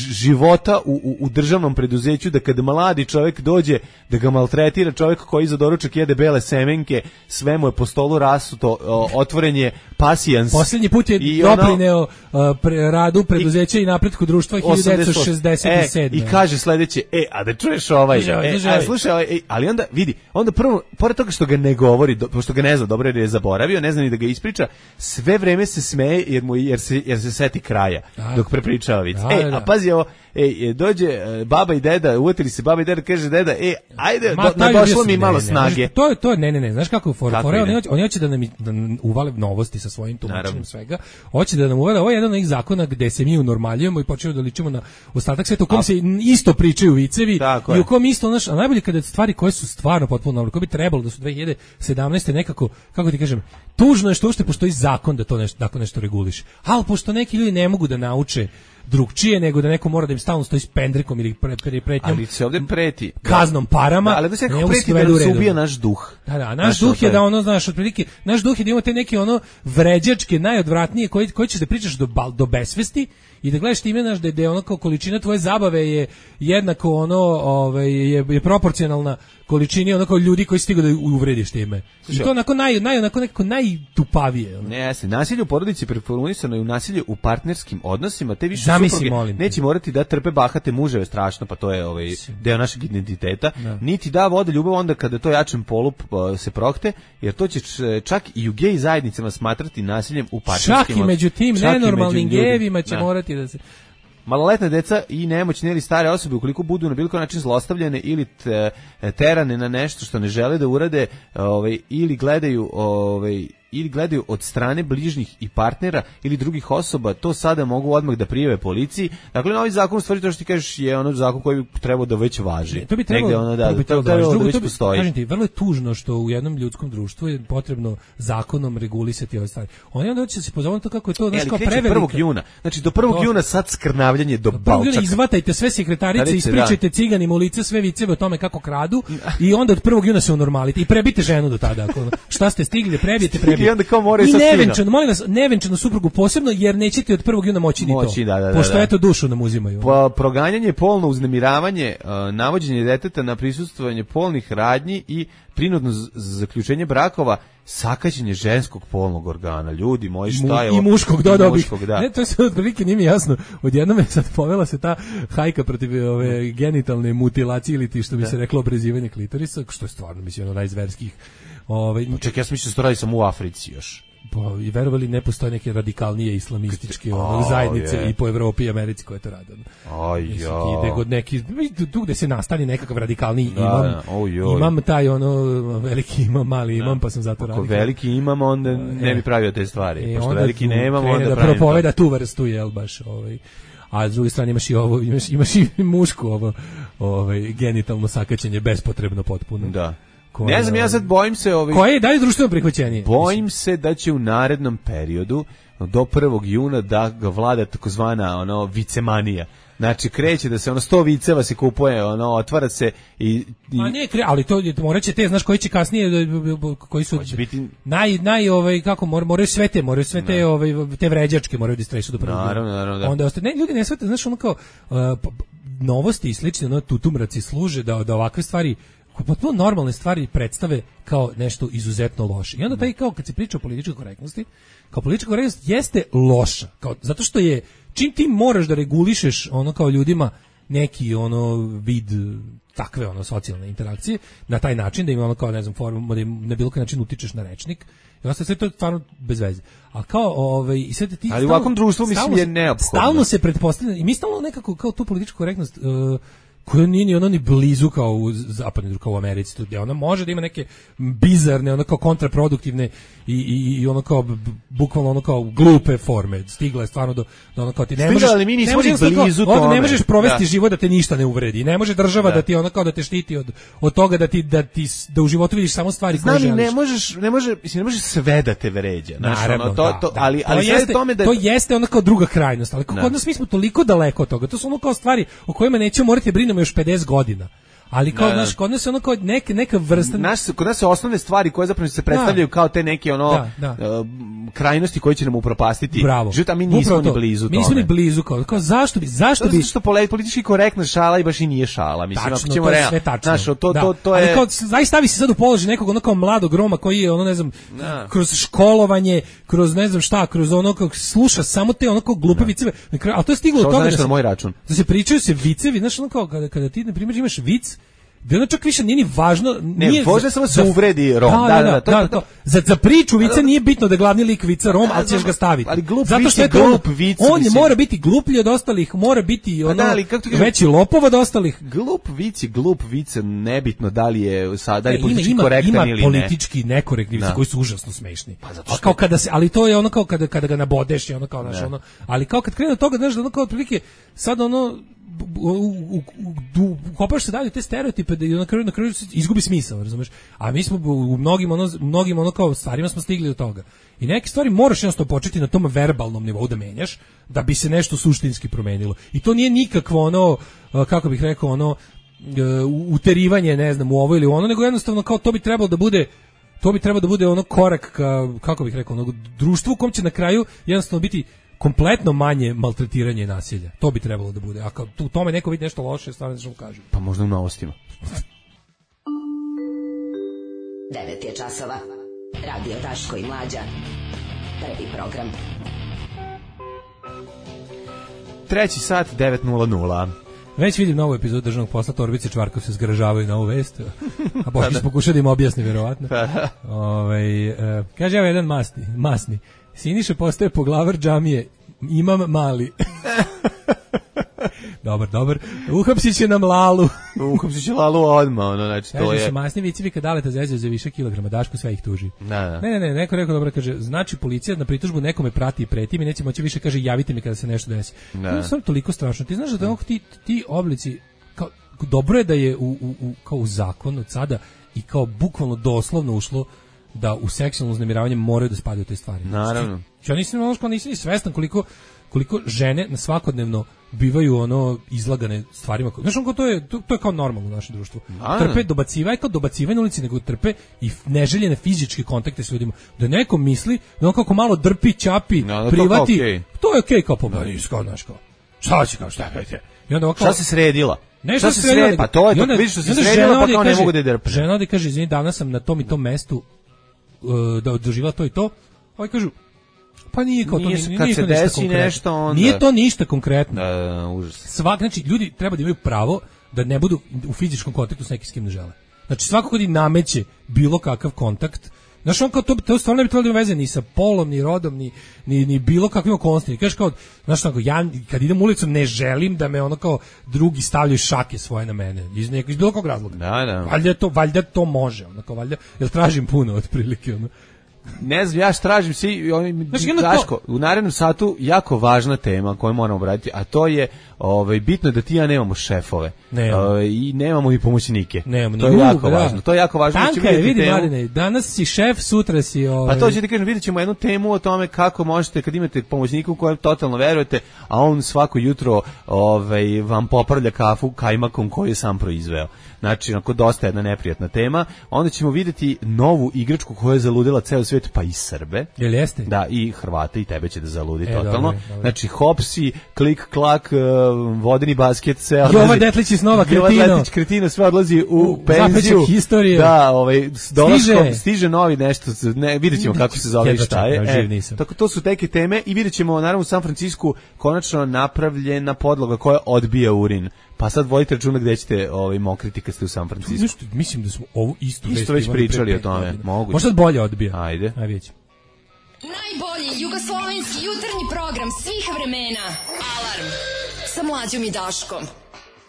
H: života u, u, u državnom preduzeću, da kada mladi čovjek dođe da ga maltretira čovjek koji za doručak jede bele semenke, sve mu je po stolu rasuto, otvoren je pasijans.
G: Posljednji put je doprineo ono, pre, radu preduzeća i, i napretku društva hiljadu devetsto šezdeset sedme.
H: E, I kaže sledeće, e, a da čuješ ovaj, e, a, slušaj, ovaj, e, ali onda vidi, onda prvo, pored toga što ga ne govori, do, pošto ga ne zna dobro jer je zaboravio, ne zna ni da ga ispriča, sve vreme se smeje jer mu jer se jer se seti kraja da. Dok prepričava vic. Da, e, da. A pazi ovo, ej, dođe baba i deda, uvatili se baba i deda, kaže deda, e, ajde, Ma, do, ne došlo mi malo ne, snage.
G: Ne, to je to, ne, ne, ne, znaš kako je fora, fora oni hoće, oni hoće da nam, da nam uvale novosti sa svojim tumačenjem svega. Hoće da nam uvale, ovo je jedan od onih zakona gde se mi unormaljujemo i počinjemo da ličimo na ostatak sveta u kom a, se isto pričaju vicevi i u kom isto, znaš, a najbolje kada stvari koje su stvarno potpuno nove, koje bi trebalo da su dve hiljade sedamnaeste nekako, kako ti kažem, tužno je što uopšte postoji zakon da to nešto, tako nešto reguliše. Ali pošto neki ljudi ne mogu da nauče drugčije nego da neko mora da im stalno stoji s pendrekom ili pre, pre, pretnjom.
H: Ali se ovdje preti.
G: Kaznom parama.
H: Da, ali da se neko preti da nam se ubija naš duh.
G: Da, da, naš, naš duh je da ono, znaš, otprilike, naš duh je da ima te neke ono vređačke, najodvratnije, koji, koji ćeš da pričaš do, do besvesti i da gledaš time, znaš, da, da je ono kao količina tvoje zabave je jednako ono, ovaj, je, je proporcionalna količini ono kao ljudi koji stigu da uvrediš time. I to onako naj, naj, onako nekako najtupavije. Ono.
H: Ne, jeste. Nasilje u porodici preformulisano je u nasilje u partnerskim odnosima, te više
G: Zamisli,
H: supruge neće morati da trpe bahate muževe, strašno, pa to je ovaj deo našeg identiteta, da. Niti da vode ljubav onda kada to jačem polu se prohte, jer to će čak i u gej zajednicama smatrati nasiljem u partnerskim odnosima.
G: Čak i među tim nenormalnim gejevima će da. morati da se...
H: Maloletne deca i nemoćne ili stare osobe ukoliko budu na bilo koji način zlostavljane ili terane na nešto što ne žele da urade, ovaj, ili gledaju ovaj, ili gledaju od strane bližnjih i partnera ili drugih osoba, to sada mogu odmah da prijave policiji. Dakle, novi zakon u stvari to što ti kažeš je ono zakon koji bi trebao da već važi.
G: To bi trebalo,
H: ono, da,
G: to bi trebalo
H: da,
G: da,
H: da već postoji.
G: Kažem ti, vrlo je tužno što u jednom ljudskom društvu je potrebno zakonom regulisati ove stvari. Oni onda će se pozvati to kako je to, znaš, kao prevelika.
H: prvog juna. Znači, do prvog juna sad skrnavljanje do balčaka.
G: Izvatajte sve sekretarice, ispričajte ciganima u lice sve viceve o tome kako kradu i onda od prvog juna se unormalite i prebite ženu do tada. Ako, šta ste stigli, prebijete, prebijete.
H: I onda kao moraju sa
G: nevenčano, molim vas, nevenčanu suprugu posebno, jer nećete od prvog juna moći ni to.
H: Moći, da, da,
G: pošto
H: da.
G: eto dušu nam uzimaju.
H: Po, proganjanje, polno uznemiravanje, uh, navođenje deteta na prisustvovanje polnih radnji i prinudno zaključenje brakova, sakaćenje ženskog polnog organa. Ljudi moji, šta je ovo?
G: I muškog, dodao bih.
H: Da.
G: Ne, to je sad otprilike nije mi jasno. Odjednom je sad povela se ta hajka protiv ove genitalne mutilacije ili ti što bi da. se reklo obrezivanje klitorisa, što je stvarno, mislim, ono najzverskih. Ove,
H: no, čekaj, ja sam mislio da se to radi samo u Africi još.
G: Pa, i verovali ne postoje neke radikalnije islamističke ono, zajednice je. I po Evropi i Americi koje to rade.
H: Aj ja.
G: Ide god neki, tu gde se nastani nekakav radikalniji
H: da,
G: imam,
H: da. Oj,
G: imam taj ono veliki imam, mali imam, da. Pa sam zato radio.
H: Ako veliki imam, onda ne bi pravio te stvari. E, Pošto veliki ne imam, onda
G: da
H: pravim
G: propoveda tu vrstu, jel baš, ovaj. A s druge strane imaš i ovo, imaš, imaš i mušku ovo, ovaj, genitalno sakaćenje bespotrebno potpuno.
H: Da. Ne znam, ja sad bojim se ovih...
G: Koje je dalje društveno prihvaćenije?
H: Bojim se da će u narednom periodu do prvog juna da ga vlada takozvana ono vicemanija. Znači kreće da se ono sto viceva se kupuje, ono otvara se i, i...
G: A ne, ali to moraće te, znaš koji će kasnije koji su biti... naj naj ovaj kako mor, moraju sve te, moraju sve te ovaj te vređačke moraju da stresu do prvog.
H: Naravno, naravno, da.
G: Onda ostaje, ne, ljudi ne shvate, znaš ono kao uh, novosti i slične, ono tutumraci služe da da ovakve stvari, potpuno normalne stvari predstave kao nešto izuzetno loše. I onda taj kao kad se priča o političkoj korektnosti, kao politička korektnost jeste loša, kao zato što je čim ti moraš da regulišeš ono kao ljudima neki ono vid takve ono socijalne interakcije na taj način da ima ono kao ne znam formu da na bilo koji način utičeš na rečnik i ostaje sve to stvarno bez veze. A kao ovaj i sve ti
H: ali u ovakvom društvu mislim je neophodno.
G: Stalno se pretpostavlja i mi stalno nekako kao tu političku korektnost uh, koja nije ni ono ni blizu kao u zapadnoj, kao u Americi, gdje ona može da ima neke bizarne, ono kao kontraproduktivne i, i, i ono kao bukvalno ono kao glupe forme. Stigla je stvarno do, do ono kao ti ne možeš,
H: ali mi nismo ni blizu
G: kao,
H: tome.
G: Ne možeš provesti
H: da.
G: život da te ništa ne uvredi. Ne može država da,
H: da
G: ti ono kao da te štiti od, od toga da ti da ti da u životu vidiš samo stvari koje želiš.
H: Ne možeš, ne može, mislim ne možeš sve da te vređa.
G: Naravno,
H: ono, to,
G: da,
H: to,
G: da.
H: ali ali
G: to jeste,
H: tome da
G: to jeste ono kao druga krajnost, ali kod nas mi smo toliko daleko od toga. To su ono kao stvari o kojima nećemo morati brinemo još pedeset godina. Ali kao naš kod nas ono kao neke neka vrsta
H: naš kod nas su osnovne stvari koje zapravo se predstavljaju da. kao te neke ono
G: da, da.
H: Uh, krajnosti koje će nam upropastiti.
G: Život,
H: a mi nismo ni blizu tome.
G: Mi nismo ni blizu kao, kao zašto bi zašto
H: to
G: bi
H: što politički korektna šala i baš i nije šala, mislim
G: tačno,
H: ako ćemo
G: realno.
H: Znaš, to to
G: da.
H: to, to je
G: ali kao zaista stavi se sad u položaj nekog ono kao mladog Roma koji je ono ne znam da. kroz školovanje, kroz ne znam šta, kroz ono kako sluša samo te ono kao glupe viceve, al to je stiglo do toga da
H: se na moj račun.
G: Da se pričaju se vicevi, znaš ono kao kada kada ti na primjer imaš vic da ono čak više nije ni važno, nije
H: ne, važno samo se uvredi Rom.
G: Da, da, da, to, da, to. Za, za priču vica nije bitno da je glavni lik vica Rom, ali ćeš ga staviti.
H: Ali glup
G: zato što je
H: to glup vic.
G: On je mora biti gluplji od ostalih, mora biti ono,
H: da,
G: veći lopov od ostalih.
H: Glup vic je glup vic, nebitno da li je sad da li
G: e,
H: politički
G: ima,
H: korektan
G: ima
H: ili ne.
G: Ima politički nekorektni vici koji su užasno smešni.
H: Pa
G: a kao kada se, ali to je ono kao kada kada ga nabodeš, je ono kao naš ono, ali kao kad krene od toga, znaš da ono kao otprilike sad ono ukopaš se dalje te stereotipe da na kraju na kraju izgubi smisao, razumeš? A mi smo u mnogim ono mnogim ono kao stvarima smo stigli do toga. I neke stvari moraš jednostavno početi na tom verbalnom nivou da menjaš da bi se nešto suštinski promenilo. I to nije nikakvo ono kako bih rekao ono uterivanje, ne znam, u ovo ili ono, nego jednostavno kao to bi trebalo da bude to bi trebalo da bude ono korak ka, kako bih rekao, ono društvu u kom će na kraju jednostavno biti kompletno manje maltretiranje i nasilja. To bi trebalo da bude. A kao u tome neko vidi nešto loše, stvarno nešto mu kažu.
H: Pa možda u novostima.
K: devet je časova. Radio Daško i Mlađa. Prvi program.
H: Treći sat, devet nula nula.
G: Već vidim novu epizodu državnog posla, Torbice Čvarkov se zgražavaju na ovu vest, a Boškić pokuša da im objasni, verovatno. Ove, uh, kaže, evo jedan masni, masni. Siniša postaje poglavar džamije, imam mali. Dobar, dobar. Uhapsit će nam Lalu.
H: Uhapsit će Lalu odmah, ono, znači to
G: kaže,
H: je.
G: Su masni vicevi kad Daleta zezaju za više kilograma, Daško sve ih tuži.
H: Da, da.
G: Ne, ne, ne, neko rekao dobro, kaže, znači policija na pritužbu nekome prati i preti, mi neće moći više, kaže, javite mi kada se nešto desi. Da. To je stvarno toliko strašno. Ti znaš da ti, ti oblici, kao, dobro je da je u, u, u, kao u zakon od sada i kao bukvalno doslovno ušlo da u seksualno uznemiravanje moraju da spadaju te stvari.
H: Naravno.
G: Ja nisam ono nisam ni svestan koliko koliko žene na svakodnevno bivaju ono izlagane stvarima. Znaš, ono, to je to, to je kao normalno u našem društvu.
H: A,
G: trpe dobacivanje, kao dobacivanje na ulici, nego trpe i neželjene fizičke kontakte s ljudima. Da neko misli da on kako malo drpi, ćapi,
H: no,
G: privati,
H: to, okay.
G: to je okej okay, kao pobavljaju, kao znaš kao. Šta će kao šta pete? I onda
H: ovako, šta se sredila?
G: Nešto
H: se sredila, pa to je,
G: onda,
H: vidiš što se sredila, pa kao ne mogu da drpe.
G: Žena ovdje kaže, izvini, danas sam na tom i tom mestu uh, da doživjela to i to. Ovaj kažu, pa nije kao
H: nije,
G: to, nije,
H: kad
G: nije
H: se
G: to ništa
H: desi
G: konkretno.
H: Nešto, onda...
G: Nije to ništa konkretno.
H: Da, da, užas.
G: Svak, znači, ljudi treba da imaju pravo da ne budu u fizičkom kontaktu s nekim s kim ne žele. Znači, svako kod i nameće bilo kakav kontakt, znaš, on kao to, to stvarno ne bi trebalo da ima veze ni sa polom, ni rodom, ni, ni, ni bilo kakvim okolnostima. Kažeš kao, znaš, tako, ja kad idem ulicom ne želim da me ono kao drugi stavljaju šake svoje na mene, iz, nekog, iz bilo kog razloga.
H: Da, da.
G: Valjda to, valjda to može, ono kao, valjda, jer tražim puno otprilike, ono.
H: Ne znam, ja tražim svi, oni, Daško, u narednom satu jako važna tema koju moramo obraditi, a to je ovaj, bitno da ti ja nemamo šefove.
G: Nemamo.
H: Ovaj, i nemamo i pomoćnike.
G: Nemamo.
H: To je jako da. važno. To je jako važno.
G: Tanka je, vidi Mladine, danas si šef, sutra si... Ovaj...
H: Pa to ćete kažem, vidjet ćemo jednu temu o tome kako možete, kad imate pomoćnika u kojem totalno verujete, a on svako jutro ovaj, vam popravlja kafu kajmakom koju je sam proizveo. Znači, onako, dosta jedna neprijatna tema. Onda ćemo vidjeti novu igračku koja je zaludila ceo svijet, pa i Srbe.
G: Jel jeste?
H: Da, i Hrvate, i tebe će da zaludi
G: e,
H: totalno.
G: Dobro, dobro.
H: Znači, hopsi, klik, klak, vodeni basket, sve odlazi.
G: Jova Detlić iz Nova Kretino.
H: Jova Detlić Kretino, sve odlazi u, u penziju.
G: Historije.
H: Da, ovaj, s dolaskom
G: stiže.
H: stiže novi nešto, ne, vidjet ćemo kako se zove i šta je.
G: E,
H: tako, to su teke teme i vidjet ćemo, naravno, u San Francisku konačno napravljena podloga koja odbija urin. Pa sad vodite računa gde ćete ovaj, mokriti kad ste u San Francisco.
G: Nešto, mislim da smo ovu istu
H: Isto već pričali o tome. Moguće.
G: Možda bolje odbija.
H: Ajde.
G: Ajde vidjet ćemo.
A: Najbolji jugoslovenski jutarnji program svih vremena. Alarm sa Mlađom i Daškom.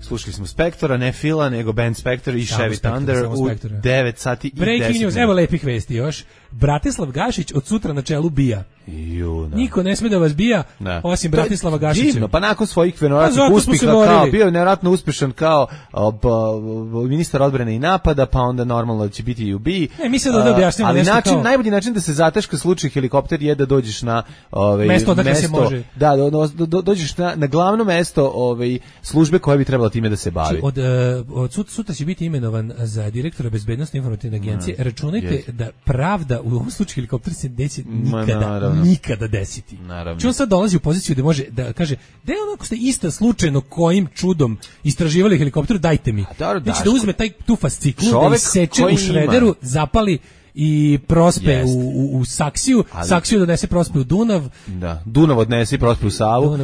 H: Slušali smo Spektora, ne Fila, nego band Spektor i Chevy Thunder u devet sati i deset minuta.
G: Breaking news, evo lepih vesti još. Bratislav Gašić od sutra na čelu bija.
H: Ju,
G: niko ne sme da vas bija, da. Osim Bratislava Gašića.
H: Divno, pa nakon svojih venoratnih pa uspeha, kao, bio je nevjerojatno uspešan kao ob, ob, ministar odbrane i napada, pa onda normalno da će biti i u BIA.
G: Ne, mislim da ovdje objašnjamo
H: ali
G: nešto
H: način,
G: kao...
H: najbolji način da se zateška slučaj helikopter je da dođeš na ovaj,
G: mesto odakle
H: mesto,
G: se može.
H: Da, do, do, do, dođeš na, na glavno mesto ovaj, službe koja bi trebala time da se bavi.
G: Od, od sut, sutra će biti imenovan za direktora bezbednostne informativne agencije. Mm, Računajte yes. da pravda u ovom slučaju helikopter se neće nikada, Ma, nikada desiti.
H: Naravno.
G: Či on sad dolazi u poziciju da može da kaže da je onako ste isto slučajno kojim čudom istraživali helikopter, dajte mi. Znači da uzme taj tu fasciklu, da iseče u šrederu, ima. zapali i prospe u, u, u saksiju, ali, saksiju donese prospe u Dunav.
H: Da, Dunav odnese i prospe u Savu uh,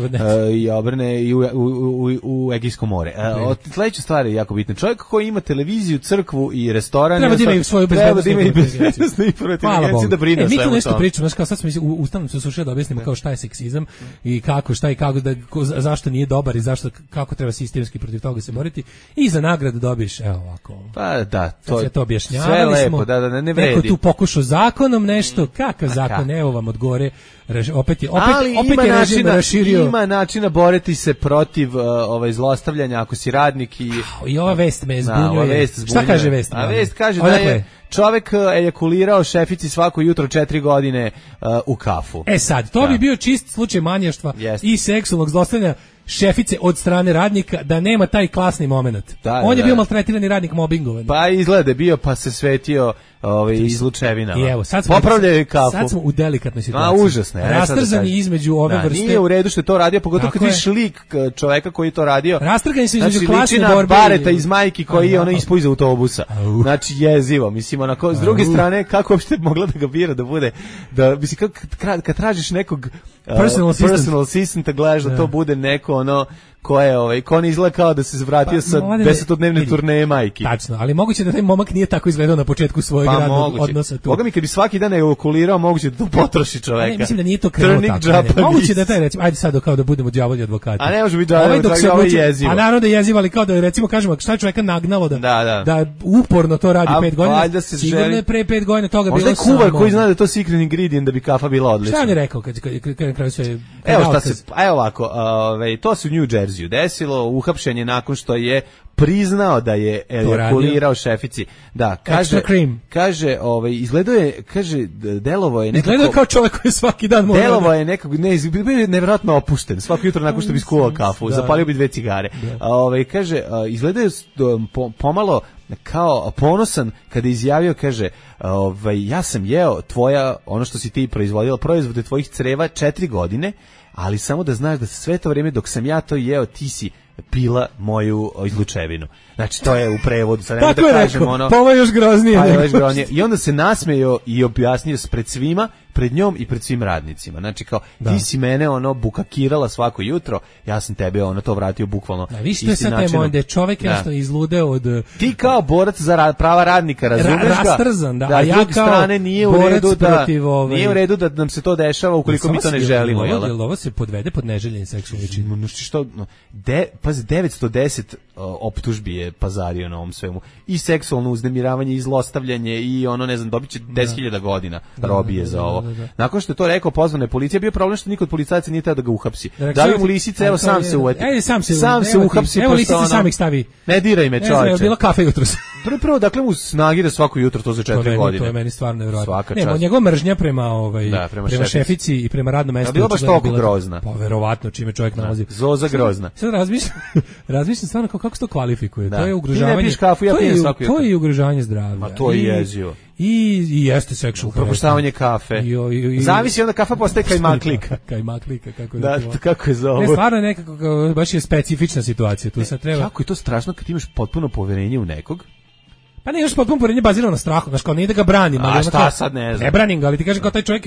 H: i obrne i u, u, u, u Egejsko more. Uh, od sledeće stvari je jako bitno. Čovjek koji ima televiziju, crkvu i restoran
G: treba da ima i svoju bezbednosnu
H: informativnu da brine
G: e, mi tu nešto
H: tom.
G: pričamo, znači kao sad smo u ustanom se sušili da objasnimo kao šta je seksizam i kako, šta i kako, da, ko, zašto nije dobar i zašto, kako treba sistemski protiv toga se boriti i za nagradu dobiješ, evo ovako.
H: Pa da, to,
G: je to objašnjavali
H: sve lepo,
G: smo,
H: da, da, ne vredi.
G: Tu pokušao zakonom nešto, kakav zakon, evo vam odgovore, opet je, opet,
H: ali
G: opet je režim raširio.
H: Ima načina boriti se protiv uh, ovaj zlostavljanja ako si radnik i...
G: I ova vest me zbunjuje. Šta kaže vest?
H: A vest kaže da je čovek ejakulirao šefici svako jutro četiri godine uh, u kafu.
G: E sad, to da. bi bio čist slučaj manjaštva yes. i seksualnog zlostavljanja šefice od strane radnika, da nema taj klasni moment. Da, On je da. bio maltretirani radnik, mobingovan.
H: Pa izgleda je bio, pa se svetio ovaj, izlučevinama.
G: I evo, sad smo,
H: popravljaju kafu.
G: Sad smo u delikatnoj situaciji.
H: A, užasne.
G: Rastrzani da između ove
H: da,
G: vrste.
H: Nije u redu što je to radio, pogotovo kad vidiš lik čoveka koji je to radio.
G: Rastrgani su između
H: znači,
G: klasne
H: borbe.
G: Znači,
H: Bareta iz majki koji je ono ispao iz autobusa. Au. Znači, jezivo. Mislim, onako, s druge Au. strane, kako uopšte mogla da ga bira da bude, da, mislim, kad, kad tražiš nekog uh,
G: personal assistant,
H: personal assistant gledaš da. da to bude neko, ono, ko je ovaj ko ne izgleda kao da se vratio pa, sa desetodnevne turneje majki.
G: Tačno, ali moguće da taj momak nije tako izgledao na početku svojeg pa, radnog moguće. odnosa tu.
H: Boga mi kad bi svaki dan ejakulirao, moguće da to potroši čoveka. Ne,
G: mislim da nije to krenuo tako. Moguće da taj recimo, ajde sad kao da budemo đavolji advokati.
H: A ne može biti đavolji,
G: ovaj
H: ovo je jezivo.
G: A naravno da je jezivo, ali kao da recimo kažemo šta je čoveka nagnalo da
H: da, da.
G: da uporno to radi
H: a,
G: pet godina. Sigurno
H: želi...
G: je pre pet godina toga bilo.
H: Možda je kuvar koji zna da je to secret ingredient da bi kafa bila odlična.
G: Šta on je rekao kad kad kraju sve.
H: Evo šta se, evo ovako, ovaj to se u New Jerseyu desilo. Uhapšen je nakon što je priznao da je ejakulirao šefici. Da, kaže kaže, ovaj izgledao je, kaže delovo je nekako.
G: Izgledao kao čovjek koji svaki dan mora.
H: Delovo je nekako ne, bio je nevjerojatno opušten. Svako jutro nakon što bi skuvao kafu, da. zapalio bi dve cigare. Da. Ovaj kaže izgledao je pomalo kao ponosan kada je izjavio, kaže, ovaj ja sam jeo tvoja ono što si ti proizvodila, proizvode tvojih creva četiri godine, ali samo da znaš da sve to vrijeme dok sam ja to jeo ti si pila moju izlučevinu. Znači to je u prevodu, sad nemoj da kažem rekao, ono.
G: Pa ovo je još groznije.
H: Pa je još groznije. I onda se nasmejao i objasnio pred svima, pred njom i pred svim radnicima. Znači kao da. ti si mene ono bukakirala svako jutro, ja sam tebe ono to vratio bukvalno.
G: Da, vi ste sad taj moment da je čovjek da. nešto izludeo od
H: ti kao borac za rad, prava radnika, razumeš ga?
G: Ra, rastrzan, da.
H: da. A ja kao strane nije u redu da
G: ovaj...
H: nije u redu da nam se to dešava ukoliko mi to ne želimo,
G: jel? Jel ovo se podvede pod neželjeni seksualni čin?
H: No što de pazi, devetsto deset optužbi je pazario na ovom svemu. I seksualno uznemiravanje, i zlostavljanje, i ono, ne znam, dobit će deset hiljada godina
G: Da,
H: robije
G: da,
H: za
G: da,
H: ovo.
G: da, da.
H: Nakon što je to rekao, pozvana je policija, bio je problem što niko od policajaca nije teo da ga uhapsi.
G: Da,
H: Dali mu lisice, evo sam se uvati.
G: Ajde, sam se,
H: sam se
G: evo ti,
H: uhapsi.
G: evo
H: pošto
G: lisice
H: ono,
G: sam ih stavi.
H: Ne diraj me,
G: Ne znam, je
H: čoveče.
G: bila kafe jutros.
H: Prvo, prvo, dakle mu snagira svako jutro to za
G: To je
H: četiri
G: meni-
H: godine.
G: To je meni stvarno nevjerojatno.
H: Svaka
G: Ne,
H: čast.
G: njegova mržnja prema ovaj
H: Da, prema
G: prema,
H: šefici.
G: šefici i prema radnom mestu.
H: Da, bila baš
G: očigledno
H: toliko
G: bila-
H: grozna.
G: Pa verovatno čime čovjek nalazi.
H: Zoza grozna.
G: Sad razmišljam, razmišljam stvarno kako, kako se to kvalifikuje.
H: Da.
G: To je
H: Ti
G: ugrožavanje.
H: ne piješ kafu, ja
G: to je-
H: pijem svako jutro.
G: To je i ugrožavanje zdravlja.
H: Ma to je
G: I-
H: jezivo.
G: I, i jeste sexual
H: Upropaštavanje kafe.
G: I, i, i,
H: Zavisi onda kafa postaje kajmaklika.
G: Kajmaklika, kako je
H: Da,
G: to.
H: kako je zovu.
G: Ne, stvarno je nekako, kao, baš je specifična situacija. Tu sad treba...
H: Kako je to strašno kad imaš potpuno poverenje u nekog?
G: Pa ne, još potpuno poverenje bazirano na strahu, znaš, kao nije da ga branim.
H: A
G: ali ono
H: šta
G: kao-
H: sad, ne znam.
G: Ne branim ga, ali ti kažem kao taj čovjek,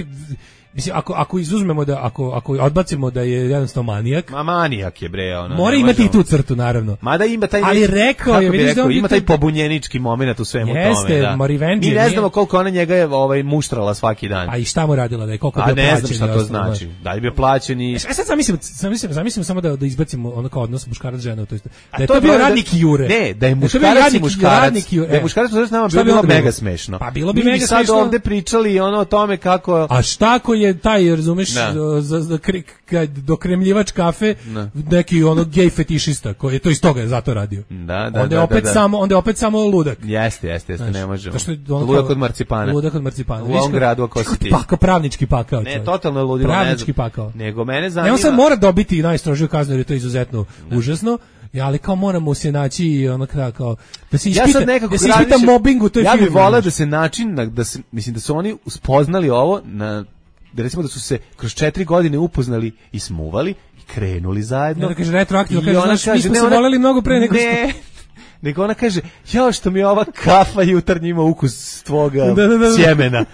G: mislim, ako, ako izuzmemo da, ako, ako odbacimo da je jednostavno manijak,
H: Ma manijak je bre, ono.
G: mora
H: ne
G: imati i
H: možemo.
G: tu crtu, naravno.
H: Mada ima taj
G: Ali
H: neki-
G: rekao
H: kako
G: je,
H: bi
G: vidiš da
H: rekao,
G: on
H: ima
G: bi
H: taj
G: to-
H: pobunjenički momenat u svemu
G: Jeste,
H: tome, da.
G: ma revenge
H: Mi
G: je,
H: ne
G: nije-
H: znamo koliko ona njega je ovaj muštrala svaki dan.
G: A i šta mu radila da je, koliko je
H: A
G: bio
H: ne
G: plaćen
H: znam
G: i
H: šta to
G: ostalo,
H: znači.
G: znaš.
H: Da li bi bio plaćen i...
G: E sad zamislim, zamislim, zamislim samo da, da izbacimo ono kao odnos muškarac žena, to jest da
H: A
G: je
H: to
G: to
H: je
G: bio
H: bilo da-
G: radnik Jure.
H: Ne, da je
G: to bio
H: muškarac i
G: radnik-
H: muškarac.
G: radnik Jure,
H: Da je
G: e.
H: muškarac s nama
G: Šta
H: bilo,
G: bi onda
H: bilo mega
G: bilo?
H: smešno.
G: Pa bilo bi
H: Mi
G: mega
H: sad
G: smešno.
H: ovde pričali ono o tome kako...
G: A šta ako je taj, razumeš,
H: Da.
G: za, za, kri- kad dokremljivač kafe,
H: Da.
G: neki ono gej fetišista, koji je to iz toga je zato radio.
H: Da, da,
G: onda je
H: da,
G: opet
H: da, da.
G: samo, onda je opet samo ludak.
H: Jeste, jeste, jeste,
G: Znaš,
H: ne možemo.
G: to što je ono
H: Ludak
G: kao-
H: od marcipana.
G: Ludak od marcipana.
H: U
G: Vidiš
H: ovom
G: kao-
H: gradu, ako si ti.
G: Paka, pravnički pakao.
H: Ne,
G: čovjek.
H: totalno je ludilo, ne
G: Pravnički
H: znam.
G: pakao.
H: Nego mene
G: Ne,
H: zanima...
G: on sad mora dobiti najstrožiju kaznu jer je to izuzetno užasno. Ja, ali kao moramo se naći i ono kao, kao da se ispita,
H: Ja sad nekako
G: da se ispita
H: razmišljam-
G: mobbing u toj
H: Ja
G: firmi.
H: bih voleo
G: znaš.
H: da se način, na- da se, mislim da su oni spoznali ovo, na, da recimo da su se kroz četiri godine upoznali i smuvali i krenuli zajedno.
G: Ne, da kaže retroaktivno,
H: I
G: kaže,
H: ona
G: znaš, mi smo
H: ne,
G: se
H: ona-
G: voleli mnogo pre nego što-
H: Ne, nego ona kaže, jao što mi je ova kafa jutarnji ima ukus tvoga
G: Da, da, da, da.
H: sjemena.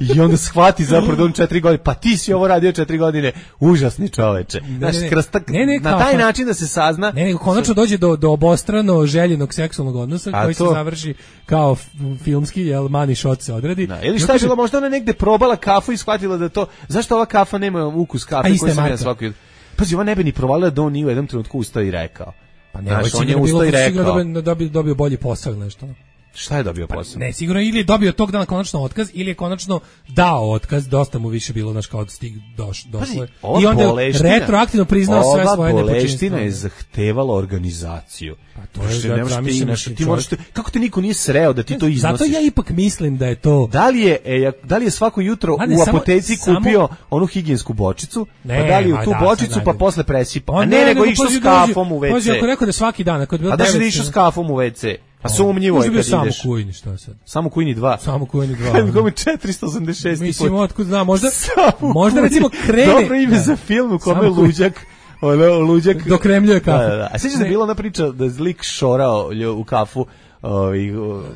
H: I onda shvati zapravo da on četiri godine, pa ti si ovo radio četiri godine, užasni čoveče. Znaš,
G: ne, ne.
H: kroz tak-
G: Ne, ne,
H: na
G: kao-
H: taj način da se sazna...
G: Ne, nego konačno dođe do, do obostrano željenog seksualnog odnosa
H: A
G: koji
H: to-
G: se završi kao f- filmski, jel, money shot se odradi.
H: Da, ili
G: I
H: šta je
G: kaže-
H: bilo, možda ona negde probala kafu i shvatila da to, zašto ova kafa nema ukus
G: A
H: kafe
G: ista
H: koji
G: je
H: sam ja
G: marka.
H: svaki... Pazi, ona ne bi ni provalila da on nije u jednom trenutku ustao i rekao.
G: Pa ne,
H: Znaš,
G: ovo
H: on je
G: sigurno bilo
H: ustao i
G: da sigurno
H: rekao.
G: dobio, dobio, dobio bolji posao ili nešto.
H: Šta je dobio posao?
G: Ne, sigurno ili je dobio tog dana konačno otkaz ili je konačno dao otkaz, dosta mu više bilo znaš kao stig doš,
H: Pazi,
G: došlo je.
H: ova
G: I onda je
H: boleština-
G: retroaktivno priznao sve svoje
H: Ova boleština
G: nepočinstvo.
H: je zahtevala organizaciju. Pa
G: to je, da, zamislim,
H: ti,
G: čovjek-
H: moraš, te- kako te niko nije sreo da ti to iznosiš?
G: Zato ja ipak mislim da je to...
H: Da li je, e, da li je svako jutro
G: Ma ne,
H: u
G: samo-
H: apoteci
G: samo-
H: kupio onu higijensku bočicu,
G: Ne,
H: pa da li u
G: ma
H: tu
G: da, sad
H: bočicu pa
G: najbolje.
H: posle presipa?
G: Pa
H: A ne, nego išao
G: pazi,
H: s kafom u
G: dođe- Pazi,
H: ve ce.
G: ako rekao da svaki dan, ako je bilo
H: A da se
G: devet-
H: išao s kafom u ve ce? Pa sumnjivo
G: Možda
H: je
G: bio
H: kad
G: samo
H: ideš.
G: Kujni, šta sad?
H: Samo Kujni dva.
G: Samo Kujni dva.
H: Kad mi četiristo osamdeset šest
G: Mislim,
H: put.
G: otkud znam, možda,
H: Samo
G: možda
H: Kujni.
G: recimo krene...
H: Dobro ime
G: Da.
H: za film u kome
G: Samo Kujni.
H: luđak, ono, luđak...
G: Dokremljuje kafu.
H: Da, da, da. A sjećaš da je
G: Ne.
H: bila ona priča da je lik šorao lju- u kafu, ovaj,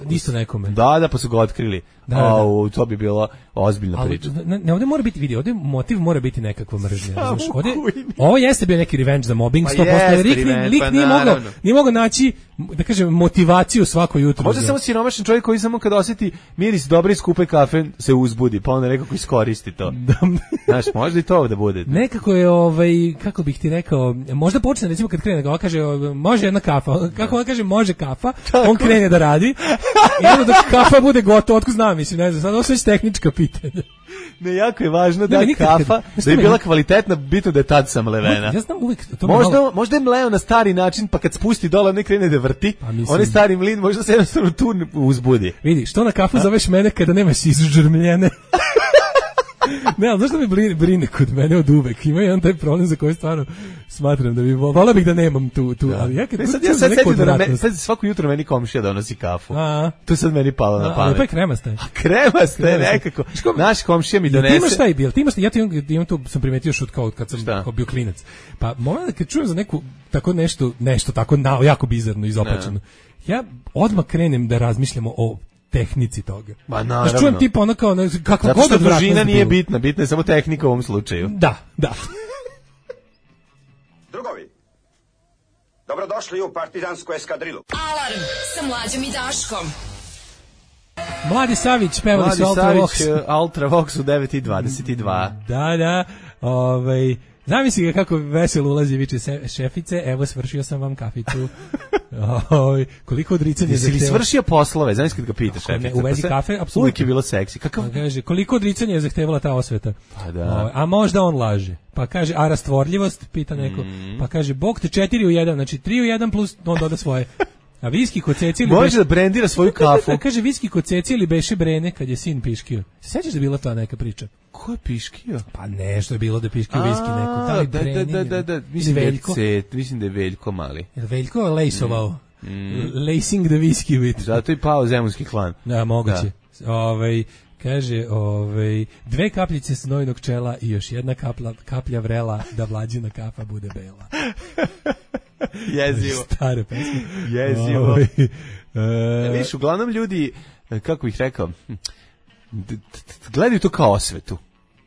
G: Isto nekome.
H: Da, da, pa su ga otkrili.
G: Da, da, da.
H: Au, to bi bila ozbiljna
G: Ali,
H: priča.
G: ne, ne, ovdje mora biti, vidi, ovdje motiv mora biti nekakva mržnja.
H: Samo
G: Razumeš, ovdje,
H: Kujni.
G: ovo jeste bio neki revenge za mobbing,
H: Pa
G: sto posto.
H: jeste
G: Lik,
H: revenge,
G: lik
H: pa
G: nije mogao,
H: naravno.
G: nije mogao naći, da kažem, motivaciju svako jutro.
H: Možda
G: za-
H: samo siromašan čovjek koji samo kad osjeti miris dobre i skupe kafe se uzbudi, pa onda nekako iskoristi to. Znaš, možda i to da bude.
G: Nekako je, ovaj, kako bih ti rekao, možda počne, recimo kad krene, on kaže, o, može jedna kafa, kako on kaže, može kafa, on krene da radi, i onda dok kafa bude gotova, otko znam, mislim, ne znam, sad ovo su već tehnička pitanja.
H: Ne, jako je važno da
G: Ne, nikad
H: kafa,
G: kad-
H: da
G: Znaš
H: je
G: šta
H: bila
G: me-
H: kvalitetna, bitno da je tad sam levena.
G: Ja znam uvijek, to me
H: Možda,
G: malo-
H: možda je mleo na stari način, pa kad spusti dole, ne krene da vrti,
G: Pa mislim-
H: onaj stari mlin možda se jednostavno tu uzbudi.
G: Vidi, što na kafu zoveš mene kada nemaš izžrmljene? Ne, ali znaš da me brine, brine kod mene od uvek? Ima jedan taj problem za koji stvarno smatram da bi, volao bih da nemam tu, tu, ali ja kad
H: Ne, sad,
G: kucam
H: ja
G: za
H: sad
G: neku
H: setim da na me,
G: odvratnost-
H: sad svako jutro meni komšija donosi kafu.
G: A,
H: To je sad meni palo na
G: a, ali
H: pamet.
G: pa je kremasta je.
H: Krema ste
G: Krema ste.
H: nekako. Naš komšija mi
G: Jel ti imaš
H: donese.
G: taj bil? Ti imaš, ja ti imam, imam tu, sam primetio još od kao kad sam
H: Šta?
G: kao bio klinac. Pa moment kad čujem za neku tako nešto, nešto tako na, jako bizarno izopačeno. Ja odmah krenem da razmišljamo o tehnici toga.
H: Ma
G: Znaš,
H: naravno.
G: čujem tipa ono kao, ne, kakva
H: Zato
G: god
H: što
G: odvratnost
H: družina nije
G: bilo.
H: bitna, bitna je samo tehnika u ovom slučaju.
G: Da, da.
L: Drugovi, dobrodošli u partizansku eskadrilu.
A: Alarm sa mlađom i Daškom.
G: Mladi Savić, pevali
H: Mladi
G: su Ultra
H: Savić,
G: Vox.
H: uh, Ultra Vox u devet i dvadeset dva.
G: Da, da. Ovaj, Zamisli ga kako veselo ulazi, viče se, šefice, evo svršio sam vam kaficu. Oj, koliko odricanja
H: Jesi li
G: zahteva.
H: svršio poslove? Znaš kad ga pitaš šefica?
G: Ne, u vezi
H: pa se,
G: kafe, apsolutno.
H: Uvijek je bilo seksi. Kakav?
G: Pa kaže, koliko odricanja je zahtevala ta osveta?
H: Pa da.
G: O, a možda on laže. Pa kaže, a rastvorljivost, pita neko.
H: Mm.
G: Pa kaže, bog te četiri u jedan, znači tri u jedan plus on doda svoje. A viski kod ceci ili
H: može
G: beše...
H: da brendira svoju kafu.
G: A kaže, viski kod ceci ili beše brene kad je sin piškio. Se sećaš da je bila ta neka priča?
H: Ko je piškio?
G: Pa nešto je bilo da piškio viski neko. Da,
H: da, da, da, da, da. Mislim,
G: Veljko.
H: da je, mislim da je Veljko mali.
G: Je Veljko lejsovao?
H: Mm.
G: Lacing the whisky with.
H: Zato je pao zemunski klan.
G: Da, moguće. Da. Ovaj, kaže, ovaj, dve kapljice snojinog čela i još jedna kapla, kaplja vrela da vlađina kafa bude bela.
H: Jezivo.
G: Stare pesme.
H: Jezivo.
G: Ovaj,
H: e, viš, uglavnom ljudi, kako bih rekao, gledaju to kao osvetu.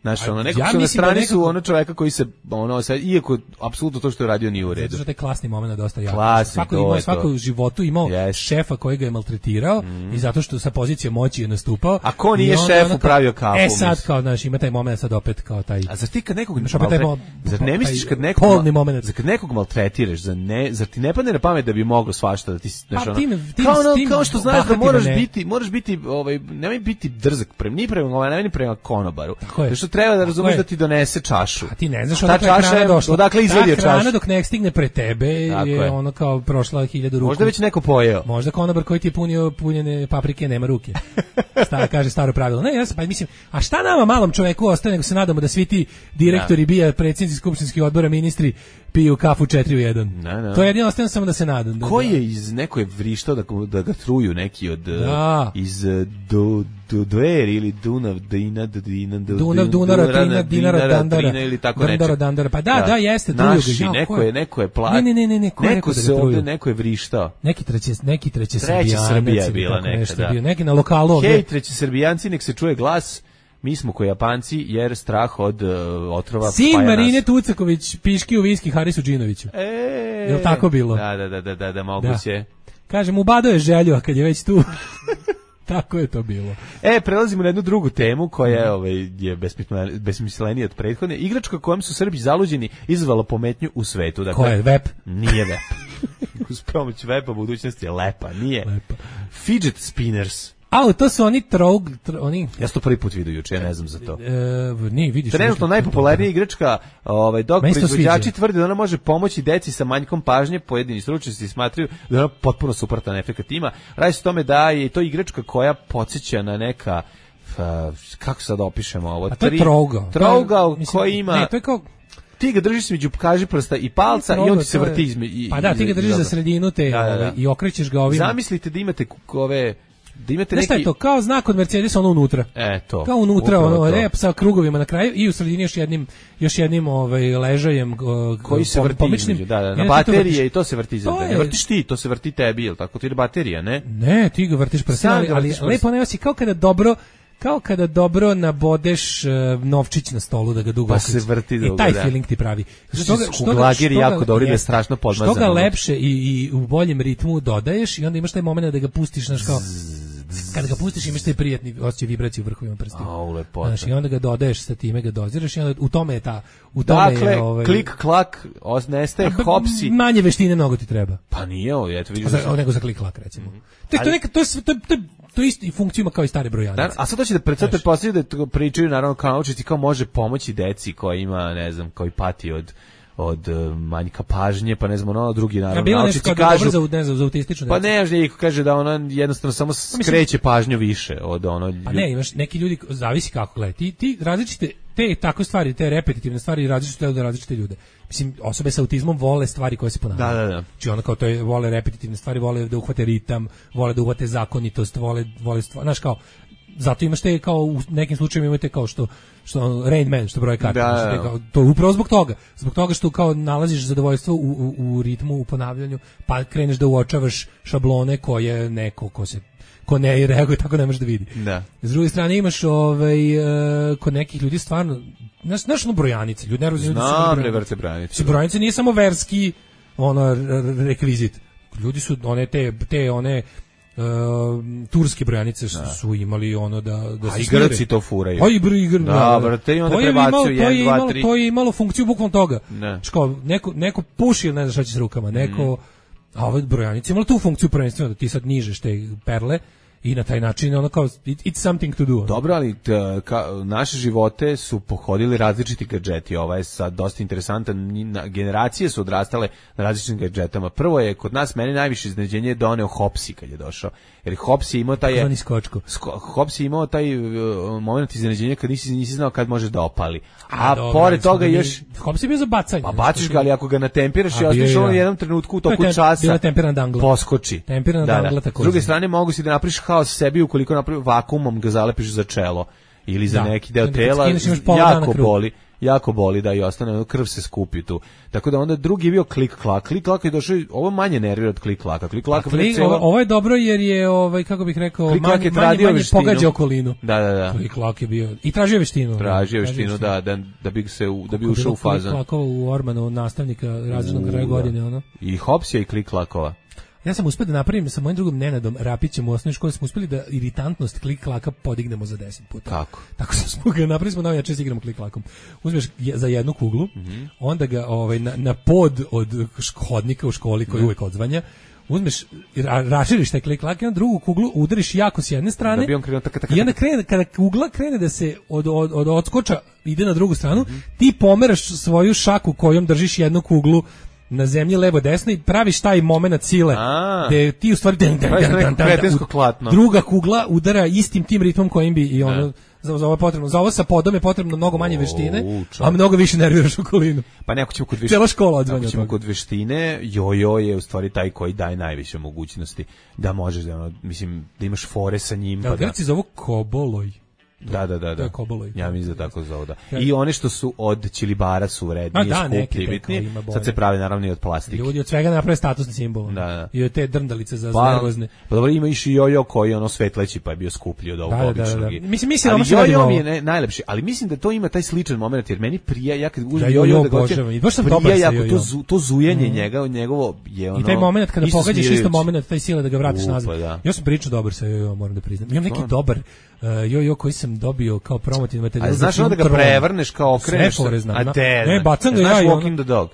H: Znaš, ono, nekako
G: ja
H: su na strani
G: da nekako...
H: su ono čoveka koji se, ono, sad, iako apsolutno to što je radio nije u redu.
G: Zato što je klasni moment dosta jako.
H: Klasni,
G: svako
H: to
G: imao,
H: je
G: svako
H: to.
G: u životu imao yes. šefa koji ga je maltretirao mm. i zato što sa pozicije moći je nastupao.
H: A ko nije
G: onda,
H: šefu
G: ono,
H: pravio kafu?
G: E sad, kao, znaš, ima taj moment sad opet kao taj...
H: A zar ti kad nekog...
G: Maltre... Mo...
H: Zar ne misliš kad nekog...
G: Polni moment.
H: Zar kad nekog maltretiraš, zar, ne, zar ti ne padne na pamet da bi moglo svašta da ti... Znaš,
G: pa,
H: ono,
G: tim, tim,
H: kao, ono,
G: tim,
H: kao što znaš da moraš
G: ne.
H: biti, moraš biti, ovaj, nemoj biti drzak, prema, ni prema, ovaj, ni prema konobaru.
G: Zato
H: što treba da razumeš da ti donese čašu.
G: A ti ne znaš
H: odakle je hrana došla. Odakle izvadio čašu. Ta
G: hrana dok ne stigne pre tebe je, je ono kao prošla hiljadu ruku.
H: Možda već neko pojeo.
G: Možda konobar koji ti je punio punjene paprike nema ruke. Stara kaže staro pravilo. Ne, ja sam, pa mislim, a šta nama malom čoveku ostaje nego se nadamo da svi ti direktori ja. bija, predsjednici skupštinskih odbora, ministri piju kafu četiri u jedan.
H: Na, na.
G: To je jedino ostajem samo da se nadam. Da,
H: ko je iz neko je vrištao da, da ga truju neki od
G: da.
H: iz do do Dver ili Dunav, Dina, Dina,
G: Dunav, Dunara, Trina, Dinara, Dandara,
H: ili tako
G: Dandara, Dandara. Pa da, da, da jeste, truju
H: Naši,
G: ga.
H: neko je, neko je plat.
G: Ne, ne, ne, ne, ne,
H: neko se ovde, neko je vrištao.
G: Neki treće, neki treće
H: Treća Srbija je bila neka, da.
G: Bio, neki na lokalu ovde.
H: Hej, treći Srbijanci, nek se čuje glas. Mi smo ko Japanci, jer strah od uh, otrova
G: Sin
H: spaja
G: Marine
H: nas.
G: Tucaković piški u viski Harisu Džinoviću.
H: E,
G: je li tako bilo?
H: Da, da, da, da, da, da moguće.
G: Da. Kažem, ubado je želju, a kad je već tu... Tako je to bilo.
H: E, prelazimo na jednu drugu temu koja je, ovaj, je besmislenija od prethodne. Igračka kojom su Srbi zaluđeni izazvala pometnju u svetu. Dakle,
G: ko je? Vep?
H: Nije Vep. Uz pomoć Vepa budućnost je lepa. Nije.
G: Lepa.
H: Fidget spinners.
G: A, to su oni trog... Tro, oni...
H: Ja sam to prvi put vidio juče, ja ne znam za to.
G: E, nije, vidiš.
H: Trenutno najpopularnija igračka, ovaj, dok proizvođači tvrde da ona može pomoći deci sa manjkom pažnje, pojedini stručnjaci smatraju da ona potpuno suprotan efekat ima. Radi se o tome da je to igračka koja podsjeća na neka, kako sad opišemo ovo?
G: A to je trouga.
H: Trouga koja ima...
G: Ne, to je kao...
H: Ti ga držiš među kaži prsta i palca i on ti se vrti između.
G: Pa da, ti ga držiš za sredinu te da, da, da. i okrećeš ga ovim.
H: Zamislite da imate ove... Da imate
G: neki...
H: neki...
G: je to? Kao znak od Mercedesa, ono unutra.
H: E, to.
G: Kao unutra, ono, rep sa krugovima na kraju i u sredini još jednim, još jednim ovaj, ležajem uh,
H: koji se vrti između, da, da, na baterije i to se vrti između. Ne vrtiš ti, to se vrti tebi, jel tako? To je baterija, ne?
G: Ne, ti ga vrtiš prstima, ali, ali lepo ne si kao kada dobro kao kada dobro nabodeš uh, novčić na stolu da ga dugo
H: pa se vrti dugo,
G: i taj
H: da.
G: feeling ti pravi.
H: Što ga, što ga, što ga, jako dobro, da je strašno podmazano.
G: Što ga lepše i, i u boljem ritmu dodaješ i onda imaš taj moment da ga pustiš, znaš kao kada ga pustiš imaš taj prijatni osjećaj vibracije u vrhovima prstima.
H: Au, lepota.
G: Znaš, i onda ga dodaješ sa time, ga doziraš i onda u tome je ta... U tome
H: dakle,
G: je, ovaj,
H: klik, klak, nestaje, hopsi.
G: Manje veštine mnogo ti treba.
H: Pa nije ovo, eto vidiš.
G: Za, nego za klik, klak, recimo. Mm -hmm. To, to, neka, to, to, to, to isto i funkciju ima kao i stare brojanice.
H: Da, a sad hoće da predstavite poslije da pričaju, naravno, kao naučiti kao može pomoći deci koja ima, ne znam, koji pati od od uh, manjka pažnje, pa ne znam, ono, drugi naravno
G: ja,
H: naučiti kažu...
G: Za, ne znam, za autističnu
H: pa ne, ne, kaže da ona jednostavno samo skreće pažnju više od ono...
G: Pa ne, imaš neki ljudi, zavisi kako gledaj, ti, ti različite, te takve stvari, te repetitivne stvari različite od različite ljude. Mislim, osobe sa autizmom vole stvari koje se ponavljaju.
H: Da, da, da.
G: Znači ono kao to je, vole repetitivne stvari, vole da uhvate ritam, vole da uhvate zakonitost, vole, vole stvari, znaš kao, zato imaš te kao u nekim slučajevima imate kao što što Rain Man što broje karte,
H: da,
G: znači, kao, to je upravo zbog toga, zbog toga što kao nalaziš zadovoljstvo u, u, u ritmu, u ponavljanju, pa kreneš da uočavaš šablone koje neko ko se ko ne reaguje tako ne može da vidi.
H: Da.
G: S druge strane imaš ovaj uh, kod nekih ljudi stvarno znaš znaš no brojanice, ljudi ne razumiju
H: da su brojanice. brojanice.
G: Brojanice nije samo verski ono rekvizit. Ljudi su one te te one Uh, turske brojanice su, su imali ono da da
H: se smire. A i Grci to furaju.
G: Pa i igr,
H: da, brate, i onda prebacuju jedan, dva, tri.
G: To je imalo funkciju bukvalno toga. Ško, neko, neko puši ili ne znaš šta će s rukama, neko, mm. a ove brojanice imalo tu funkciju prvenstveno da ti sad nižeš te perle i na taj način ono kao it, it's something to do.
H: Dobro, ali t, ka, naše živote su pohodili različiti gadžeti. Ovo je sad dosta interesantan. Generacije su odrastale na različitim gadžetama. Prvo je kod nas meni najviše iznenađenje doneo Hopsi kad je došao. Jer Hops je imao taj
G: skočko.
H: Hops je imao taj uh, moment iznenađenja kad nisi nisi znao kad može da opali. A, A dobro, pored toga još
G: Hops je bio za bacanje.
H: Pa baciš ga, ali ako ga natempiraš i ostaviš on u jednom trenutku u toku
G: tem,
H: časa.
G: Dangla.
H: Poskoči.
G: Tempirana
H: da,
G: dangla
H: da.
G: tako.
H: S druge strane mogu si da napraviš haos sebi ukoliko napraviš vakuumom ga zalepiš za čelo ili za da. neki deo tela. Jako boli. Jako boli da i ostane, krv se skupi tu. Tako da onda drugi je bio klik klak. Klik klak je došao, ovo manje nervira od klik klaka. Klik klak
G: klik, celo... ovo je dobro jer je ovaj kako bih rekao
H: klik
G: manje, manje, manje pogađa okolinu.
H: Da, da, da.
G: Klik klak je bio i tražio veštinu.
H: Tražio veštinu da da da bi se da bi ušao u fazon.
G: Klik klakova u Ormanu nastavnika razrednog kraja godine ono.
H: I Hopsija i klik klakova.
G: Ja sam uspio da napravim sa mojim drugom Nenadom Rapićem u osnovnoj školi, smo uspeli da iritantnost klik klaka podignemo za deset puta.
H: Kako?
G: Tako smo ga napravili, smo najjače se igramo klik klakom. Uzmeš za jednu kuglu, mm-hmm. onda ga ovaj na, na pod od hodnika u školi koji mm-hmm. uvek odzvanja, uzmeš, ra, raširiš taj klik klak i na drugu kuglu udariš jako s jedne strane
H: da bi on krenuo taka, taka,
G: i onda krene, kada kugla krene da se od, od, od odskoča ide na drugu stranu, mm-hmm. ti pomeraš svoju šaku kojom držiš jednu kuglu na zemlji levo desno i praviš taj momenat sile gde ti u stvari dan, dan, dan, dan, dan, druga kugla udara istim tim ritmom kojim bi i ono za, za ovo je potrebno, za ovo sa podom je potrebno mnogo manje veštine, a mnogo više nerviraš okolinu.
H: Pa neko ćemo kod veštine.
G: Cela škola odzvanja.
H: Ako ćemo kod veštine, jojo je u stvari taj koji daje najviše mogućnosti da možeš da ono, mislim da imaš fore sa njim,
G: da,
H: pa da.
G: Grci zovu koboloj.
H: Da, da, da, da.
G: Koboloj.
H: Ja mislim da tako zove, da. I one što su od Čilibara su vrednije, da, skuplji, bitni. Sad se pravi naravno i od plastike.
G: Ljudi od svega naprave statusni simbol.
H: Da, da.
G: I od te drndalice za
H: pa,
G: nervozne.
H: Pa dobro, ima i jojo koji ono svetleći pa je bio skuplji od ovog
G: da,
H: običnog.
G: Da, da, da. Mislim, mislim,
H: ali jojo mi je ne, najlepši, ali mislim da to ima taj sličan moment jer meni prija, ja kad uzmem
G: ja,
H: jojo
G: da ga hoćem, i baš sam dobar sa jojo.
H: To, zu, to zujenje mm. njega, njegovo je ono.
G: I taj moment kada pogađaš isto moment, taj sile da ga vratiš nazad. Ja sam pričao dobar sa jojo, moram da priznam. Imam neki dobar jojo koji sam dobio kao promotivni materijal.
H: A znaš onda da ga prevrneš kao okreneš?
G: A te, ne, bacam ga ja i
H: Walking the Dog.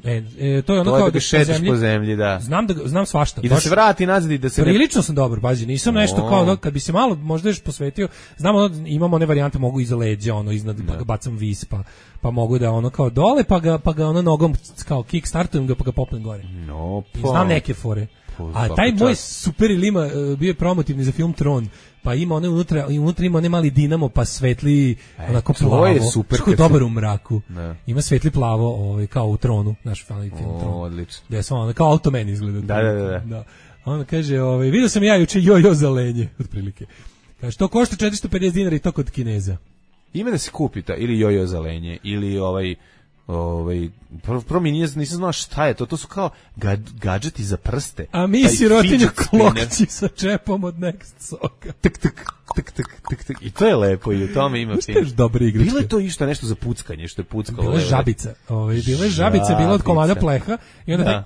G: E, e, to je ono
H: to
G: kao
H: da ga šetaš po zemlji, da.
G: Znam da znam svašta.
H: I da se vrati nazad i da se
G: prilično sam dobar, pazi, nisam no. nešto kao ono, kad bi se malo možda još posvetio, znamo ono, imamo one varijante mogu iza leđa, ono iznad pa ga bacam vis pa pa mogu da ono kao dole pa ga pa ga ono nogom kao kick startujem ga pa ga popnem gore.
H: No, pa.
G: I znam neke fore. A taj moj super ilima uh, bio je promotivni za film Tron. Pa ima one unutra, i unutra ima one mali dinamo, pa svetli e, onako plavo.
H: Je super.
G: Što je dobar u mraku. Ne. Ima svetli plavo, ovaj, kao u Tronu, naš film
H: o,
G: Tron.
H: Odlično.
G: Gde su ono, kao Automan izgleda.
H: Da, da, da.
G: da. Ona kaže, ovaj, vidio sam ja juče jojo za lenje, otprilike. Kaže, to košta četiristo pedeset dinara i to kod Kineza.
H: Ima da se kupi ta, ili jojo za lenje, ili ovaj... Ovaj prvo prvo mi nisam znao šta je to, to su kao gad, gadžeti za prste.
G: A mi sirotinju klokci sa čepom od Next soka.
H: Tik tik tik tik tik tik. I to je lepo i u tome ima
G: fin. Dobro igračke.
H: Bilo je to isto nešto za puckanje, što je puckalo.
G: Bila je žabica, ovaj bila je žabica, bila od komada pleha i onda da.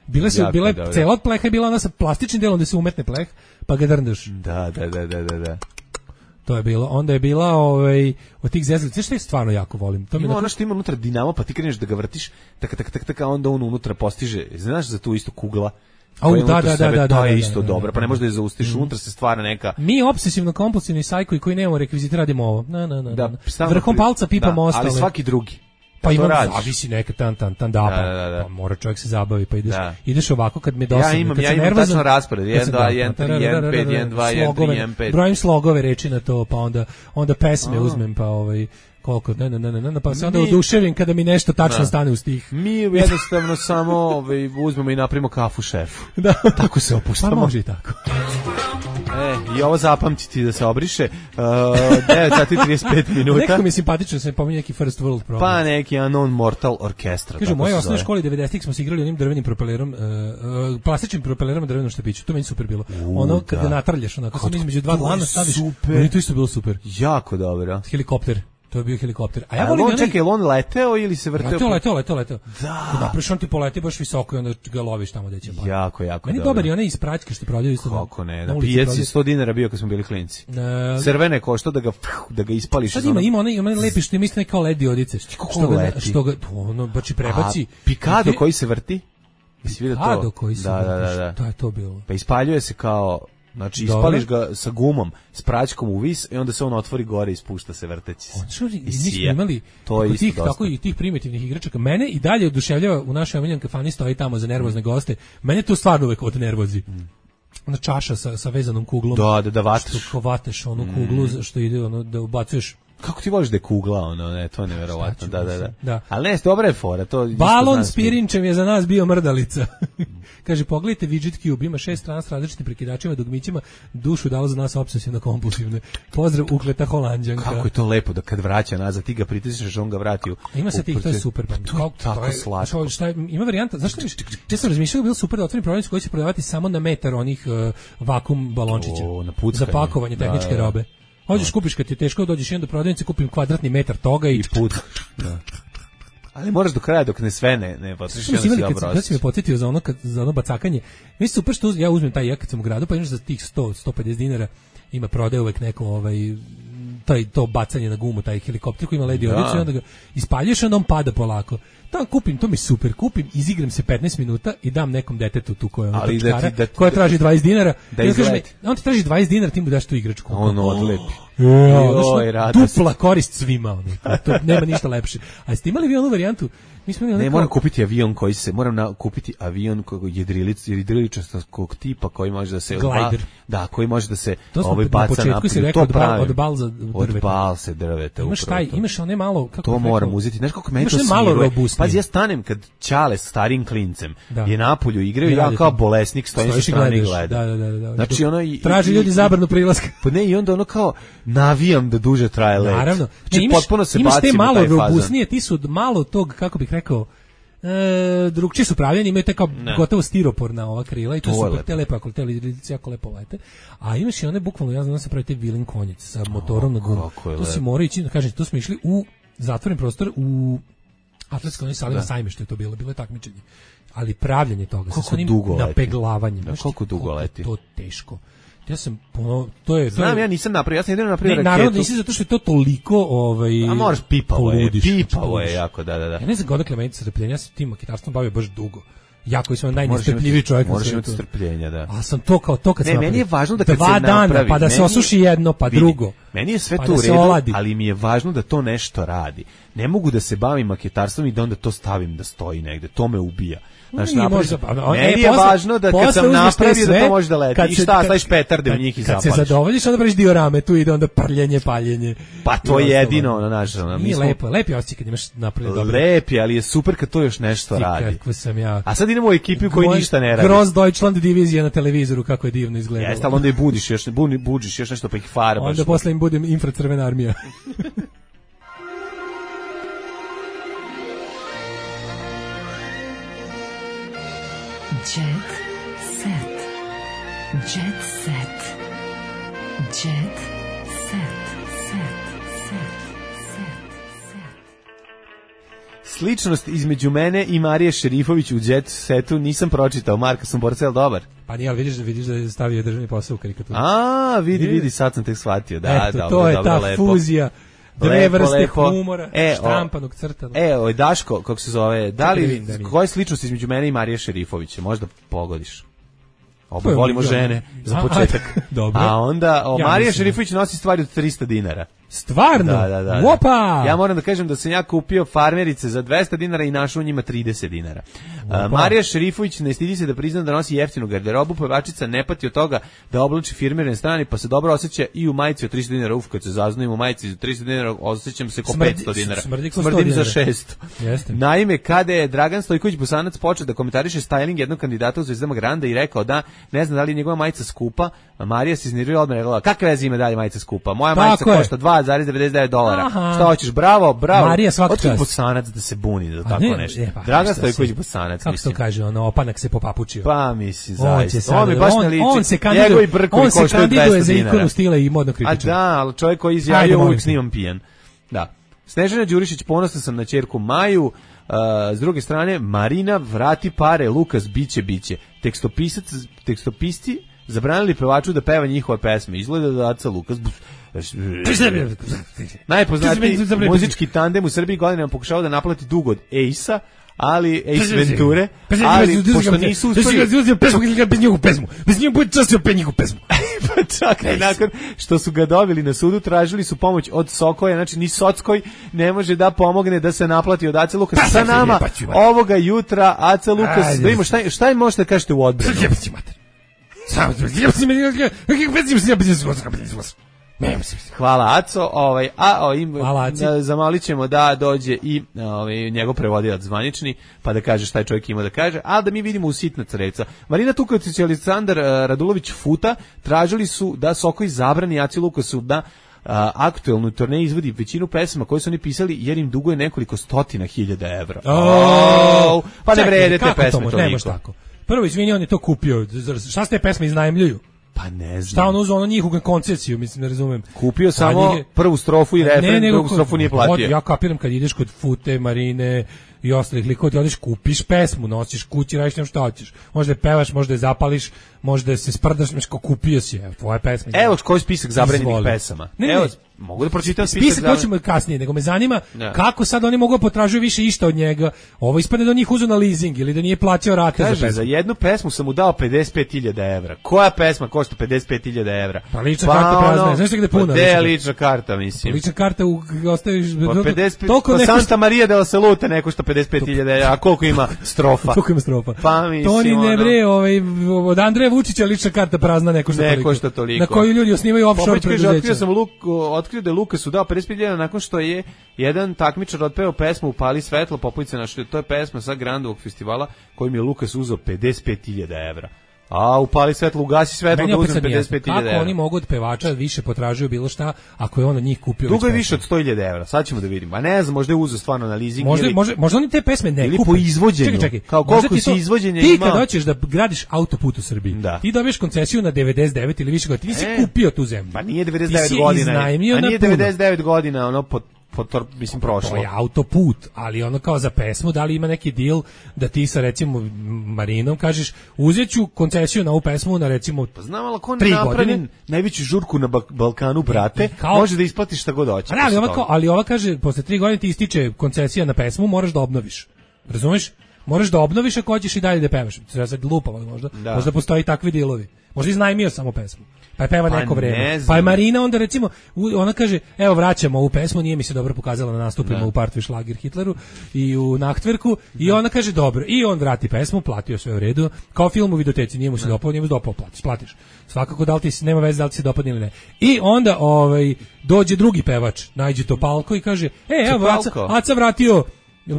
G: Bile su, bila je cela od pleha, bila ona sa plastičnim delom da se umetne pleh, pa ga drndaš.
H: Da, da, da, da, da, da.
G: To je bilo. Onda je bila ovaj od tih zezalica, što je stvarno jako volim. To
H: ima
G: mi
H: ono što ima unutra dinamo, pa ti kreneš da ga vrtiš, tak tak tak tak, a onda on unutra postiže. Znaš za tu istu kugla?
G: Au, da, da, da, da,
H: to je isto dobro. Pa ne možeš da je zaustiš, unutra se stvara neka.
G: Mi opsesivno kompulsivni sajkovi koji nemamo rekvizite radimo ovo. Na na na. Vrhom palca pipamo ostale.
H: Ali svaki drugi.
G: Pa ima zavisi neka tan tan tan da,
H: da, da, da.
G: Pa mora čovjek se zabavi pa ideš
H: da.
G: ideš ovako kad mi dosadno.
H: Ja imam ja imam tačno raspored jedan dva jedan tri jedan pet jedan dva jedan tri jedan pet.
G: Brojim slogove reči na to pa onda onda pesme uzmem pa ovaj koliko ne ne ne ne pa se onda oduševim kada mi nešto tačno stane u stih.
H: Mi jednostavno samo ovaj uzmemo i napravimo kafu šefu.
G: Da.
H: Tako se opuštamo.
G: Pa može i tako.
H: E, i ovo zapamtiti da se obriše. Uh, devet sati i trideset pet minuta.
G: Neko mi je simpatično, se pominje neki First World Problem.
H: Pa neki Unknown Mortal Orchestra.
G: Kažu, u mojoj osnovnoj školi devedesetih smo se igrali onim drvenim propelerom, uh, uh, plastičnim propelerom drvenom štapiću. To meni super bilo. U, ono kad ga natrljaš, onako sam između dva dlana staviš.
H: Super.
G: Meni to isto bilo super.
H: Jako dobro.
G: Helikopter. To je bio helikopter. A ja
H: A
G: volim
H: on
G: onaj...
H: čekaj, on leteo ili se vrteo?
G: Leteo, leteo, leteo, leteo.
H: Da.
G: Kad napraviš, on ti poleti baš visoko i onda ga loviš tamo gde će pa.
H: Jako, jako
G: Meni
H: dobro.
G: dobar i onaj iz praćke što prodaju isto.
H: Kako ne,
G: na
H: na
G: ulici
H: pijaci
G: prodaju.
H: sto dinara bio kad smo bili klinci.
G: E,
H: Crvene košta da ga da ga ispališ.
G: Sad
H: iz
G: ima,
H: onog-
G: ima onaj, ima onaj lepi što ima isto neka L E D diodice. Što ga,
H: leti?
G: što ga, ono, baš i prebaci.
H: A Pikado
G: Gde-
H: koji se vrti? Jesi vidio to?
G: Pikado koji se
H: da,
G: vrti,
H: da, da, da.
G: šta je to bilo?
H: Pa ispaljuje se kao, znači
G: Dobro.
H: ispališ ga sa gumom, s praćkom u vis i onda se on otvori gore i spušta se vrteći se.
G: Što
H: I
G: mi smo
H: sija.
G: imali
H: To je
G: oko
H: isto
G: tih,
H: dosta.
G: tako i tih primitivnih igračaka. Mene i dalje oduševljava u našoj omiljenoj kafani stoji tamo za nervozne goste. Mene to stvarno uvek od nervozi. Ona čaša sa, sa vezanom kuglom.
H: Da, da, da vataš.
G: Što ko vateš onu kuglu što ide ono da ubacuješ.
H: Kako ti voliš da je kugla, ono, ne, to je neverovatno, da, da, da.
G: Da.
H: Ali ne, dobra je fora, to isto
G: Balon
H: znam
G: s
H: svi.
G: pirinčem je za nas bio mrdalica. Kaže, pogledajte Widget Cube, ima šest strana s različitim prekidačima, dugmićima, dušu dalo za nas obsesivno kompulsivne. Pozdrav, ukleta Holanđanka.
H: Kako je to lepo da kad vraća nazad, ti ga pritisneš, on ga vrati u...
G: Ima se
H: u
G: tih, to je
H: proces-
G: super.
H: Pa to je tako slatko.
G: Što, šta je, ima varijanta, zašto mi, ja sam razmišljao da bi bilo super da otvorim prodavnicu koja će prodavati samo na metar onih uh, vakum balončića.
H: O, na puckanje.
G: Za pakovanje tehničke
H: Da, da.
G: robe. Hođeš, kupiš kad ti je teško, dođeš jedan do prodavnice, kupim kvadratni metar toga i...
H: I put. Da. Ali moraš do kraja dok ne sve ne, ne potrošiš,
G: Što
H: onda
G: si
H: si
G: imali
H: dobro
G: kad, kad si me podsjetio za ono, kad, za ono bacakanje, mi se super što uz- ja uzmem taj ja kad sam u gradu, pa imaš za tih sto do sto pedeset dinara, ima prodaje uvek neko ovaj, taj, to bacanje na gumu, taj helikopter koji ima L E D
H: Da.
G: diodicu i onda ga ispaljuješ, onda on pada polako. Tamo kupim, to mi super, kupim, izigram se petnaest minuta i dam nekom detetu tu koja,
H: Ali da ti-
G: točkara,
H: da ti-
G: koja traži dvadeset dinara,
H: da
G: i on kaže mi,
H: izleti.
G: on ti traži dvadeset dinara, ti mu daš tu igračku.
H: On odlepi.
G: Ja,
H: Joj,
G: znaš,
H: radost.
G: dupla korist svima, ono. To nema ništa lepše. A jeste imali vi onu varijantu? Mi smo imali
H: Ne,
G: ono
H: moram
G: kao-
H: kupiti avion koji se, moram na, kupiti avion koji jedrilic, jedriličastog tipa koji može da se...
G: Glider.
H: Da, koji može da se
G: To smo
H: ovaj
G: na
H: baca
G: početku
H: naprijed.
G: si rekao
H: To
G: od bal-
H: pravim.
G: od balza
H: Od
G: drveta.
H: balse drveta.
G: Imaš
H: upravo
G: taj,
H: to.
G: imaš one malo, kako
H: To
G: bih
H: moram
G: rekao,
H: uzeti. Znaš kako meni
G: imaš
H: to
G: one malo
H: smiruje?
G: robustnije.
H: Pazi, ja stanem kad Ćale s starim klincem
G: Da.
H: je napolju igraju,
G: I
H: ja
G: radi
H: kao
G: to.
H: bolesnik stojim sa
G: Stojiš i
H: strane i
G: gledaš.
H: gledam.
G: Da, da, da, da.
H: Znači ono i...
G: Traži
H: i-
G: ljudi
H: i-
G: zabranu prilaska.
H: Pa ne, i onda ono kao navijam da duže traje let.
G: Naravno.
H: Znači,
G: Ne, imaš,
H: potpuno se
G: imaš te
H: bacim u
G: malo
H: taj fazon.
G: robustnije, ti su od malo tog, kako bih rekao, e, drugčije su pravljeni, imaju te kao
H: Ne.
G: gotovo stiroporna ova krila i to,
H: To je
G: su super,
H: lepo.
G: te lepo, ako te lidice jako lepo lete. A imaš i one bukvalno, ja znam da se pravi te vilin konjice sa motorom na gumu.
H: kako je
G: To si
H: lepo.
G: mora ići, kažem, to smo išli u zatvoren prostor u atletskoj onoj sali
H: Da.
G: na Sajmištu je to bilo, bilo je takmičenje. Ali pravljanje toga, sa
H: Koliko
G: onim
H: dugo leti?
G: napeglavanjem.
H: Da,
G: Znaš ti
H: koliko dugo
G: koliko je
H: leti?
G: To teško. Ja sam, ono, to je... to
H: Znam,
G: je-
H: ja nisam napravio, ja sam jedino napravio
G: ne,
H: raketu.
G: naravno nisi zato što je to toliko ovaj
H: A moraš pipavo je,
G: poludiš,
H: pipavo
G: poludiš.
H: je jako, da, da, da.
G: Ja ne znam odakle meni strpljenje, ja se tim maketarstvom bavio baš dugo. Ja koji sam
H: Moraš
G: najnestrpljiviji
H: imati-
G: čovjek na
H: Moraš
G: svetu.
H: imati strpljenja, da.
G: A sam to kao to kad
H: Ne,
G: sam
H: meni
G: napravio.
H: je važno da kad
G: Dva
H: se
G: dana,
H: napravi,
G: pa da se
H: meni-
G: osuši jedno, pa
H: vidi,
G: drugo.
H: Meni je sve
G: pa
H: to
G: da
H: u
G: se
H: redu,
G: oladi.
H: ali mi je važno da to nešto radi. Ne mogu da se bavim maketarstvom i da onda to stavim da stoji negde. To me ubija. Znaš,
G: Nije
H: napravi-
G: možda, pa, a,
H: meni
G: e,
H: je
G: posle-
H: važno da kad
G: posle
H: sam
G: uzmeš te
H: napravio da
G: sve,
H: to može da leti.
G: kad
H: I
G: se-
H: šta,
G: kad-
H: staviš petarde u
G: kad-
H: njih i
G: Kad se
H: zapališ.
G: zadovoljiš, onda praviš diorame, tu ide onda prljenje, paljenje.
H: Pa to
G: I
H: je
G: ostalo.
H: jedino, ono, znaš, ono, mi
G: Nije
H: smo-
G: lepo, lepi osjećaj kad imaš napravljeno dobro.
H: Lepi, ali je super kad to još nešto
G: Ti
H: radi.
G: kakvo sam ja.
H: A sad idemo u ekipi koji
G: Moj
H: ništa ne radi.
G: Gross Deutschland divizija na televizoru, kako je divno izgledalo.
H: Jeste, ali onda i budiš još, buni, budiš još nešto pa ih farbaš.
G: Onda posle im budem infracrvena armija.
F: Jet set. Jet set. Jet set. Set. Set. Set.
H: Sličnost između mene i Marije Šerifović u Jet Setu nisam pročitao. Marka sam Borcel dobar.
G: Pa nije, ali vidiš, vidiš da je stavio državni posao u karikaturu.
H: A, vidi,
G: Vidi.
H: vidi, sad sam tek shvatio. Da,
G: Eto,
H: dobro,
G: to je
H: dobro,
G: ta
H: lepo.
G: fuzija dve
H: Lepo,
G: vrste
H: lepo.
G: humora,
H: E, o-
G: štampanog, crtanog.
H: E, oj, Daško, kako se zove, da
G: Čekaj da
H: li,
G: vidim, da vidim.
H: koja je sličnost između mene i Marije Šerifović? Možda pogodiš. Oba
G: Pa,
H: volimo
G: ja-
H: žene, za
G: A,
H: početak.
G: a, dobro.
H: A onda, o,
G: Ja
H: Marija
G: mislim.
H: Šerifović nosi stvari od trista dinara.
G: Stvarno?
H: Da, da, da.
G: Opa!
H: Ja moram da kažem da sam ja kupio farmerice za dvesta dinara i našao u njima trideset dinara. A, Marija Šerifović ne stidi se da prizna da nosi jeftinu garderobu, pevačica ne pati od toga da oblači firmirane strane, pa se dobro osjeća i u majici od trista dinara. Uf, kad se zaznovim u majici za trista dinara, osjećam se ko
G: Smrdi-
H: petsto dinara.
G: smrdi ko sto
H: Smrdim za
G: dinara.
H: šesto.
G: Jeste.
H: Naime, kada je Dragan Stojković Bosanac počeo da komentariše styling jednog kandidata u Zvezdama Granda i rekao da ne zna da li je njegova majica skupa, a Marija se iznervirala odmah i rekla, kakve veze ima dalje majica skupa? Moja
G: Tako
H: majica
G: je.
H: košta dva zarez devedeset devet dolara.
G: Aha.
H: Šta hoćeš? Bravo, bravo.
G: Marija, svaka
H: Otkud
G: čast.
H: Bosanac da se buni za
G: A
H: tako
G: ne,
H: nešto?
G: e, pa,
H: Dragan
G: šta
H: Stojković
G: si?
H: Bosanac,
G: Kako se to
H: mislim.
G: kaže, ono, opanak se popapučio.
H: Pa misli,
G: On će
H: zaista.
G: sad,
H: On mi baš ne
G: on,
H: liči.
G: on se kandiduje,
H: Njegovi brkovi
G: on se
H: koštaju
G: kandiduje
H: dvesta
G: za
H: dinara.
G: ikonu stila i modno
H: A
G: kritičar.
H: da, ali čovjek koji
G: Ajde,
H: izjavio
G: molim
H: uvijek
G: te.
H: snimam pijan. Da. Snežana Đurišić, ponosna sam na ćerku Maju. Uh, s druge strane, Marina, vrati pare, Lukas, biće, biće. Tekstopisac, tekstopisci zabranili pevaču da peva njihove pesme. Izgleda da Aca Lukas... Najpoznatiji muzički tandem u Srbiji godinama pokušao da naplati dug od Ace-a, ali Ace Venture, ali pošto nisu uspeli...
G: Bez njegovu pesmu, bez njegovu bude častio pe njegovu pesmu.
H: Pa čak i nakon što su ga dobili na sudu, tražili su pomoć od Sokoja, znači ni Sockoj ne može da pomogne da se naplati od Ace Lukasa. Sa nama ovoga jutra Aca Lukas, da imamo šta, šta im možete da kažete u odbranu? Hvala Aco, ovaj a o, im zamolit ćemo da dođe i ovaj njegov prevodilac zvanični pa da kaže šta je čovjek ima da kaže, a da mi vidimo u sitna crevca. Marina Tuković i Aleksandar Radulović Futa tražili su da Sokoj zabrani Aci Lukasu da a, aktuelnu turneju izvodi većinu pesama koje su oni pisali jer im duguje nekoliko stotina hiljada evra. Oh, pa ne vrede te pesme to niko. Tako.
G: Prvo, izvini, on je to kupio. Šta ste pesme iznajmljuju?
H: Pa ne znam.
G: Šta on uzeo ono njihovu koncesiju, mislim, ne razumem.
H: Kupio samo je, prvu strofu i refren, ne, drugu strofu nije platio.
G: Od, ja kapiram kad ideš kod Fute, Marine i ostalih likova, ti odeš, kupiš pesmu, nosiš kući, radiš nešto šta hoćeš. Možda je pevaš, možda je zapališ, možda je se sprdaš, nešto kupio si, evo, tvoja pesma.
H: Evo koji spisak zabranjenih pesama.
G: Ne, ne,
H: evo, mogu da pročitam spisak.
G: Spisak hoćemo kasnije, nego me zanima ja. Kako sad oni mogu potražuju više išta od njega. Ovo ispadne da njih uzu na leasing ili da nije plaćao rate
H: Kaže,
G: za pesmu.
H: Za jednu pesmu sam mu dao pedeset pet hiljada evra. Koja pesma košta pedeset pet hiljada evra?
G: Pa lična pa karta prazna, ono, znaš gde je puno?
H: Pa gde lična karta, mislim?
G: Pa lična karta u, ostaviš...
H: Pa pedeset pet, pa neko... Santa Maria de la Salute ne košta pedeset pet hiljada evra, a koliko ima strofa?
G: Koliko ima strofa?
H: Pa mislim,
G: to ni ne bre,
H: ono...
G: ovaj, od Andreja Vučića lična karta prazna ne košta toliko.
H: Ne košta toliko.
G: Na koju ljudi osnivaju offshore preduzeća.
H: Otkrio sam Luk, otkrio da je Lukasu dao pedeset pet hiljada nakon što je jedan takmičar otpeo pesmu Upali svetlo, Popovice naše, to je pesma sa Grandovog festivala kojim je Lukas uzeo pedeset pet hiljada evra. A Upali svetlo, ugasi svetlo, da uzem pedeset pet hiljada evra.
G: Kako oni mogu od pevača više potražuju bilo šta ako je on od njih kupio?
H: Dugo je više od sto hiljada evra, sad ćemo da vidimo. A ne znam, možda je uzeo stvarno na leasing.
G: Možda,
H: ili,
G: možda, možda oni te pesme ne
H: ili
G: kupe.
H: Po izvođenju.
G: Čekaj, čekaj.
H: Kao koliko si izvođenja ima.
G: Ti kad hoćeš da gradiš autoput u Srbiji, da. Ti dobiješ koncesiju na devedeset devet ili više godina. Ti nisi e, kupio tu zemlju.
H: Pa nije devedeset devet godina. A nije devedeset devet godina, ono pod Potor, mislim, prošlo.
G: To je autoput, ali ono kao za pesmu, da li ima neki deal da ti sa, recimo, Marinom kažeš, uzet ću koncesiju na ovu pesmu na, recimo,
H: pa znam, ali ako ne napravi najveću žurku na Balkanu, brate, kao, može da isplatiš šta god hoće.
G: Ali ova, kao, ali ova kaže, posle tri godine ti ističe koncesija na pesmu, moraš da obnoviš. Razumeš? Moraš da obnoviš ako hoćeš i dalje da pevaš. Treba sad lupamo, možda. Da. Možda postoji takvi dealovi. Možda iznajmio samo pesmu. Pa je peva pa neko vreme. Pa je Marina onda recimo, ona kaže, evo vraćamo ovu pesmu, nije mi se dobro pokazala na nastupima da. U Partvi Šlager Hitleru i u Nachtwerku i ona kaže dobro. I on vrati pesmu, platio sve u redu. Kao film u videoteci, nije mu se dopao, nije mu se dopao, platiš, platiš. Svakako da li ti nema veze da li ti se dopadne ili ne. I onda ovaj dođe drugi pevač, nađe Topalko i kaže, e, evo Aca, Aca vratio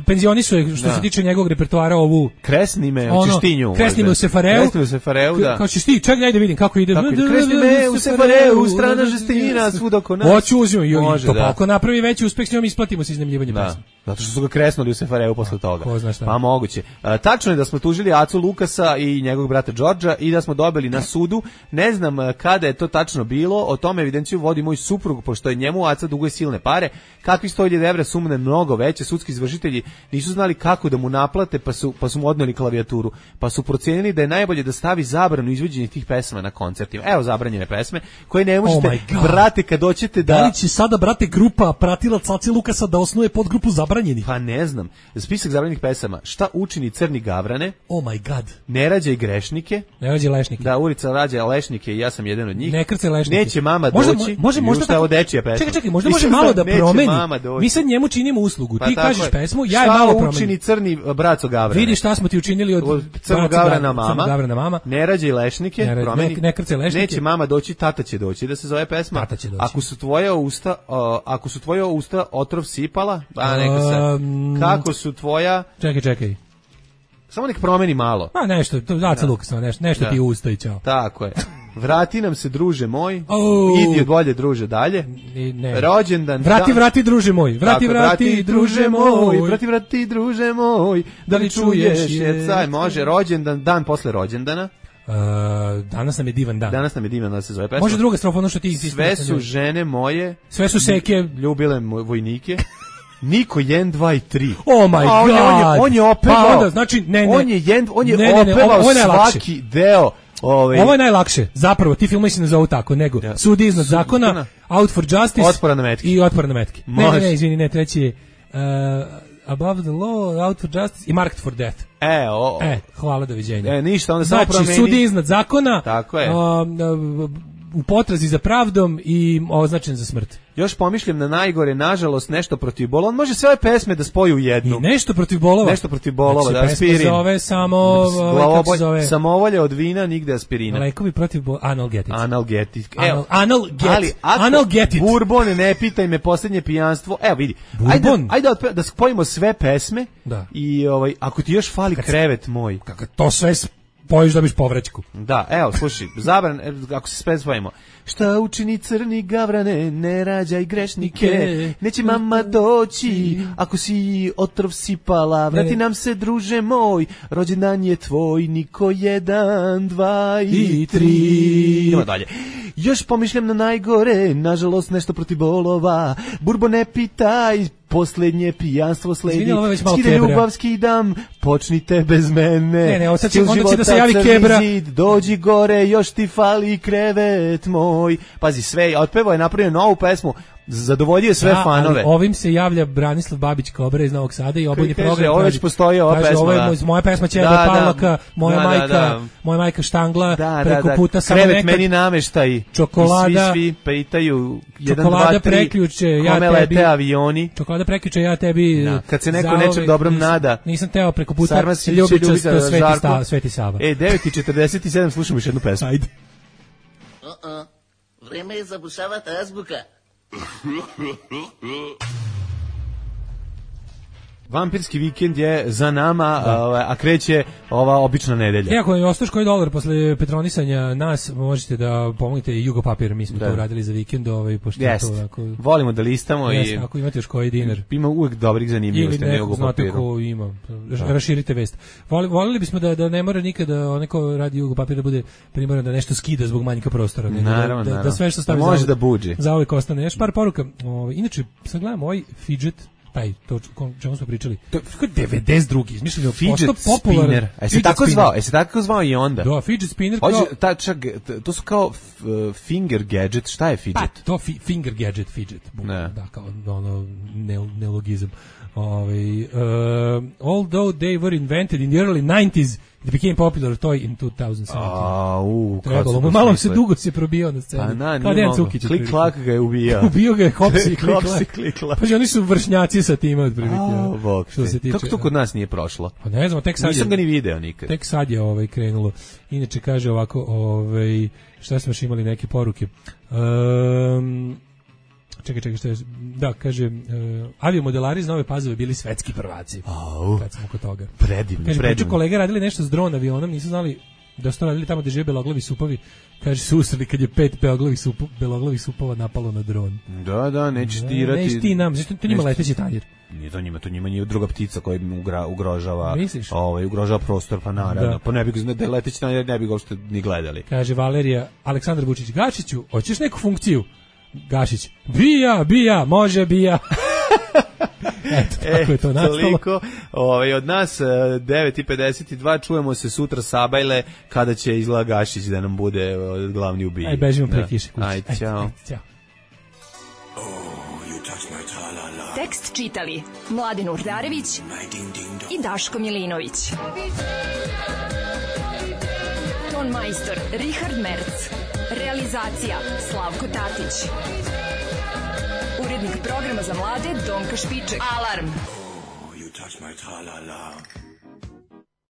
G: penzionisuje što da. Se tiče njegovog repertoara ovu
H: Kresni me u Češtinju.
G: Kresni me u Sefareu.
H: Kresni me u Sefareu, da.
G: Kao ćeš ti, čekaj daj da vidim kako ide.
H: Kresni me u Sefareu, strana žestina, svud oko nas.
G: Hoću uzim i Topalko napravi veći uspeh s njom, isplatimo se iznajmljivanje pesme.
H: Zato što su ga kresnuli u Sefareu posle toga.
G: Ko zna šta.
H: Pa moguće. A, tačno je da smo tužili Acu Lukasa i njegovog brata Đorđa i da smo dobili na sudu. Ne znam kada je to tačno bilo, o tome evidenciju vodi moj suprug, pošto je njemu Aca duguje silne pare. Kakvi sto hiljada evra sumne mnogo veće, sudski izvršitelji nisu znali kako da mu naplate, pa su, pa su mu odneli klavijaturu. Pa su procenili da je najbolje da stavi zabranu izvođenja tih pesama na koncertima. Evo zabranjene pesme koje ne možete, oh brate, kad doćete da...
G: Da li će sada, brate, grupa pratilac Ace Lukasa da osnuje podgrupu zabranjenih?
H: Pa ne znam. Spisak zabranjenih pesama. Šta učini Crni Gavrane?
G: Oh my god.
H: Ne rađaj grešnike.
G: Ne rađaj lešnike.
H: Da, ulica rađa lešnike i ja sam jedan od njih.
G: Ne krcaj lešnike.
H: Neće mama
G: možda,
H: doći.
G: Može, možda tako...
H: dečija pesma.
G: Čekaj, čekaj, možda može malo da promeni. Mi sad njemu činimo uslugu. Pa ti kažeš je. Pesmu, ja je malo promeni.
H: Šta učini Crni braco Gavrane?
G: Vidi šta smo ti učinili od,
H: od Crnog Gavrana mama.
G: Gavrana mama.
H: Ne rađaj lešnike,
G: ne,
H: promeni.
G: Ne, ne krcaj lešnike.
H: Neće mama doći, tata će doći, da se zove pesma.
G: Tata će doći.
H: Ako su tvoja usta, uh, ako su tvoja usta otrov sipala, a neka se. Um, kako su tvoja...
G: Čekaj, čekaj.
H: Samo nek promeni malo.
G: A nešto, to Aca Lukas, nešto, nešto da. Ti usta i čao.
H: Tako je. Vrati nam se, druže moj. Oh. Idi od volje, druže, dalje.
G: Ne.
H: Rođendan.
G: Vrati, dan. Vrati, druže moj. Vrati,
H: Tako,
G: vrati, vrati, druže moj.
H: Vrati, vrati, druže moj. Da li čuješ? Jecaj, može. Rođendan, dan posle rođendana.
G: Uh, danas nam je divan dan.
H: Danas nam je divan dan, se zove pesma.
G: Može druga strofa, ono što ti insistiraš.
H: Sve su žene moje.
G: Sve su seke.
H: Ljubile vojnike. Niko jedan, dva i tri.
G: Oh my
H: A, on
G: god.
H: Je, on, je, on je opevao.
G: Pa onda, znači, ne, ne.
H: On je, jedan, on je
G: ne, ne, ne,
H: opevao
G: ovo je
H: svaki deo. Ovaj...
G: Ovo je najlakše. Zapravo, ti filmovi se ne zovu tako, nego ja. Sudi iznad zakona, Out for Justice
H: Otpora na metke.
G: I Otpora na metke. Ne, ne, ne, izvini, ne, treći je uh, Above the Law, Out for Justice i Marked for Death.
H: E, o, o.
G: E, hvala, doviđenja.
H: E, ništa, onda samo promeni.
G: Znači, Sudi iznad zakona,
H: tako je.
G: Um, u potrazi za pravdom i označen za smrt.
H: Još pomišljam na najgore, nažalost, nešto protiv bolova. On može sve ove pesme da spoji u jednu.
G: I nešto protiv bolova.
H: Nešto protiv bolova,
G: znači,
H: da, aspirin.
G: Pesma zove samo...
H: Glavobolj, se zove? Samovolja od vina, nigde aspirina.
G: Lekovi protiv bolova, analgetic.
H: Analgetic.
G: Anal, analget,
H: ali
G: analgetic.
H: Bourbon, ne pitaj me, posljednje pijanstvo. Evo vidi, ajde, ajde da, da spojimo sve pesme
G: da.
H: I ovaj, ako ti još fali Kad krevet moj.
G: Kako to sve spojiš da biš povraćku.
H: Da, evo, slušaj, zabran, ako se sve spojimo. Šta učini crni gavrane, ne rađaj grešnike, neće mama doći, ako si otrov sipala, vrati nam se druže moj, rođendan je tvoj, niko jedan, dva i tri. Idemo dalje. Još pomišljam na najgore, nažalost nešto protiv bolova, Burbo ne pitaj, posljednje pijanstvo sledi, skide ljubav skidam, počnite bez mene.
G: Ne, ne, onda će, onda će da se javi Kebra.
H: Zid, dođi gore, još ti fali krevet moj. Pazi, sve, otpevao je napravio novu pesmu, zadovoljio sve
G: da,
H: fanove.
G: Ali ovim se javlja Branislav Babić Kobra iz Novog Sada i obojni program.
H: Ovo već postoji ova
G: kaže,
H: pesma.
G: Ovo je
H: da.
G: moja pesma Ćebe
H: da,
G: Pavlaka,
H: da,
G: moja
H: da,
G: majka,
H: da, da.
G: moja majka štangla,
H: da,
G: preko
H: da,
G: puta samo
H: krevet
G: nekad.
H: Meni nameštaj.
G: Čokolada.
H: I svi, svi pitaju jedan,
G: čokolada
H: dva, tri,
G: preključe, ja
H: kome
G: tebi,
H: lete avioni.
G: Čokolada preključe, ja tebi.
H: Da. Kad se neko nečem dobrom
G: nisam,
H: nada.
G: Nisam teo preko puta ljubičasto Sveti, sta, Sveti Sava.
H: E, devet i četrdeset sedam slušamo još jednu pesmu.
G: Ajde.
M: Uh-uh. Vreme je zabušavati azbuka.
H: Vampirski vikend je za nama, a, a kreće ova obična nedelja.
G: E, ako je ostaš koji dolar posle petronisanja nas, možete da pomognete i Jugo Papir, mi smo da. to uradili za vikend, ovaj, pošto
H: yes.
G: to ako...
H: Volimo da listamo yes,
G: i... Ako imate još koji dinar.
H: Ima uvek dobrih zanimljivosti na Jugo Papiru.
G: Ili neko ima, da. raširite vest. Voli, volili bismo da, da ne mora nikada onaj ko radi Jugo Papir da bude primoran da nešto skida zbog manjka prostora. Ne,
H: naravno,
G: da,
H: naravno.
G: Da sve što stavi
H: može
G: za,
H: da buđi.
G: Za uvijek ostane. Još par poruka. Ovaj, inače, sad gledam ovaj fidget, taj, to čemu smo pričali. To je devedeset drugi izmišljeno
H: fidget spinner. E se tako zvao, e se tako zvao i onda.
G: Da, fidget spinner.
H: Hoće ta čak to su kao finger gadget, šta je fidget?
G: Pa, to fi, finger gadget fidget. Ne. Da, kao ono neologizam. Ovaj uh, although they were invented in the early nineties, it became popular toy in two thousand seventeen.
H: A, u,
G: trebalo, malo se dugo se probio na scenu.
H: Pa na, nije mogo. Klik klak ga je ubijao.
G: Ubio ga je hopsi i klik
H: klik klak.
G: Pa oni su vršnjaci sa time otprilike.
H: Što se tiče. Kako to kod nas nije prošlo?
G: Pa ne znam, tek sad.
H: Nisam ga ni video nikad.
G: Tek sad je ovaj krenulo. Inače kaže ovako, ovaj šta smo još imali neke poruke. Um, Čekaj, čekaj, što je, da, kaže, uh, aviomodelari iz Nove Pazove bili svetski prvaci.
H: Au,
G: kad smo oko toga.
H: Predivno,
G: kaže,
H: predivno.
G: Kolege radili nešto s dron avionom, nisu znali da su to radili tamo gde žive beloglavi supovi. Kaže, susreli kad je pet beloglavih, supo, beloglavih supova napalo na dron.
H: Da, da, nećeš dirati.
G: Nećeš ti nam, znači to njima leteći tanjir.
H: Nije to njima, to njima nije druga ptica koja ugra, ugrožava, ovaj, ugrožava prostor, pa naravno. Da. Pa ne bi ga, da leteći tanjir ne bi ga uopšte ni gledali. Kaže Valerija, Aleksandar Vučić, Gašiću, hoćeš neku funkciju? Gašić, bija, bija, može bija. Eto, tako je to nastalo. Toliko, ovaj, od nas devet i pedeset dva, čujemo se sutra Sabajle, kada će izgleda Gašić da nam bude glavni ubij.
G: Aj, bežimo pre kiše kući.
H: Aj, ćao.
G: Ćao.
A: Tekst čitali Mladen Urdarević i Daško Milinović. Ton majstor Richard Merc. Realizacija Slavko Tatić. Urednik programa za mlade Donka Špiček. Alarm! Oh, you touch my tra-la-la.